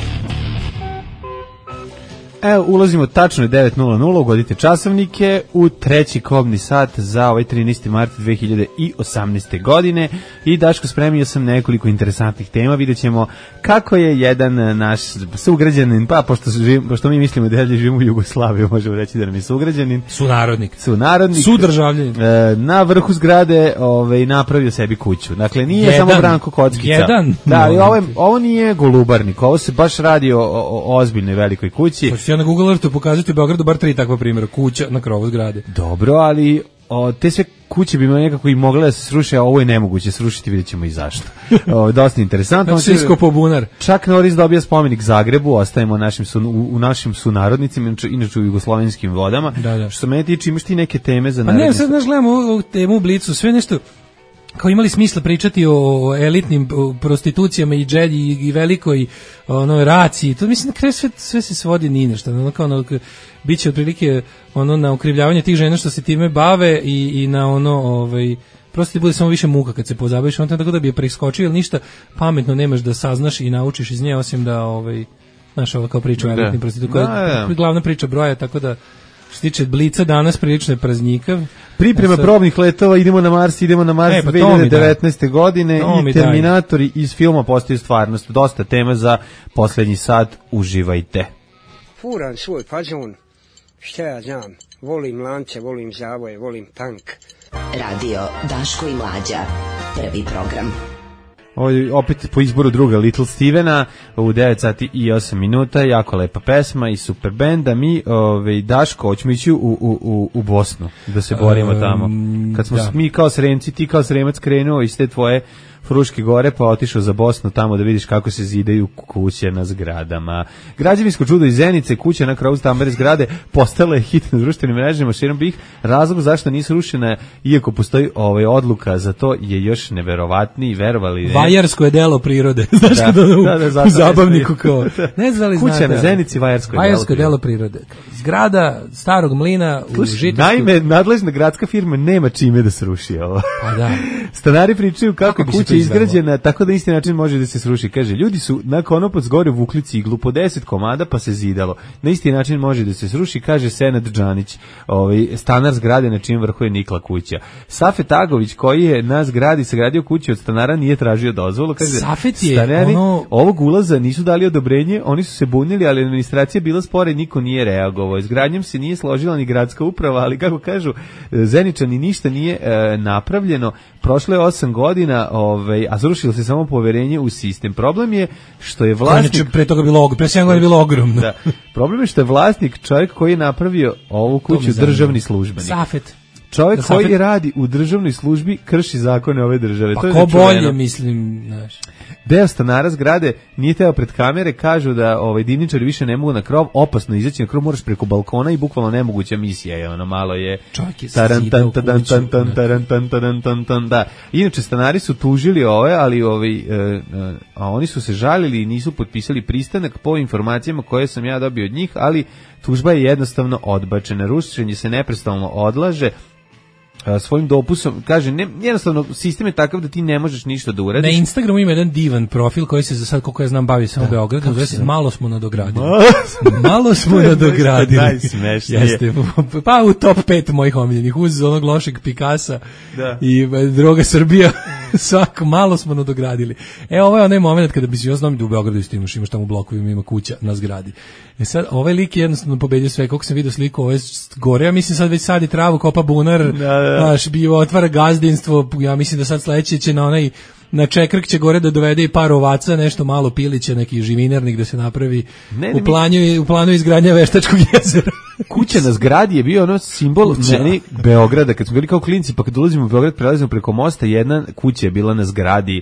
Evo, ulazimo tačno je devet nula nula, ugodite časovnike u treći kobni sat za ovaj trinaesti mart dve hiljade osamnaeste. godine i Daško spremio sam nekoliko interesantnih tema, vidjet ćemo kako je jedan naš sugrađanin, pa pošto, živim, pošto mi mislimo da živimo u Jugoslaviji, možemo reći da nam je sugrađanin. Sunarodnik. Sunarodnik. Sudržavljanin. E, na vrhu zgrade ovaj, napravio sebi kuću. Dakle, nije jedan, samo Branko Kockica. Jedan. Da, ali ovo, ovo nije Golubarnik, ovo se baš radi o, o, o ozbiljnoj velikoj kući. Ja na Google Earthu pokazati u Beogradu bar tri takva primjera, kuća na krovu zgrade. Dobro, ali o, te sve kuće bi nekako i mogle da se sruše, a ovo je nemoguće srušiti, vidjet ćemo i zašto. O, dosta interesantno. Svi iskopo bunar. Čak Norris dobija spomenik Zagrebu, ostajemo našim su, u, u našim sunarodnicima, inače u jugoslovenskim vodama. Da, da. Što se mene tiče, imaš ti neke teme za naredne? Pa ne, sad znaš, gledamo ovu temu u Blicu, sve nešto kao imali smisla pričati o elitnim prostitucijama i dželji i velikoj ono raciji. To mislim na kraju sve, sve se svodi ni na šta. Ono kao ono, biće otprilike ono na okrivljavanje tih žena što se time bave i, i na ono ovaj prosto ti bude samo više muka kad se pozabaviš, on tako da bi je preskočio, ili ništa pametno nemaš da saznaš i naučiš iz nje, osim da ovaj znaš ovo kao priča o elitnim prostitucijama, koja je glavna priča broja, tako da što se tiče Blica danas prilično je praznikav. Priprema sad probnih letova, idemo na Mars, idemo na Mars e, pa dve hiljade devetnaeste. godine i Terminatori daj. Iz filma postaju stvarnost. Dosta tema za posljednji sat, uživajte. Furam svoj fazon, šta ja znam, volim lance, volim zavoje, volim tank. Radio Daško i Mlađa, prvi program. Ovo opet po izboru druga Little Stevena u devet sati i osam minuta, jako lepa pesma i super benda. Mi, ove, Daško, hoćemo ići u, u, u, u Bosnu da se borimo um, tamo. Kad smo da. mi kao Sremci, ti kao Sremac krenuo iz te tvoje Fruške gore, pa otišao za Bosnu tamo da vidiš kako se zidaju kuće na zgradama. Građevinsko čudo iz Zenice, kuća na kraju stambene zgrade, postala je hit na društvenim mrežama širom bih. Razlog zašto nisu rušene, iako postoji ovaj odluka za to, je još neverovatniji, verovali ne. Vajarsko je delo prirode. Znaš da, da, da, da, da, u zabavniku kao. Ne znali kuća znate, na Zenici, Vajarsko je Vajarsko delo, delo prirode. Zgrada starog mlina u Žitavsku. Naime, nadležna gradska firma nema čime da se ruši ovo. Pa da. Stanari pričaju kako, kako kuća izgrađena tako da isti način može da se sruši. Kaže, ljudi su na Konopac gore vukli ciglu po deset komada pa se zidalo. Na isti način može da se sruši, kaže Senad Džanić, ovaj, stanar zgrade na čijem vrhu je nikla kuća. Safet Agović, koji je na zgradi sagradio kuću od stanara, nije tražio dozvolu. Kaže, Safet je stanari ono... ovog ulaza nisu dali odobrenje, oni su se bunili, ali administracija bila spora i niko nije reagovao. Izgradnjom se nije složila ni gradska uprava, ali kako kažu, Zeničani ništa nije e, napravljeno. Prošlo je osam godina, ovaj, a zrušilo se samo poverenje u sistem. Problem je što je vlasnik... Znači, pre toga bilo, pre sedam godina bilo ogromno. Da. Problem je što je vlasnik čovjek koji je napravio ovu kuću državni službenik. Safet. Čovjek da koji Safet... radi u državnoj službi krši zakone ove države. Pa to je ko bolje, mislim, znaš. Deo stanara zgrade nije teo pred kamere, kažu da ovaj divničari više ne mogu na krov, opasno izaći na krov, moraš preko balkona i bukvalno nemoguća misija je, ono malo je tarantan taran tan taran tan taran tan tan da. Inače stanari su tužili ove, ali ovaj e, a oni su se žalili i nisu potpisali pristanak po informacijama koje sam ja dobio od njih, ali tužba je jednostavno odbačena. Rušenje se neprestano odlaže. Svojim dopusom, kaže, ne, jednostavno sistem je takav da ti ne možeš ništa da uradiš. Na Instagramu ima jedan divan profil koji se za sad, koliko ja znam, bavi samo da, Beogradom, zove se Malo smo nadogradili. Malo smo nadogradili. Najsmešnije. Jeste, pa u top pet mojih omiljenih, uz onog lošeg Pikasa da. I Droga Srbija, svako, malo smo nadogradili. E, ovo je onaj moment kada bi si, ja znam da u Beogradu isto imaš, imaš tamo u blokovima, ima kuća na zgradi. E sad, ovaj lik je jednostavno pobedio sve, koliko sam vidio sliku, ovo je gore, ja mislim sad već sadi travu, kopa bunar, da, da. Znaš, bio otvara gazdinstvo, ja mislim da sad sledeće će na onaj, na Čekrk će gore da dovede i par ovaca, nešto malo pilića, neki živinarnik da se napravi ne, ne, u, planu, u planu izgradnja Veštačkog jezera. Kuća na zgradi je bio ono simbol meni Beograda, kad smo bili kao klinci, pa kad dolazimo u Beograd, prelazimo preko mosta, jedna kuća je bila na zgradi.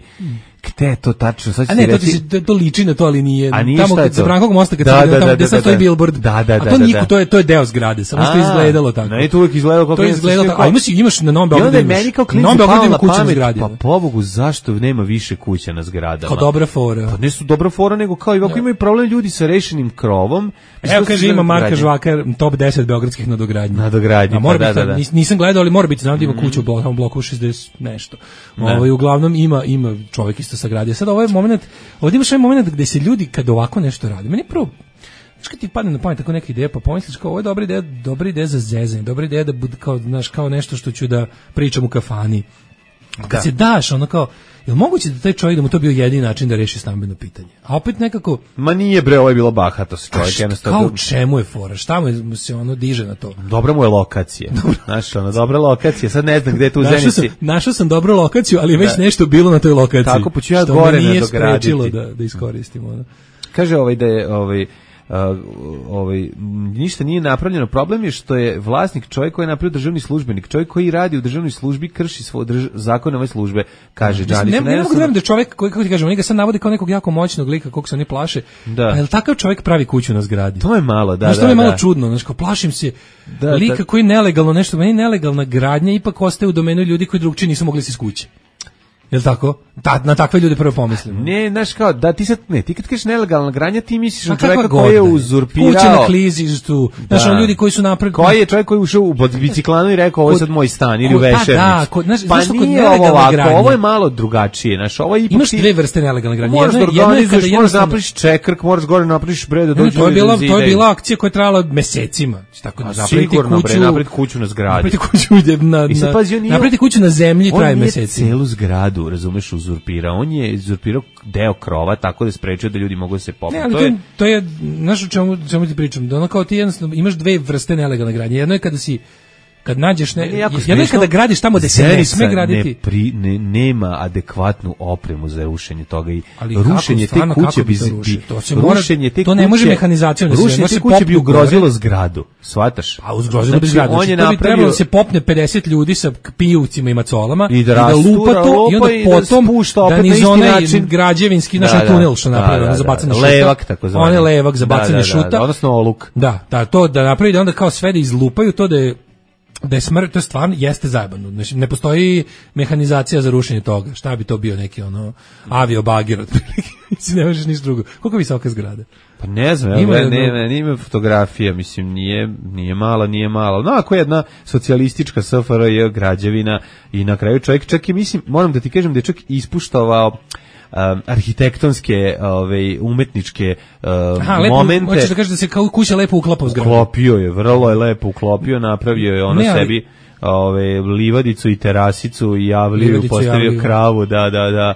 Gde je to tačno? Sad a ne, to, reći... to, to liči na to, ali nije. A nije tamo šta je kad sa Brankog mosta, kad da, se da, tamo, da, gde sad stoji billboard, da, da, a to da, niko, da. to je, to je deo zgrade, samo što je izgledalo tako. Ne, to uvijek izgledalo kako to je izgledalo tako. A imaš, imaš na Novom Beogradu, imaš. Meni kao klinci pao na pamet, pa pobogu, zašto nema više kuća na zgradama? Kao dobra fora. Pa ne su dobra fora, nego kao i ovako imaju problem ljudi sa rešenim krovom. Evo kaže, ima Marka Žvaka, top deset beogradskih nadogradnji. Nadogradnji, pa da, da, da. Nisam gledao, ali mora biti, znam da ima kuću u bloku šezdeset nešto. Ovaj uglavnom ima ima čovjek isto sagradio. Sad ovaj momenat, ovdje imaš ovaj moment gdje se ljudi kad ovako nešto radi, meni prvo, znaš kad ti padne na pamet tako neka ideja, pa pomisliš kao ovo je dobra ideja, dobra ideja za zezanje, dobra ideja da bude kao, znaš, kao nešto što ću da pričam u kafani. Kad da. se daš, ono kao, je li moguće da taj čovjek da mu to bio jedini način da reši stambeno pitanje? A opet nekako... Ma nije bre, ovo je bilo bahato se čovjek. Jednostavno... Kao čemu je fora? Šta mu se ono diže na to? Dobra mu je lokacija. Znaš, ono, dobra lokacija. Sad ne znam gde je tu u Zenici. Sam, našao sam dobru lokaciju, ali je već da. nešto bilo na toj lokaciji. Tako, poču ja gore nadograditi. Što me nije sprečilo da, da iskoristimo. Ono. Kaže ovaj da je... Ovaj, uh, ovaj, ništa nije napravljeno. Problem je što je vlasnik čovjek koji je napravio državni službenik, čovjek koji radi u državnoj službi krši svoj drž, zakon ove službe, kaže Đanić. Ne, ne, ne mogu da da čovjek koji, kako ti kažem, oni ga sad navode kao nekog jako moćnog lika, koliko se oni plaše. Da. Pa je li takav čovjek pravi kuću na zgradi? To je malo, da, znaš, da, to je malo da. čudno, znači, kao plašim se da, lika da. koji nelegalno nešto, meni nelegalna gradnja ipak ostaje u domenu ljudi koji drugčije nisu mogli se iz kuće. Jel tako? Ta, na takve ljude prvo pomislimo. Ne, znaš kao, da ti sad, ne, ti kad kažeš nelegalna gradnja, ti misliš na pa čovjeka koji je uzurpirao. Kuće na klizištu, da. Znaš, ljudi koji su napravili. Koji je čovjek koji je ušao u biciklanu i rekao, ovo je sad moj stan, ili u vešernicu. Da, kod, znaš, pa nije ovo ovako, gradnja, ovo je malo drugačije, znaš, ovo je ipak imaš ti, dve vrste nelegalne gradnje. Moraš da organizuješ, moraš da napraviš čekrk, moraš gore napraviš bre, da dođe to je bila, to je bila akcija koja je trajala mesecima. Tako da napraviti kuću, napraviti kuću na zgradi. Napraviti kuću na, napraviti kuću na zemlji traje meseci. On je celu zgradu, razumeš, uzurpirao. On je uzurpirao deo krova tako da sprečio da ljudi mogu da se popnu. Ne, ali to je, to je, znaš o čemu, čemu ti pričam, da ono kao ti jednostavno imaš dve vrste nelegalne gradnje. Jedno je kada si, kad nađeš, ne, jedno je kada gradiš tamo gde se ne sme graditi. Ne, pri, ne, nema adekvatnu opremu za rušenje toga i ali rušenje te kuće bi, bi to se mora, rušenje te to ne može mehanizacijom da se rušenje te kuće bi ugrozilo zgradu, shvataš? A ugrozilo bi zgradu. On je napravio, trebalo da se popne pedeset ljudi sa pijuvcima i macolama i da, i da lupa to i onda potom da niz onaj građevinski naš tunel što napravio za bacanje šuta. Levak tako zvani. On je levak za bacanje šuta. Odnosno oluk. Da, da, to da napravi da onda kao sve da izlupaju to da je da je smrt, to je stvarno, jeste zajebano. Znači, ne postoji mehanizacija za rušenje toga. Šta bi to bio neki ono avio-bagir otprilike? Ne možeš ništa drugo. Koliko visoka zgrada? Pa ne znam, ima, ne, ne, ne, nema fotografija, mislim, nije, nije mala, nije mala. No, ako je jedna socijalistička S F R J građevina i na kraju čovjek čak i, mislim, moram da ti kažem da je čak ispuštovao Um, arhitektonske, ove, umetničke uh, Aha, lepo, momente. Hoćeš da kažeš da se kao kuća lepo uklapa u zgradu? Uklopio je, vrlo je lepo uklopio, napravio je ono ne, ali... sebi ove, livadicu i terasicu i javliju, postavio javliju. Kravu, da, da, da.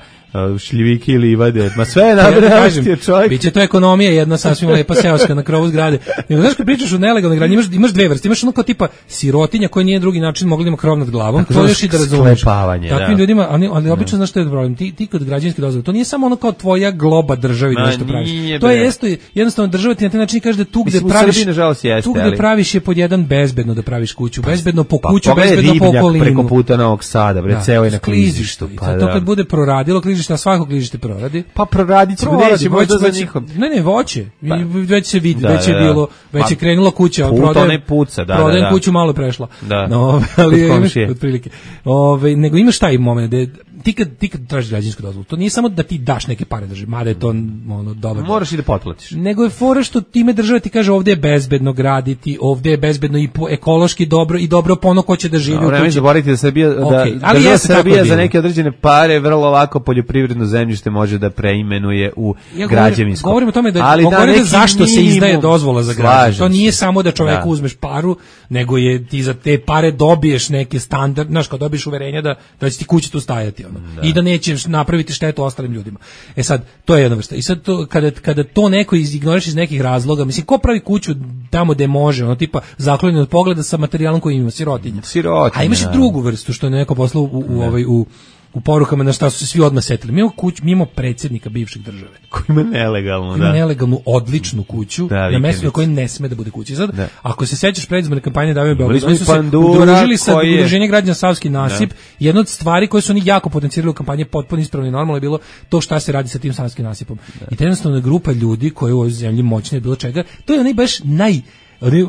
Šljivike i livade, ma sve je napravio čovjek. Biće to ekonomija jedna sasvim lepa seoska na krovu zgrade. Nego znaš kad pričaš o nelegalnoj gradnji, imaš, imaš dve vrste, imaš ono kao tipa sirotinja koja nije drugi način mogla da ima krov nad glavom, to još i da razumeš. Takvim da. ljudima, ali, ali obično znaš što je problem, ti, ti kod građevinske dozvole, to nije samo ono kao tvoja globa državi da nešto praviš. To je jesto, jednostavno država ti na taj način kaže da tu gde praviš, jeste, tu gde praviš je pod jedan bezbedno da praviš kuću, bezbedno po kuću, bezbedno po okolinu. Preko puta Novog Sada, bre, ceo je na klizištu. Pa to kad bude proradilo klizište, svako klizište proradi. Pa proradit ćemo, neće možda za njihom. Ne, ne, voće. Pa, već se vidi, da, već je bilo, već pa, je krenulo kuća, prodajem, puca, da, prodajem da, da. kuću malo prešla. Da. No, ali imaš otprilike. Ove, nego imaš taj moment da ti kad ti kad tražiš građevinsku dozvolu, to nije samo da ti daš neke pare državi, mada je to ono dobro. Moraš i da potplatiš. Nego je fora što time država ti kaže ovdje je bezbedno graditi, ovdje je bezbedno i po, ekološki dobro i dobro po ono ko će da živi no, u kući. Ne zaboravite da Srbija okay. da ali država Srbija za neke određene pare vrlo lako poljoprivredno zemljište može da preimenuje u ja građevinsko. Govorimo o tome da, ali da, da zašto se izdaje dozvola za gradnju. To nije samo da čovjeku da. uzmeš paru, nego je ti za te pare dobiješ neke standard, znaš, kao dobiješ uverenja da, da će ti kuća tu stajati. Ono. Da. I da nećeš napraviti štetu ostalim ljudima. E sad, to je jedna vrsta. I sad, to, kada, kada to neko izignoriš iz nekih razloga, mislim, ko pravi kuću tamo gde može, ono tipa zaklonjen od pogleda sa materijalom koji ima, sirotinja. Sirotinja. A imaš i drugu vrstu, što je neko poslao u, u, ovaj, u u porukama na šta su se svi odmah setili. Mi imamo kuću, mi imamo predsjednika bivšeg države. Koji ima nelegalnu, ima da. nelegalnu, odličnu kuću, da, na mjestu na kojoj ne sme da bude kuća. I sad, da. ako se sećaš predizborne kampanje Davima Beograda, oni su se udružili sa udruženje građana Savski nasip. Da. Jedna od stvari koje su oni jako potencirali u kampanji, potpuno ispravno i normalno je bilo to šta se radi sa tim Savskim nasipom. Da. I to je jednostavno grupa ljudi koji u ovoj zemlji moćne je bilo čega. To je onaj baš naj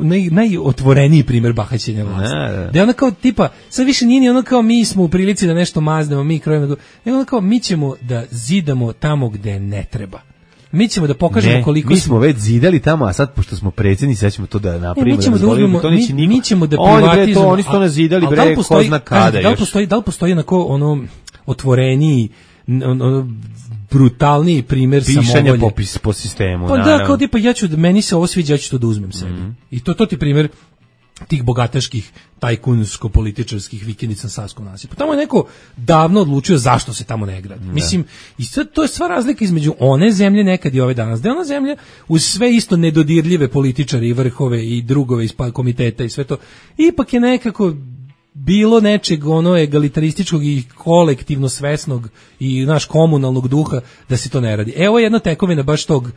naj najotvoreniji primjer bahaćenja vlasti. Da, da. da je ono kao tipa, sad više nije ni ono kao mi smo u prilici da nešto maznemo, mi krojimo, nego ono kao mi ćemo da zidamo tamo gde ne treba. Mi ćemo da pokažemo ne, koliko mi smo već zidali tamo, a sad pošto smo predsjednici, sad ćemo to da napravimo. E, mi ćemo da, da uzmemo, to mi, mi ćemo da privatizujemo. Oni su to nazidali, bre, da ko zna kada još. Da li postoji, da li postoji onako ono otvoreniji, ono, brutalniji primjer pišanja po, po sistemu. Pa naravno. Da, kao tipa ja ću, meni se ovo sviđa, ja ću to da uzmem sebi. Mm-hmm. I to, to ti primjer tih bogataških tajkunsko-političarskih vikendica na Savskom nasipu. Tamo je neko davno odlučio zašto se tamo ne gradi. Ne. Mislim, i sad to je sva razlika između one zemlje nekad i ove danas. Da je ona zemlja uz sve isto nedodirljive političare i vrhove i drugove iz komiteta i sve to, ipak je nekako bilo nečeg ono egalitarističkog i kolektivno svesnog i naš komunalnog duha da se to ne radi. Evo jedna tekovina baš tog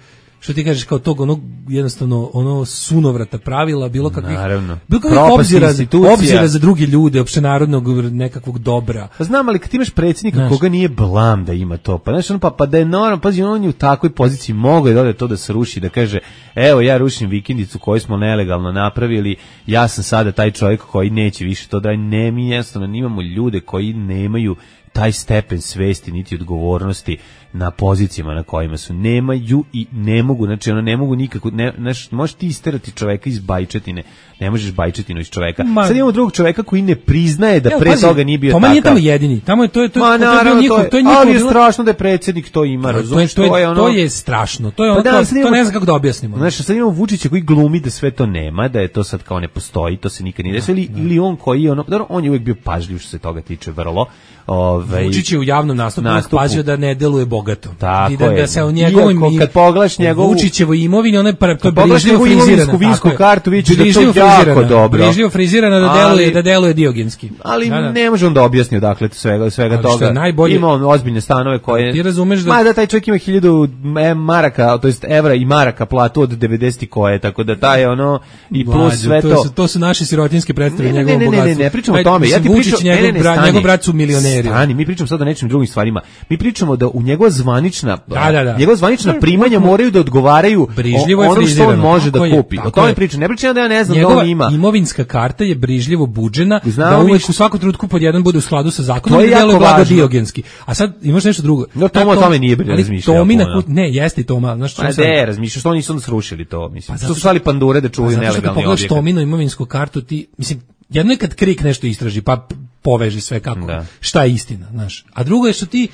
što ti kažeš kao tog onog jednostavno ono sunovrata pravila, bilo kakvih Naravno. bilo kakvih obzira, obzira za druge ljude, opštenarodnog nekakvog dobra. Pa znam, ali kad ti imaš predsjednika znaš, koga nije blam da ima to, pa znaš, on, pa, pa da je normalno, pazi, on je u takvoj poziciji mogao je da to da se ruši, da kaže, evo ja rušim vikendicu koju smo nelegalno napravili, ja sam sada taj čovjek koji neće više to da ne, mi jednostavno imamo ljude koji nemaju taj stepen svesti niti odgovornosti na pozicijama na kojima su, nemaju i ne mogu, znači ono ne mogu nikako, ne, znaš, možeš ti isterati čoveka iz bajčetine, ne možeš bajčetinu iz čoveka. Ma, sad imamo drugog čoveka koji ne priznaje da evo, pre pazi, toga nije bio takav. Toma nije tamo jedini, tamo je to je to, Ma, to, naravno, njihov, to je, to je njihov, ali je strašno da je predsjednik to ima, razumiješ, to, to, to je ono. To je strašno, to je ono, pa da, to, to ne znam kako da objasnimo. Znaš, sad imamo Vučića koji glumi da sve to nema, da je to sad kao ne postoji, to se nikad nije desilo, ili, ili on koji je ono, dobro, on je uvijek bio pažljiv što se toga tiče vrlo. Ovaj Vučić je u javnom nastupu, nastupu. pazio da ne deluje bogato. Tako I da, je. da se o njegovim Iako, kad pogledaš njegovu Vučićevo imovinu, ona je to brižljivo frizirana. Vinsku kartu vidiš da to jako dobro. Brižljivo frizirana da deluje da deluje diogenski. Ali da, da. ne može on da objasni odakle svega svega ali toga. Najbolje, ima on ozbiljne stanove koje ti razumeš da ma da taj čovjek ima hiljadu maraka, to jest evra i maraka platu od devedeset koje, tako da taj ono i plus Mlađe, sve to. To su, to su naše sirotinske predstave njegovog bogatstva. Ne, ne, ne, ne pričamo o tome. Ja ti pričam, njegov brat, njegov brat su milioneri. Stani, mi pričamo sad o nečim drugim stvarima. Mi pričamo da u njegova zvanična, da, da, da. njegova zvanična primanja moraju da odgovaraju brižljivo ono što on može da je, kupi. O tome pričam. Ne pričam da ja ne znam njegova da on ima. Imovinska karta je brižljivo budžena, Znamo da uvijek u svakom trenutku pod jedan bude u skladu sa zakonom i deluje blago diogenski. A sad imaš nešto drugo. No Toma o tome nije bilo razmišljao. Tomina, ne, jeste i Toma. Znaš što sad? Ne, razmišljaš što oni su srušili to, mislim. To su svali pandure da čuvaju nelegalni objekat. Zato što Tominu imovinsku kartu ti, mislim, jedno je kad Krik nešto istraži, pa poveži sve kako, da. Šta je istina, znaš. A drugo je što ti,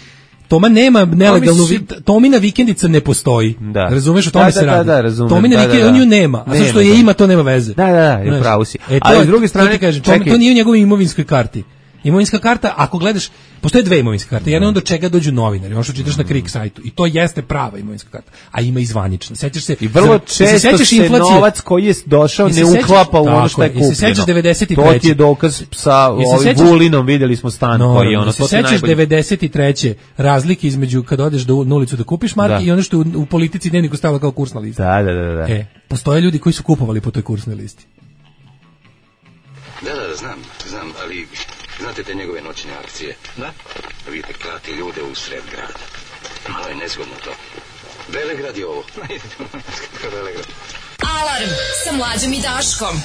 Toma nema nelegalnu, si... Tomina vikendica ne postoji, da. Razumeš, o tome da, se da, radi. Da, da, Tomina da, vikendica, da, da. on ju nema, a zato što je ima, to nema veze. Da, da, da, je pravo si. E, to, ali s druge strane, to, kažem, to, to nije u njegovoj imovinskoj karti. Imovinska karta, ako gledaš, postoje dve imovinske karte. Jedna je do čega dođu novinari, ono što čitaš na Krik sajtu. I to jeste prava imovinska karta. A ima i zvanična. Sećaš se... I vrlo često se, se novac koji je došao ne uklapa u ono što je kupljeno. I se sećaš devedeset treće To ti je dokaz sa ovim Vulinom, vidjeli smo stan no, koji je ono. Se sećaš devedeset treće razlike između kad odeš do, na ulicu da kupiš marke da. I ono što u, u politici dnevniku stavila kao kursna lista. Da, da, da, da. E, postoje ljudi koji su kupovali po toj kursnoj listi. Da, da, da, znam, znam, ali... Znate te njegove noćne akcije? Da. Vidite, klati ljude u sred grada. Malo je nezgodno to. Velegrad je ovo. Velegrad. Alarm sa Mlađom i Daškom.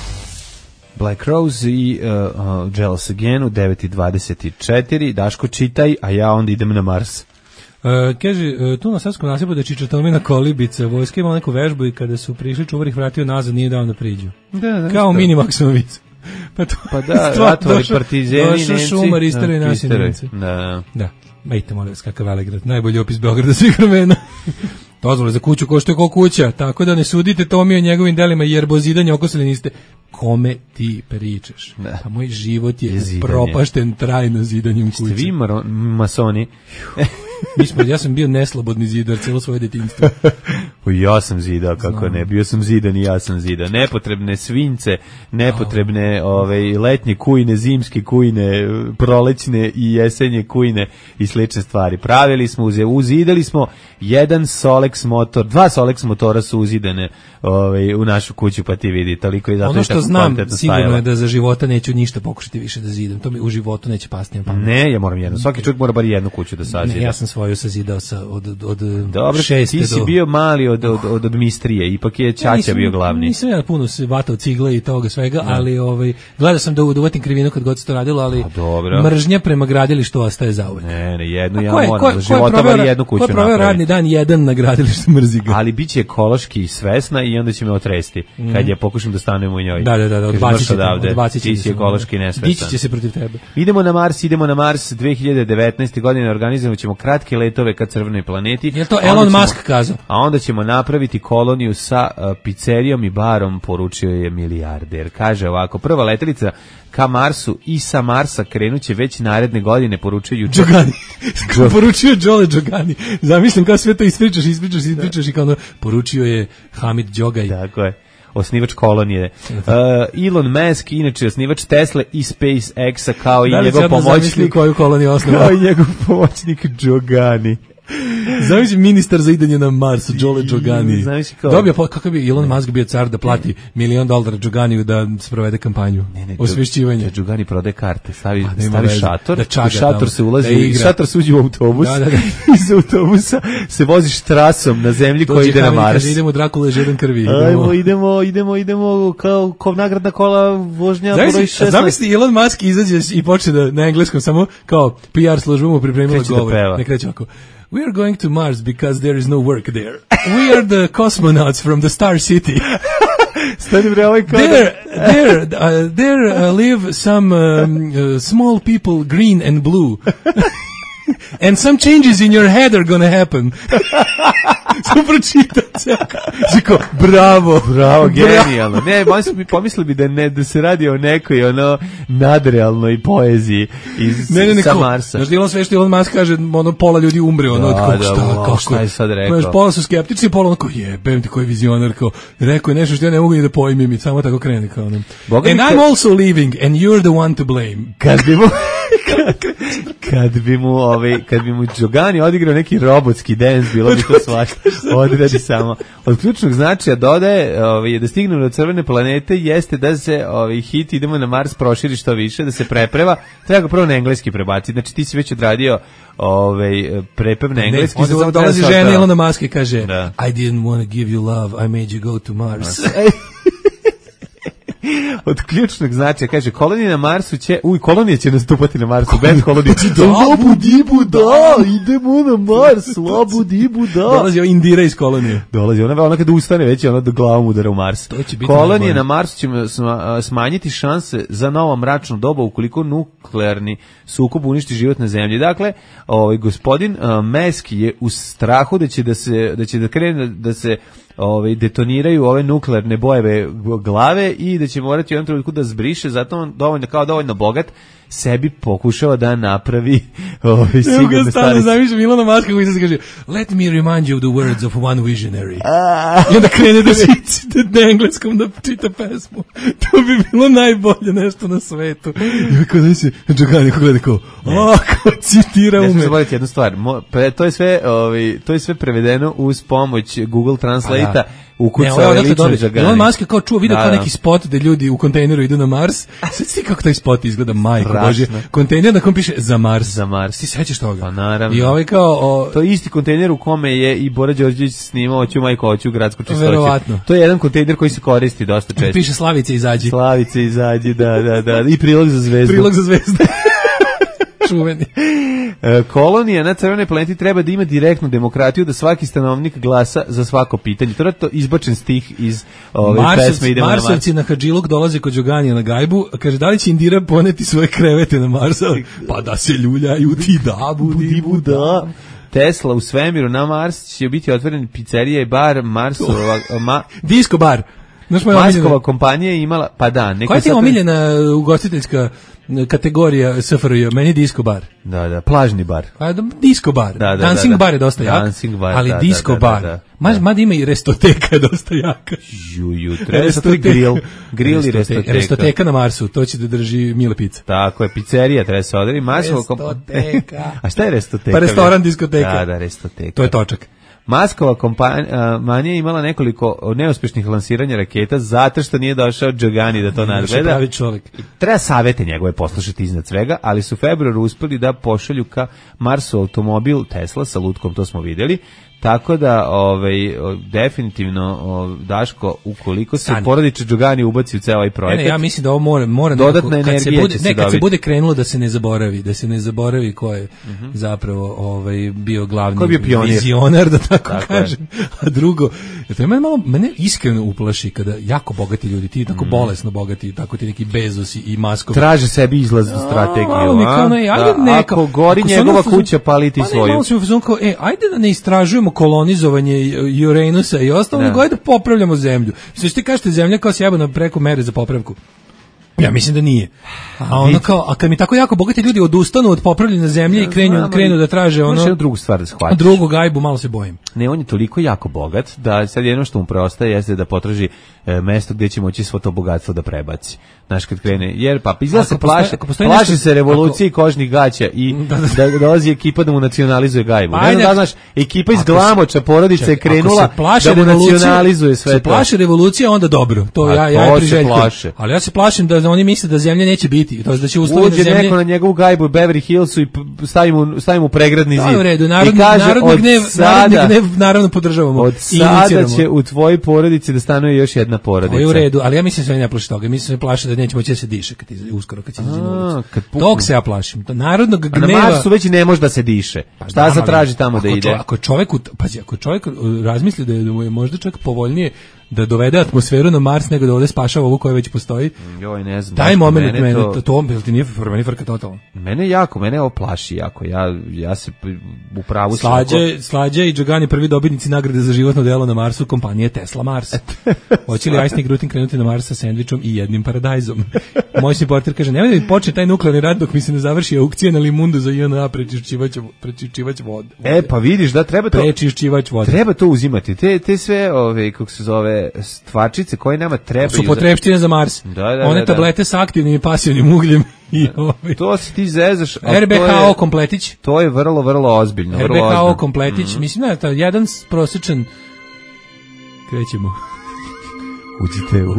Black Rose i uh, uh, Jealous Again u devet i dvadeset četiri. Daško, čitaj, a ja onda idem na Mars. Uh, kaže, uh, tu na Savskom nasipu da je Čičatomina kolibica, vojska imala neku vežbu i kada su prišli čuvar ih vratio nazad, nije dao da priđu. Da, da, kao mini Maksimović. Pa, to, pa da, ratovali partizani, došao šumar, istaroj da, nasi Nemci. Da, da. Majte, molim vas, kakav Velegrad, najbolji opis Beograda svih vremena. Dozvole za kuću koštuje ko kuća, tako da ne sudite Tomi o njegovim delima, jer bozidanje okosili niste. Kome ti pričaš? Da. A moj život je, je propašten trajno zidanjem kuće. Ste vi masoni? Mi smo, ja sam bio neslobodni zidar cijelo svoje detinjstvo. Ja sam zidao, kako Znam. ne, bio sam zidan i ja sam zidao. Nepotrebne svince, nepotrebne oh. ove, letnje kujne, zimske kujne, prolećne i jesenje kujne i slične stvari. Pravili smo, uzidali smo jedan Solex motor, dva Solex motora su uzidane ove, u našu kuću, pa ti vidi, toliko i zato ono što je znam, sigurno stajala. je da za života neću ništa pokušati više da zidam. To mi u životu neće pasti na pamet. Ne, ja moram jedno. Svaki čovjek mora bar jednu kuću da sazida. Ne, ja sam svoju sazidao sa od od, od Dobro, šeste ti si do... bio mali od od od, od mistrije, ipak je Ćaća ja, nisam, bio glavni. Nisam ja puno se vatao cigle i toga svega, ne. ali ovaj gledao sam da uvatim krivinu kad god se to radilo, ali mržnja prema gradilištu ostaje zauvek. Ne, ne, jednu ja moram, za života bar jednu kuću napraviti. Ko je radni dan jedan na gradilištu, mrzi ga. Ali biće ekološki svesna i onda će me otresti mm. kad je pokušam da stanem u njoj. Da, da, da, odbacit će, odbacit će. Ti si ekološki nesvestan. Dići će se protiv tebe. Idemo na Mars, idemo na Mars dve hiljade devetnaeste. godine, organizovat ćemo kratke letove ka crvenoj planeti. Je to Elon ćemo, Musk kazao? A onda ćemo napraviti koloniju sa uh, pizzerijom i barom, poručio je milijarder. Kaže ovako, prva letelica ka Marsu i sa Marsa krenuće već naredne godine, poručio juče. Đogani. Poručio Đole Đogani. Zamislim kao sve to ispričaš, ispričaš, ispričaš i kao ono, poručio je Hamid Đogaj. Tako je. Osnivač kolonije. Uh, Elon Musk, inače osnivač Tesla i SpaceX-a kao i da njegov pomoćnik. Koju koloniju osnovao? Kao i njegov pomoćnik Đogani. Zamisli ministar za idanje na Mars, Đole Đogani. Zamisli kao... Dobio, kako bi Elon Musk bio car da plati milion dolara Đoganiju da sprovede kampanju. Ne, ne, osvešćivanje. Đogani prode karte, stavi, A, stavi šator, da čaga, u šator tamo, se ulazi, da i šator se uđe u autobus, da, da, da. Iz autobusa se voziš trasom na zemlji koja ide na Mars. Kaže, idemo Drakula žeden krvi. Idemo, Ajmo, idemo, idemo, idemo kao, kao nagradna kola vožnja broj šesnaest. Zamisli Elon Musk izađe i počne da na engleskom samo kao P R služba mu pripremila govor. Ne kreće ovako. We are going to Mars because there is no work there. We are the cosmonauts from the Star City. Stani bre, ovaj kao there, there, uh, there uh, live some um, uh, small people, green and blue. And some changes in your head are gonna happen. Samo pročitate. Ziko, bravo. Bravo, genijalno. Ne, pomislili bi da, ne, da se radi o nekoj ono nadrealnoj poeziji iz ne, ne, ne, sa Marsa. Znaš, Elon sve što Elon Musk kaže, ono, pola ljudi umre, ono, da, kako, da, šta, wow, kako, šta je sad rekao? Znaš, pola su skeptični, pola ono, kao, jebem ti koji vizionar, kao, rekao je nešto što ja ne mogu ni da pojmim i samo tako krene, kao, ono. Boga and I'm also leaving, and you're the one to blame. Kad bi mu... kad bi mu ovaj kad bi mu Đogani odigrao neki robotski dance, bilo bi to svašta. Odradi samo. Od ključnog značaja dodaje, ovaj da stignemo do crvene planete jeste da se ovaj hit idemo na Mars proširi što više, da se prepreva. Treba ga prvo na engleski prebaciti. Znači ti si već odradio ovaj prepev na engleski, ne, onda dolazi žena Elona Muska i kaže da. I didn't want to give you love, I made you go to Mars. Od ključnog značaja, kaže, kolonije na Marsu će, uj, kolonije će nastupati na Marsu, bez kolonije. Da, budibu, da, idemo na Mars, labudibu, da. Dolazi o Indira iz kolonije. Dolazi, ona, ona kada ustane, već je ona da glavom udara u Mars. Kolonije na Marsu će smanjiti šanse za novo mračno doba ukoliko nuklearni sukob uništi život na zemlji. Dakle, ovaj gospodin uh, Musk je u strahu da će da se da će da krene da se ovaj detoniraju ove nuklearne bojeve glave i da će morati u jednom trenutku da zbriše, zato on dovoljno kao dovoljno bogat sebi pokušava da napravi ovaj sigurno stvari. Zamišljam Ilona Maska koji se kaže let me remind you of the words of one visionary. I onda krene da čita na engleskom da čita pesmu. To bi bilo najbolje nešto na svetu. I kako da se Đogani gleda kao a kako citira ume. Ne smiješ zaboraviti jednu stvar. To je sve, ovaj, to je sve prevedeno uz pomoć Google Translate-a. Ukucao je lično Đogani. Elon Musk kao čuo, vidio kao neki spot da ljudi u kontejneru idu na Mars. Sve ti kako taj spot izgleda, majko Bože. Kontejner na kom piše za Mars. Za Mars. Ti sećaš toga? Pa naravno. I ovaj kao... O... To je isti kontejner u kome je i Bora Đorđević snimao Oću majko, Oću gradsku čistoću. Verovatno. To je jedan kontejner koji se koristi dosta često. Piše Slavice izađi. Slavice izađi, da, da, da. I prilog za zvezdu. Prilog za zvezdu. Čuveni. Kolonija na crvenoj planeti treba da ima direktnu demokratiju, da svaki stanovnik glasa za svako pitanje. To je to izbačen stih iz ove Marsovci, pesme Idemo Marsovci na Mars. na Hadžiluk dolaze kod Đoganija na gajbu, kaže da li će Indira poneti svoje krevete na Marsa? Pa da se ljuljaju ti da, budi buda. Tesla u svemiru na Mars će biti otvoren pizzerija i bar Marsova... Ma, disco bar. Marskova kompanija je imala, pa da. Koja ti je omiljena ugostiteljska kategorija S F R J? Meni je disco bar. Da, da, plažni bar. A, disco bar. Da, da, Dancing da, da. bar je dosta jak, Dancing bar, ali da, disco da, da, bar. da, da. Mada ma ima i restoteka je dosta jaka. Ju, ju, treba sad grill. Grill i restoteka. Restoteka na Marsu, to će da drži Mile Pizza. Tako je, pizzerija treba se odreći. Restoteka. A šta je restoteka? Pa restoran, diskoteka. Da, da, restoteka. To je točak. Maskova kompanija je imala nekoliko neuspješnih lansiranja raketa zato što nije došao Đogani da to nadgleda. Pravi čovjek. Treba savete njegove poslušati iznad svega, ali su u februaru uspeli da pošalju ka Marsu automobil Tesla sa lutkom, to smo vidjeli. Tako da, ovaj, definitivno, o, Daško, ukoliko se porodiče Đogani ubaci u ceo ovaj projekat... Ne, ne, ja mislim da ovo mora... mora dodatna nekako, energija kad se bude, će se ne, kad dobiti. se bude krenulo da se ne zaboravi, da se ne zaboravi ko je uh-huh. zapravo ovaj, bio glavni ko je bio vizionar, da tako, tako kažem. Je. A drugo, to mene malo, mene iskreno uplaši kada jako bogati ljudi, ti tako mm. bolesno bogati, tako ti neki Bezosi i Maskovi... Traže sebi izlaznu strategiju, a? a? Ne, ajde, da, neka, ako gori ako njegova kuća, pali ti pa svoju. Ne, malo sam u kao, e, ajde da ne istražujemo kolonizovanje Uranusa i ostalo, nego ajde da popravljamo zemlju. Sve što ti kažete, zemlja kao sjebana preko mere za popravku. Ja mislim da nije. A ono kao, a kad mi tako jako bogati ljudi odustanu od popravljene zemlje ja, i krenu, znam, krenu da traže ono... Možeš drugu stvar da shvatiš. Drugu gajbu, malo se bojim. Ne, on je toliko jako bogat da sad jedno što mu preostaje jeste da potraži e, mesto gdje će moći svo to bogatstvo da prebaci. Znaš, kad krene, jer pa izgleda se postoji, plaši, plaši nešto, se revolucije ako, kožnih gaća i da, da, da dolazi ekipa da mu nacionalizuje gajbu. Pa, ne znam da znaš, ekipa iz Glamoča porodice je krenula da mu nacionalizuje sve to. Se plaši revolucija, onda dobro. To ja, ja je priželjkujem. Ali ja se plašim da oni misle da zemlje neće biti. To da će uslovi da zemlje... neko na njegovu gajbu u Beverly Hillsu i stavi mu, stavi mu pregradni zid. Da, u redu. Narodni, kaže, narodni, gnev, sada, narodni gnev naravno podržavamo. Od sada će u tvojoj porodici da stanuje još jedna porodica. To je u redu, ali ja mislim se ne plaši toga. Mislim se plaši da neće moći da se diše kad iz, uskoro kad se izađe na ulicu. Tog se ja plašim. To narodnog gneva. A na Marsu već ne može da se diše. Pa šta se traži tamo da ide? Ako čovjek, pazi, ako čovjek razmisli da je možda čak povoljnije da dovede atmosferu na Mars nego da ovde spašava ovu koja već postoji. Joj, ne znam. Taj moment mene, mene to, to bil ti nije meni frka totalno. Mene jako, mene ovo plaši jako. Ja ja se u pravu Slađe, Slađe i Đogani prvi dobitnici nagrade za životno delo na Marsu kompanije Tesla Mars. Hoće li Ajsni Grutin krenuti na Mars sa sendvičom i jednim paradajzom? Moj reporter kaže: "Nemoj da mi počne taj nuklearni rad dok mi se ne završi aukcija na limundu za I N A prečišćivač prečišćivač vode." E pa vidiš da treba to prečišćivač vode. Treba to uzimati. Te te sve ove kako se zove stvarčice koje nama trebaju su potrebštine za Mars. Da, da, one da, tablete da. sa aktivnim i pasivnim ugljem i ove. To se ti zezaš. R B H O kompletić. To je vrlo vrlo ozbiljno, vrlo ozbiljno. R B H O kompletić, mm-hmm. mislim da je to jedan prosječan. Krećemo. Uđite u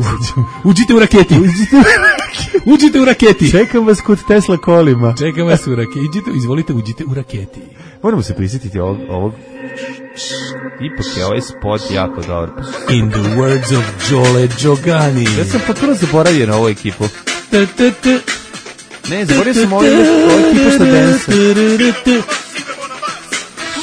Uđite u raketi. Uđite u raketi. Uđite u raketi. Čekam vas kod Tesla kolima. Čekam vas u raketi. Uđite, izvolite, uđite u raketi. Moramo se prisjetiti ovog, ovog ipak je ovaj spot jako dobar. In the words of Đole Đogani. Ja sam potpuno zaboravio na ovu ekipu. Ne, zaboravio sam ovu ekipu što dansa.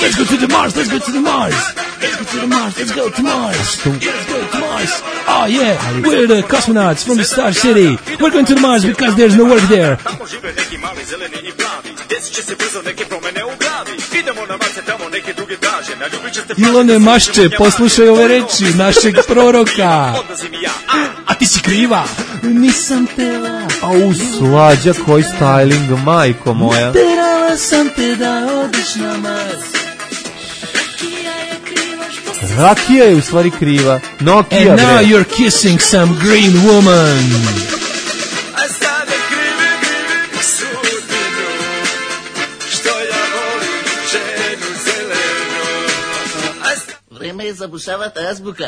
Let's go to the Mars, let's go to the Mars. Let's go to the Mars, let's go to Mars. Let's go to Mars. Oh yeah, we're the cosmonauts from the Star City. We're going to the Mars because there's no work there. Tamo žive neki mali zeleni i plavi. Desit će se brzo neke promene u glavi. Idemo na Mars, tamo neke druge traže. Naljubit će se... Ilone Mašče, poslušaj ove reči našeg proroka. A ti si kriva. Nisam tela. Au, Slađa, koji styling, majko moja. Terala sam te da odiš na Mars. Rakija je u stvari kriva. Nokia, and now bre. You're kissing some green woman. A sada krivim, krivim sudbinu, što ja volim ženu zelenu. Vreme je zabušavati azbuka.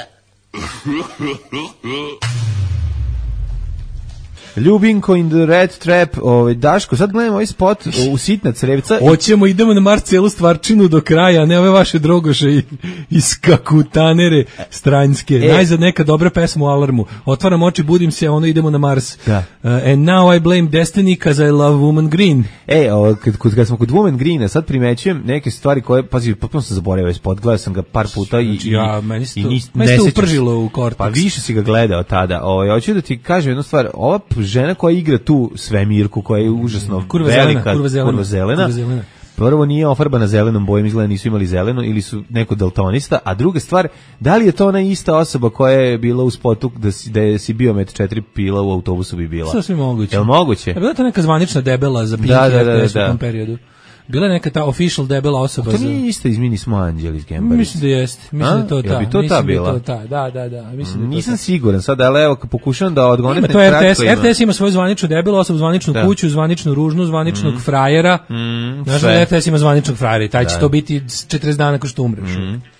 Ljubinko in the Red Trap, ovaj Daško, sad gledamo ovaj spot u Sitna crevca. Hoćemo, idemo na Mars celu stvarčinu do kraja, ne ove vaše drogoše i, i skakutanere stranjske. E. Najzad neka dobra pesma u alarmu. Otvaram oči, budim se, ono idemo na Mars. Da. Uh, and now I blame Destiny cause I love Woman Green. E, o, kad, kad, kad smo kod Woman Greena, sad primećujem neke stvari koje, pazi, potpuno sam zaboravio ovaj spot, gledao sam ga par puta i, znači, ja, meni se to, i meni se upržilo u korteks. Pa više si ga gledao tada. Ovaj, hoću da ti kažem jednu stvar, ova žena koja igra tu svemirku, koja je užasno kurva velika, zelena, kurva zelena, kurva zelena. Kurva zelena. Prvo nije ofarbana zelenom bojom, izgleda nisu imali zeleno ili su neko daltonista, a druga stvar, da li je to ona ista osoba koja je bila u spotu da si, da je si bio med četiri pila u autobusu bi bila? Sasvim moguće. Je li moguće? Je bila to neka zvanična debela za Pinky da, da, da, R T S da, da. u tom periodu? Bila je neka ta official debela osoba. A to nije isto iz Mini Smo Anđeli iz Gembarice. Mislim da jeste. Mislim da to ta. Bi to ta bila? Da, to ta. Da, da, da. Mislim da nisam siguran sad, ali evo pokušavam da odgonem. To je R T S. R T S ima svoju zvaničnu debelu osobu, zvaničnu da. kuću, zvaničnu ružnu, zvaničnog mm. frajera. Mm, znaš da R T S ima zvaničnog frajera i taj će da. to biti četrdeset dana nakon što umreš. Mm.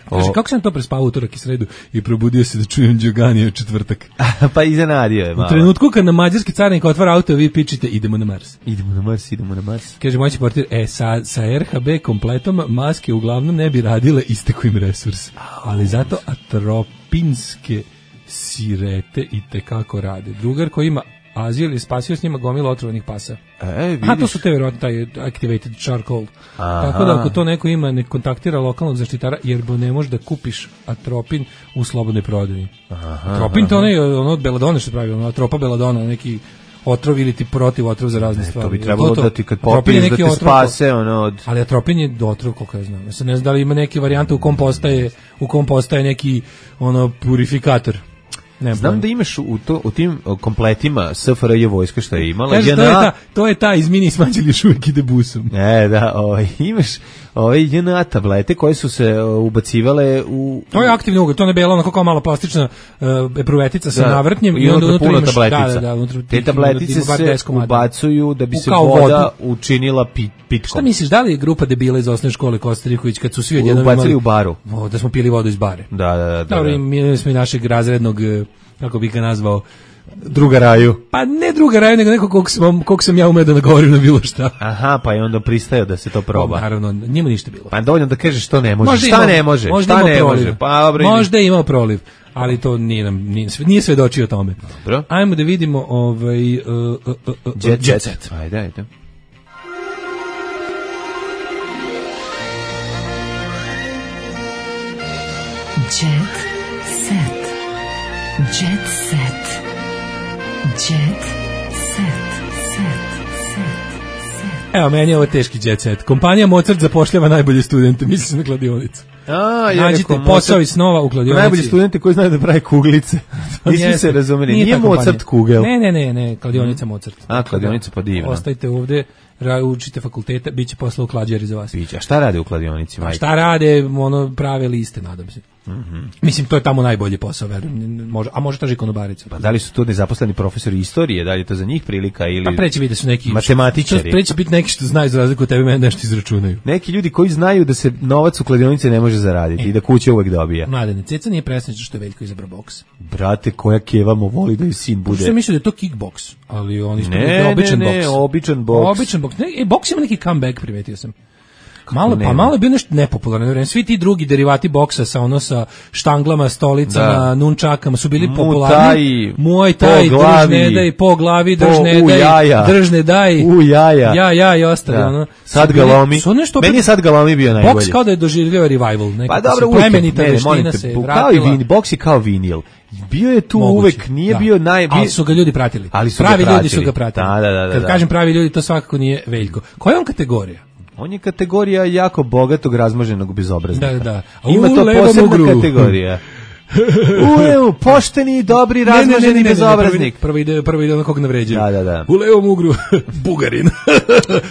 Kaže, kako sam to prespao utorak i sredu i probudio se da čujem Đogani u četvrtak. Pa iznenadio je malo. U trenutku kad na mađarski carnik otvara auto, vi pičite, idemo na Mars. Idemo na Mars, idemo na Mars. Kaže, moći portir, e, sa, sa R H B kompletom maske uglavnom ne bi radile, isteko im resurs. Ali zato atropinske sirete i tekako rade. Drugar koji ima azil je spasio s njima gomila otrovanih pasa. E, vidiš. A to su te vjerojatno taj activated charcoal. Aha. Tako da ako to neko ima, ne kontaktira lokalnog zaštitara, jer bo ne može da kupiš atropin u slobodnoj prodaji. Atropin to onaj ono od beladone što pravi, ono atropa beladona, neki otrov ili ti protiv otrov za razne stvari. To bi trebalo to, to. da ti kad popiješ da te spase ono od... Ali atropin je otrov, koliko ja znam. Ja sad ne znam da li ima neke varijante u kom postaje, u kom postaje neki ono purifikator. Ne, znam da imaš u, to, u tim kompletima S F R J vojska što je imala. Kaže, to, je ta, to je ta iz Mini Smađeli još uvijek ide busom. E, da, ovaj, imaš ove J N A tablete koje su se ubacivale u... To je aktivni ugalj, to ne belo, onako kao mala plastična uh, epruvetica sa da, navrtnjem i onda unutra imaš... Da, da, da, unutra, te tabletice se ubacuju da bi se kao voda vodu učinila pit, pitkom. Šta misliš, da li je grupa debila iz osnovne škole Kostariković kad su svi odjednom ubacili imali... u baru? O, da smo pili vodu iz bare. Da, da, da. Dobro, da. mi smo i našeg razrednog, kako bih ga nazvao, druga raju. Pa ne druga raju, nego neko kog sam, kog sam ja umeo da nagovorim na bilo šta. Aha, pa je onda pristajao da se to proba. O, naravno, njemu ništa bilo. Pa dovoljno da kažeš što ne može. Možda šta imao, ne može? Možda šta ne proliv. može? Pa, dobro, možda je imao proliv, ali to nije, nam, nije, nije svedočio o tome. Dobro. Ajmo da vidimo ovaj, uh, uh, uh, uh, jet, jet set. Ajde, ajde. Jet set. Jet set. Jet set. Evo, meni je ovo teški jet set. Kompanija Mozart zapošljava najbolje studente, misli se na kladionicu. A, nađite posao i snova u kladionici. Najbolji studenti koji znaju da pravi kuglice. Nismo se razumeli. Nije, nije Mozart kugel. Ne, ne, ne, ne, kladionica Mozart. A, kladionica pa divna. Ostajte ovde, učite fakultete, bit će posla u klađari za vas. Biće. A šta rade u kladionici, majke? Šta rade, ono, prave liste, nadam se. Mm-hmm. Mislim, to je tamo najbolji posao, verujem. Može, a može traži konobarica. Pa da li su to nezaposleni profesori istorije, da li je to za njih prilika ili... Pa preće biti da su neki... Matematičari. Preće biti neki što znaju za razliku od tebe, mene nešto izračunaju. Neki ljudi koji znaju da se novac u kladionici ne može zaraditi e. i da kuća uvek dobija. Mladene, Ceca nije presrećna što je Veljko izabrao boks. Brate, koja keva mu voli da joj sin bude. Što je mislio da je to kickboks, ali on isto ne, je običan ne, boks. Ne, običan boks. Običan boks. Ne, e, boks ima neki comeback, primetio sam. Malo, pa malo je bio nešto nepopularno. Svi ti drugi derivati boksa sa ono sa štanglama, stolicama, da. nunčakama su bili popularni. Muay Thai, držne daj, po glavi, držne daj, držne daj. U jaja. Ja, ja i ostali. Da. Ono. Sad ga lomi. Meni je sad ga lomi bio najbolji. Boks kao da je doživljavao revival. Pa dobro, plemenita veština se vratila. Boks je kao vinil. Bio je tu moguće, uvek, nije da. bio naj... Ali su ga ljudi pratili. Ali su pravi ga pratili. ljudi su ga pratili. Da, da, da, da, Kad da. kažem pravi ljudi, to svakako nije Veljko. Koja je on kategorija? On je kategorija jako bogatog razmoženog bezobraznika. Da, da. A Ima to posebna ugru. kategorija. U levu, pošteni, dobri, razmoženi ne, ne, ne, bezobraznik. Prvo ide, prvo ide ono kog navređaju. Da, da, da. U levom ugru, Bugarin.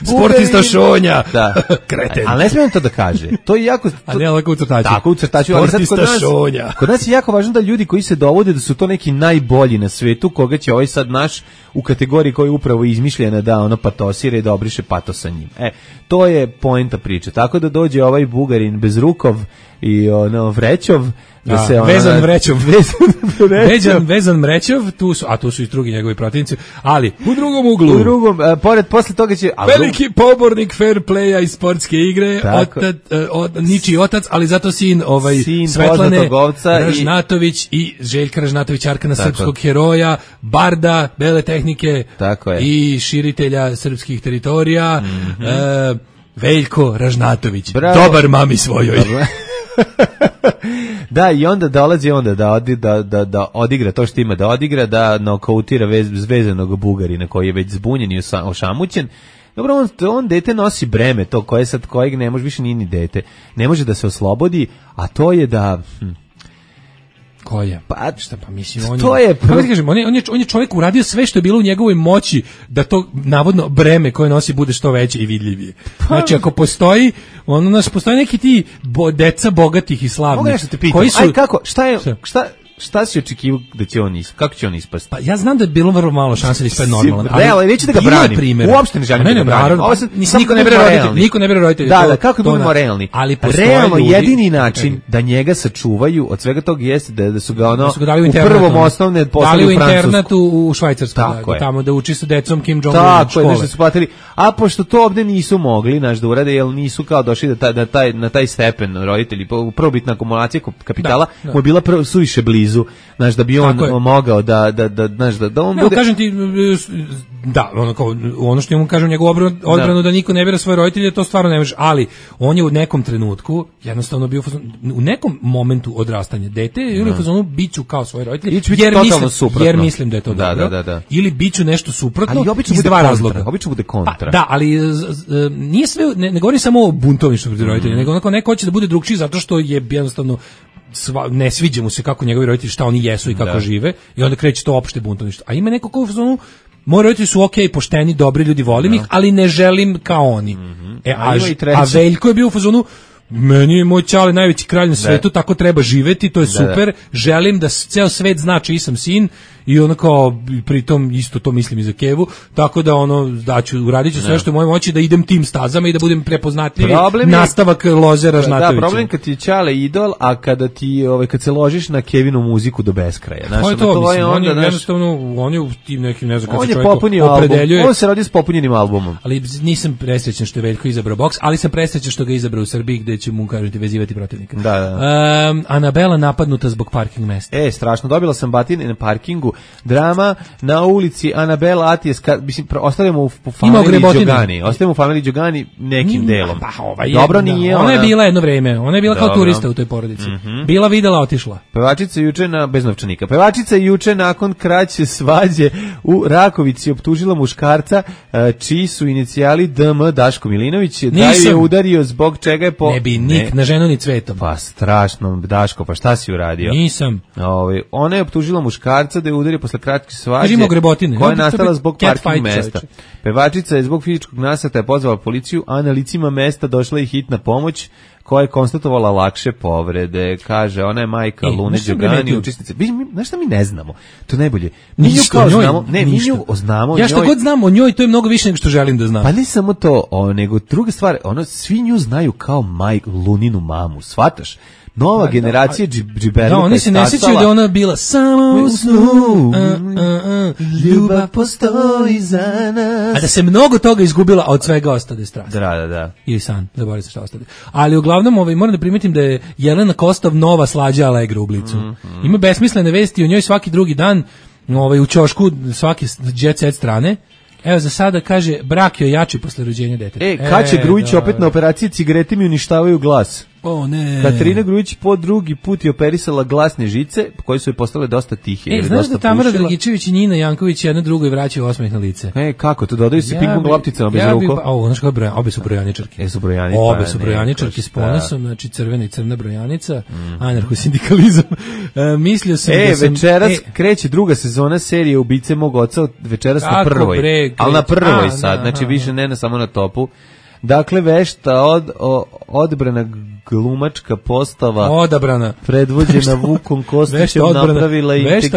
Sportista Šonja. Da. Kreten. Ali ne smijem to da kaže. To je jako... To... A ne, lako u crtaču. Tako u crtaču. Ali sad kod nas, Šonja. Kod nas je jako važno da ljudi koji se dovode da su to neki najbolji na svetu, koga će ovaj sad naš u kategoriji koja je upravo izmišljena da ono patosira i da obriše pato sa njim. E, to je poenta priče. Tako da dođe ovaj Bugarin bez rukov i ono vrećov, da a, se ona, vezan vrećov, vezan vezan, vezan mrećov, tu su, a tu su i drugi njegovi protivnici, ali u drugom uglu. U drugom, a, pored posle toga će a, veliki pobornik fair playa i sportske igre, otac, od, ničiji otac, ali zato sin ovaj sin Svetlane Ražnatović i, i Željka Ražnatović, Arkana tako. Srpskog heroja, barda bele tehnike tako je. I širitelja srpskih teritorija, mm-hmm. e, Veljko Ražnatović, bravo. Dobar mami svojoj. Da, i onda dolazi onda da, odi, da, da, da odigra to što ima da odigra, da nokautira vez, vezanog Bugarina koji je već zbunjen i ošamućen. Dobro, on, on dete nosi breme, to koje sad, kojeg ne može, više nije ni dete. Ne može da se oslobodi, a to je da... Hm, ko je? Pa, šta pa mislim, on to je, je, kako ti kažem, on je, on je, on je čovjek uradio sve što je bilo u njegovoj moći da to navodno breme koje nosi bude što veće i vidljivije. Pa, znači, ako postoji, ono naš, postoji neki ti bo, deca bogatih i slavnih. Mogu nešto te pitam, koji su, aj kako, šta je, šta, šta Šta si očekivao da će on ispasti? Kako će on ispasti? Pa ja znam da je bilo vrlo malo šanse da ispadne normalno. Ali, ali neću da ga branim. Uopšte ne želim da ga branim. Ovo sam niko ne bere roditelji, niko ne bere roditelji. Da, da, kako da budemo realni? Ali realno jedini način da njega sačuvaju od svega toga jeste da da su ga ono u prvom osnovne poslali u Francusku. Dali u internatu u Švajcarsku, tamo da uči sa decom Kim Jong-un. Tako je, nešto su platili. A pošto to ovde nisu mogli, naš da urade, jer nisu kao došli da taj na taj stepen roditelji, prvobitna akumulacija kapitala mu je bila suviše blizu, znaš, da bi on mogao da da da znaš da da on bude. Kažem ti da, ono kao ono što mu kažem njegovu odbranu, odbranu da niko ne bira svoje roditelje, to stvarno ne može, ali on je u nekom trenutku jednostavno bio u nekom momentu odrastanja dete ili u fazonu biću kao svoje roditelje, jer mislim jer mislim da je to dobro. Da, da, da. Ili biću nešto suprotno, ali obično iz dva razloga. Obično bude kontra. Pa, da, ali nije sve, ne, ne govori samo o buntovništvu protiv roditelja, nego onako neko hoće da bude drugčiji zato što je jednostavno sva, ne sviđa mu se kako njegovi roditelji šta oni jesu i kako da. žive i onda kreće to opšte buntovništvo. A ima neko ko u fazonu moji roditelji su okej, okay, pošteni, dobri ljudi, volim ih, ali ne želim kao oni. Mm-hmm. E, a, a, a Veljko je bio u fazonu, meni je moj ćale najveći kralj na svetu, da. Tako treba živeti, to je da, super, da. Želim da ceo svet zna čiji sam sin i ono kao, pritom isto to mislim i za Kevu, tako da ono, daću, uradit ću sve što je u mojoj moći da idem tim stazama i da budem prepoznatljivi nastavak Lozera Žnatovića. Da, problem kad ti je ćale idol, a kada ti, ovaj, kad se ložiš na Kevinu muziku do beskraja. Znaš, to je to, mislim, on je jednostavno, on je u tim nekim, ne znam, kad se čovjek opredeljuje. On se radi s popunjenim albumom. Ali nisam presrećan što je Veljko izabrao boks, ali sam presrećan što ga izabrao u Srbiji, gde će mu, kažete, vezivati protivnika. Da, da. Um, Anabela napadnuta zbog parking mesta. E, strašno, dobila sam batine na parkingu, drama na ulici Anabela Atijas, mislim, ostavljamo u familiji Đogani, ostavljamo u familiji Đogani nekim delom. Pa, ova je, dobro nije ona. Ona je bila jedno vreme, ona je bila dobro. Kao turista u toj porodici. Mm-hmm. Bila videla, otišla. Pevačica juče na, bez novčanika, pevačica juče nakon kraće svađe u Rakovici optužila muškarca, čiji su inicijali D M Daško Milinović, da je udario zbog čega je po... Ne bi nik ne. Na ženu ni cvetom. Pa strašno, Daško, pa šta si uradio? Nisam. Ove, ona je optužila muškarca da je udario posle kratke svađe koja je no, nastala zbog parking mesta. Čovječe. Pevačica je zbog fizičkog nasrtaja pozvala policiju, a na licima mesta došla i hitna pomoć koja je konstatovala lakše povrede. Kaže, ona je majka e, Lune Đogani, učesnica. Znaš šta mi ne znamo? To je najbolje. Mi nju kao njoj, znamo, ne, mi nju znamo. Ja što god znam o njoj, to je mnogo više nego što želim da znam. Pa ne samo to, o, nego druga stvar, ono, svi nju znaju kao majku, Luninu mamu, shvataš? Nova da, generacija džiberluka. Da, oni se ne sjećaju da ona bila samo u snu, uh, uh, uh, ljubav postoji za nas. A da se mnogo toga izgubila, a od svega ostade strast. Da, da, da. Ili san, zaboravim se šta ostade. Ali uglavnom, ovaj, moram da primetim da je Jelena Kostov nova Slađa Allegra u Blicu. Mm, mm. Ima besmislene vesti o njoj svaki drugi dan, ovaj, u ćošku svake jet set strane. Evo za sada kaže, brak je jači posle rođenja deteta. E, Kaća e, Grujić opet na operaciji, cigarete mi uništavaju glas. O ne. Katarina Grujić po drugi put je operisala glasne žice, koje su joj postale dosta tihe. E, znaš da Tamara Dragičević i Nina Janković jedno drugo vraćaju osmeh na lice? E, kako, to dodaju se ja ping-pong lopticama bez ja ruko? O, znaš kako, broja, obe su brojaničarke. E, su brojani, obe su brojaničarke s ponosom, znači crvena i crna brojanica, mm. anarcho-sindikalizam. E, mislio sam e, da sam... večeras e, kreće druga sezona serije Ubice mog oca, večeras na prvoj. Bre, ali na prvoj a, sad, da, znači aha, više ne na samo na topu. Dakle, vešta od, o, odbrana glumačka postava odabrana predvođena Vukom Kostićem napravila integritet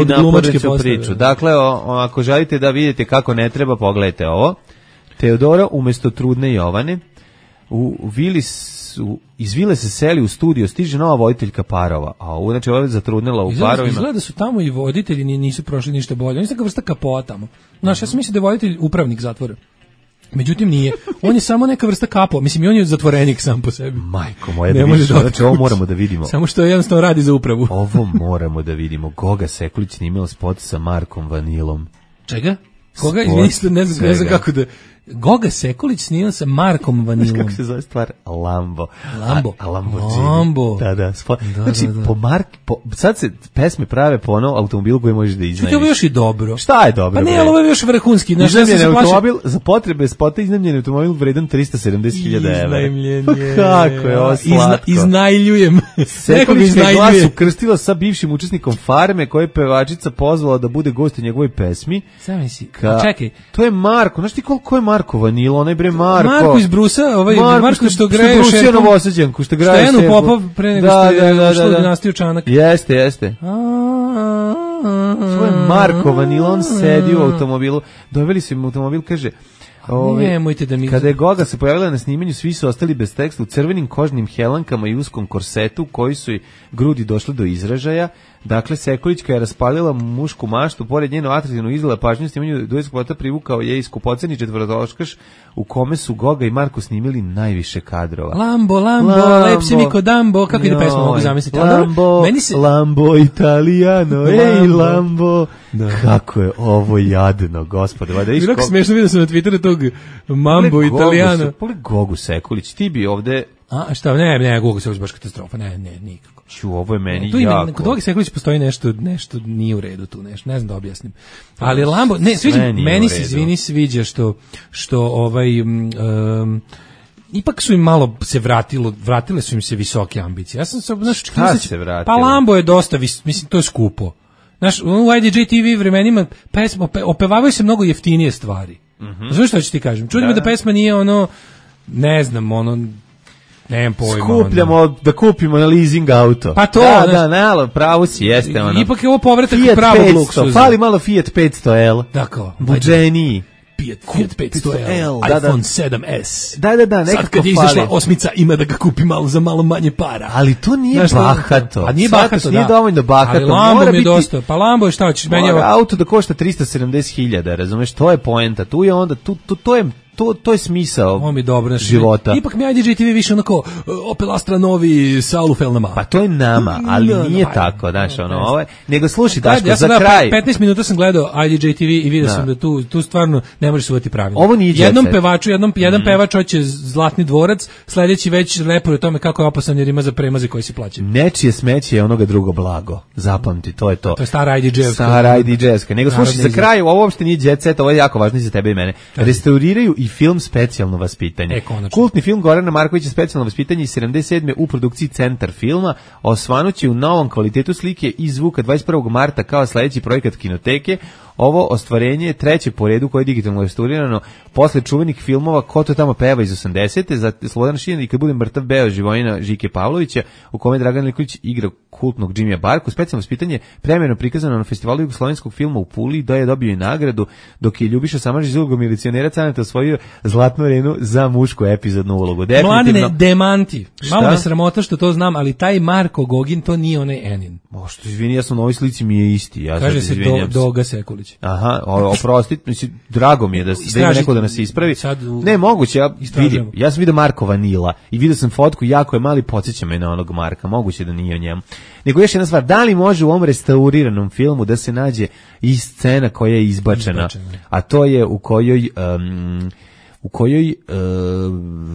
i naporeću priču. Dakle, o, o, ako želite da vidite kako ne treba, pogledajte ovo. Teodora umjesto trudne Jovane u Vili su, iz Vile se seli u studio, stiže nova voditeljka parova, a ovo znači ovo je zatrudnela u izgleda, parovima. Izgleda da su tamo i voditelji nisu prošli ništa bolje. Oni su neka vrsta kapoa tamo. Znaš, ja sam mislio da je voditelj upravnik zatvora. Međutim nije. On je samo neka vrsta kapo. Mislim, i on je zatvorenik sam po sebi. Majko moja, da vidiš, znači ovo moramo da vidimo. Samo što jednostavno radi za upravu. Ovo moramo da vidimo. Goga Sekulić snimao spot sa Markom Vanilom. Čega? Koga? Izvinite, ne znam, ne znam kako da... Goga Sekulić snimao sa Markom Vanilom. Kako se zove stvar? Lambo. Lambo. A, a Lambo. Lambo. Da, da. Spo... da znači, da, da. Po Mark, po, sad se pesme prave po ono automobilu koji možeš da iznajmiš. Što je još i dobro? Šta je dobro? Pa ne, ali ovo je još vrhunski. Znaš, iznajmljen ja automobil, za potrebe spota iznajmljen automobil vredan trista sedamdeset hiljada evra. Iznajmljen je. Pa kako je ovo slatko. Izna, iznajljujem. Sekulić je glas ukrstila sa bivšim učesnikom Farme, koje je pevačica pozvala da bude gost u njegovoj pesmi. Sam si. Ka... Čekaj. To je Marko. Znaš ti koliko je Marko Vanilo? Onaj bre Marko. Marko iz Brusa, ovaj Marko, Marko što greje u Šerpu. Novosađanku, što greje Stojanu Popov pre nego da, što je da, da, ušlo da, da. dinastiju Čanak. Jeste, jeste. Svoj Marko Vanilo, on sedi u automobilu. Doveli su im automobil, kaže... Ove, nemojte da mi... Kada je Goga se pojavila na snimanju, svi su ostali bez teksta u crvenim kožnim helankama i uskom korsetu, koji su i grudi došle do izražaja. Dakle, Sekulićka je raspalila mušku maštu, pored njeno atraktivno izgleda pažnju snimanju duetskog spota privukao je iskupoceni četvrtoškaš u kome su Goga i Marko snimili najviše kadrova. Lambo, Lambo, Lambo. Lepsi mi ko Dambo, kako ide pesma, mogu zamisliti. Lambo, meni se... Lambo Italiano, Lambo. Ej Lambo. Da. Kako je ovo jadno, gospode. Bilo kako smiješno vidio sam na Twitteru tog Mambo Italiano. Poli Gogu Sekulić, ti bi ovde... A šta, ne, ne, Gogu Sekulić baš katastrofa, ne, ne, nikako. Ču, ovo je meni tu jako. Kod Goga Sekulić postoji nešto, nešto nije u redu tu, nešto, ne znam da objasnim. Ali Lambo, ne, sviđa, meni se izvini sviđa što, što ovaj... Um, ipak su im malo se vratilo, vratile su im se visoke ambicije. Ja sam se, znaš, šta se vratilo? Pa Lambo je dosta, vis, mislim, to je skupo. Znaš, u I D J T V vremenima pesma, opevavaju se mnogo jeftinije stvari. Mm-hmm. Znaš što ću ti kažem? Čudim da, da pesma nije ono, ne znam, ono, nemam pojma. Skupljamo ono. Da kupimo na leasing auto. Pa to, da, znaš, da, nalo, pravo si, jeste ono. Ipak je ovo povratak Fiat pravog petsto, luksuza. fali malo Fiat petsto L. Da, kao. Buđeniji. Fiat, Fiat petsto L, da, iPhone da. sedam S. Da, da, da, nekako sad kad je izašla osmica ima da ga kupi malo za malo manje para. Ali to nije znaš, bahato. A nije bahato, nije da. dovoljno bahato. Ali Lambo mi je biti, dosta. Pa Lambo je šta hoćeš? Meni je auto da košta trista sedamdeset hiljada, razumeš? To je poenta. Tu je onda, tu, tu, to je To, to je smisao ovo mi dobro, života. Ipak mi I D J T V više onako Opel Astra novi sa alufel-nama. Pa to je nama, ali no, nije no, tako, znaš, ono, ovaj, nego slušaj, Daško, ja za kraj. petnaest minuta sam gledao I D J T V i vidio da. sam da tu, tu stvarno ne možeš se uvati pravilno. Ovo nije jednom pevaču, jednom, jedan mm. pevač hoće Zlatni dvorac, sledeći već repuje o tome kako je opasan jer ima za premaze koji se plaćaju. Nečije smeće je onoga drugo blago. Zapamti, to je to. To je stara I D J-evska. Stara I D J-evska. Nego slušaj, za kraj, ovo uopšte nije jet set, ovo je jako važno i za tebe i mene. Restauriraju i film specijalno vaspitanje. E, kultni film Gorana Markovića Specijalno vaspitanje iz sedamdeset sedme u produkciji Centar filma osvanuće u novom kvalitetu slike i zvuka dvadeset prvog marta kao sledeći projekat Kinoteke. Ovo ostvarenje je treće po redu koje je digitalno restaurirano posle čuvenih filmova Ko to tamo peva iz osamdesete za Slobodan Šijan i Kad budem mrtav beo Živojina Žike Pavlovića u kome Dragan Nikolić igra kultnog Džimija Barku. Specijalno vaspitanje premijerno prikazano na festivalu jugoslovenskog filma u Puli da je dobio i nagradu dok je Ljubiša Samardžić iz ulogom milicionera Caneta osvojio Zlatnu arenu za mušku epizodnu ulogu. Mladine, demanti. Malo me sramota što to znam, ali taj Marko Gogin to nije onaj Enin. O, što izvini, ja sam na ovoj slici mi je isti. Ja kaže se do, Doga Sekulić. Aha, oprostit, mislim, drago mi je da, da ima neko da nas ispravi. U... Ne, moguće, ja vidim, ja sam vidio Marko Vanila i vidio sam fotku, jako je mali, podsjeća me na onog Marka, moguće da nije o njemu. Nego još jedna stvar, da li može u ovom restauriranom filmu da se nađe i scena koja je izbačena, izbačena. A to je u kojoj... Um, u kojoj,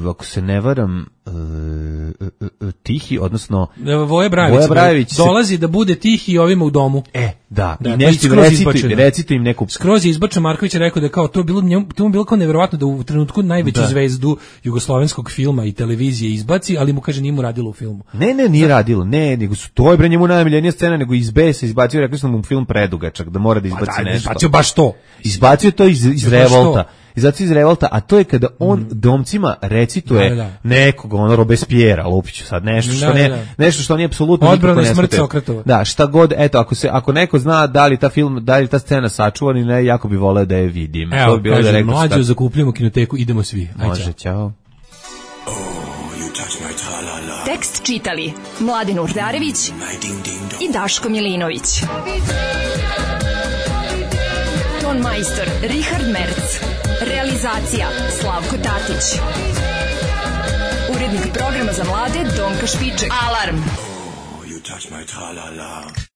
uh, ako se ne varam, uh, uh, uh, Tihi, odnosno Voja Brajević, Voja Brajević dolazi da bude Tihi ovima u domu. E, da, da i nešto im recituju, recituju im neku... Skroz je izbačen, Marković je rekao da kao to bilo, njemu, to mu bilo kao nevjerovatno da u trenutku najveću da. zvezdu jugoslovenskog filma i televizije izbaci, ali mu kaže nije mu radilo u filmu. Ne, ne, nije da. radilo, ne, nego su to je bre njemu najmiljenija scena, nego iz B se izbacio, rekli smo mu film predugačak, da mora da izbaci pa da, nešto. Izbacio baš to. Izbacio to iz, iz revolta. I zato iz revolta, a to je kada on mm. domcima recituje da, da. nekog, ono Robespierre, lupiću sad, nešto što, da, ne, da. nešto što nije apsolutno odbrana i smrt Sokratova. Da, šta god, eto, ako, se, ako neko zna da li ta film, da li ta scena sačuvan ili ne, jako bi voleo da je vidim. Evo, to bi bilo kažem, da rekao mlađu šta... zakupljamo Kinoteku, idemo svi. Aj, može, čao. Oh, tekst čitali Mladin Urdarević i Daško Milinović. Ton majstor Richard Merc. Realizacija Slavko Tatić. Urednik programa za mlade Donka Špiček. Alarm! Oh, you touch my tra-la-la.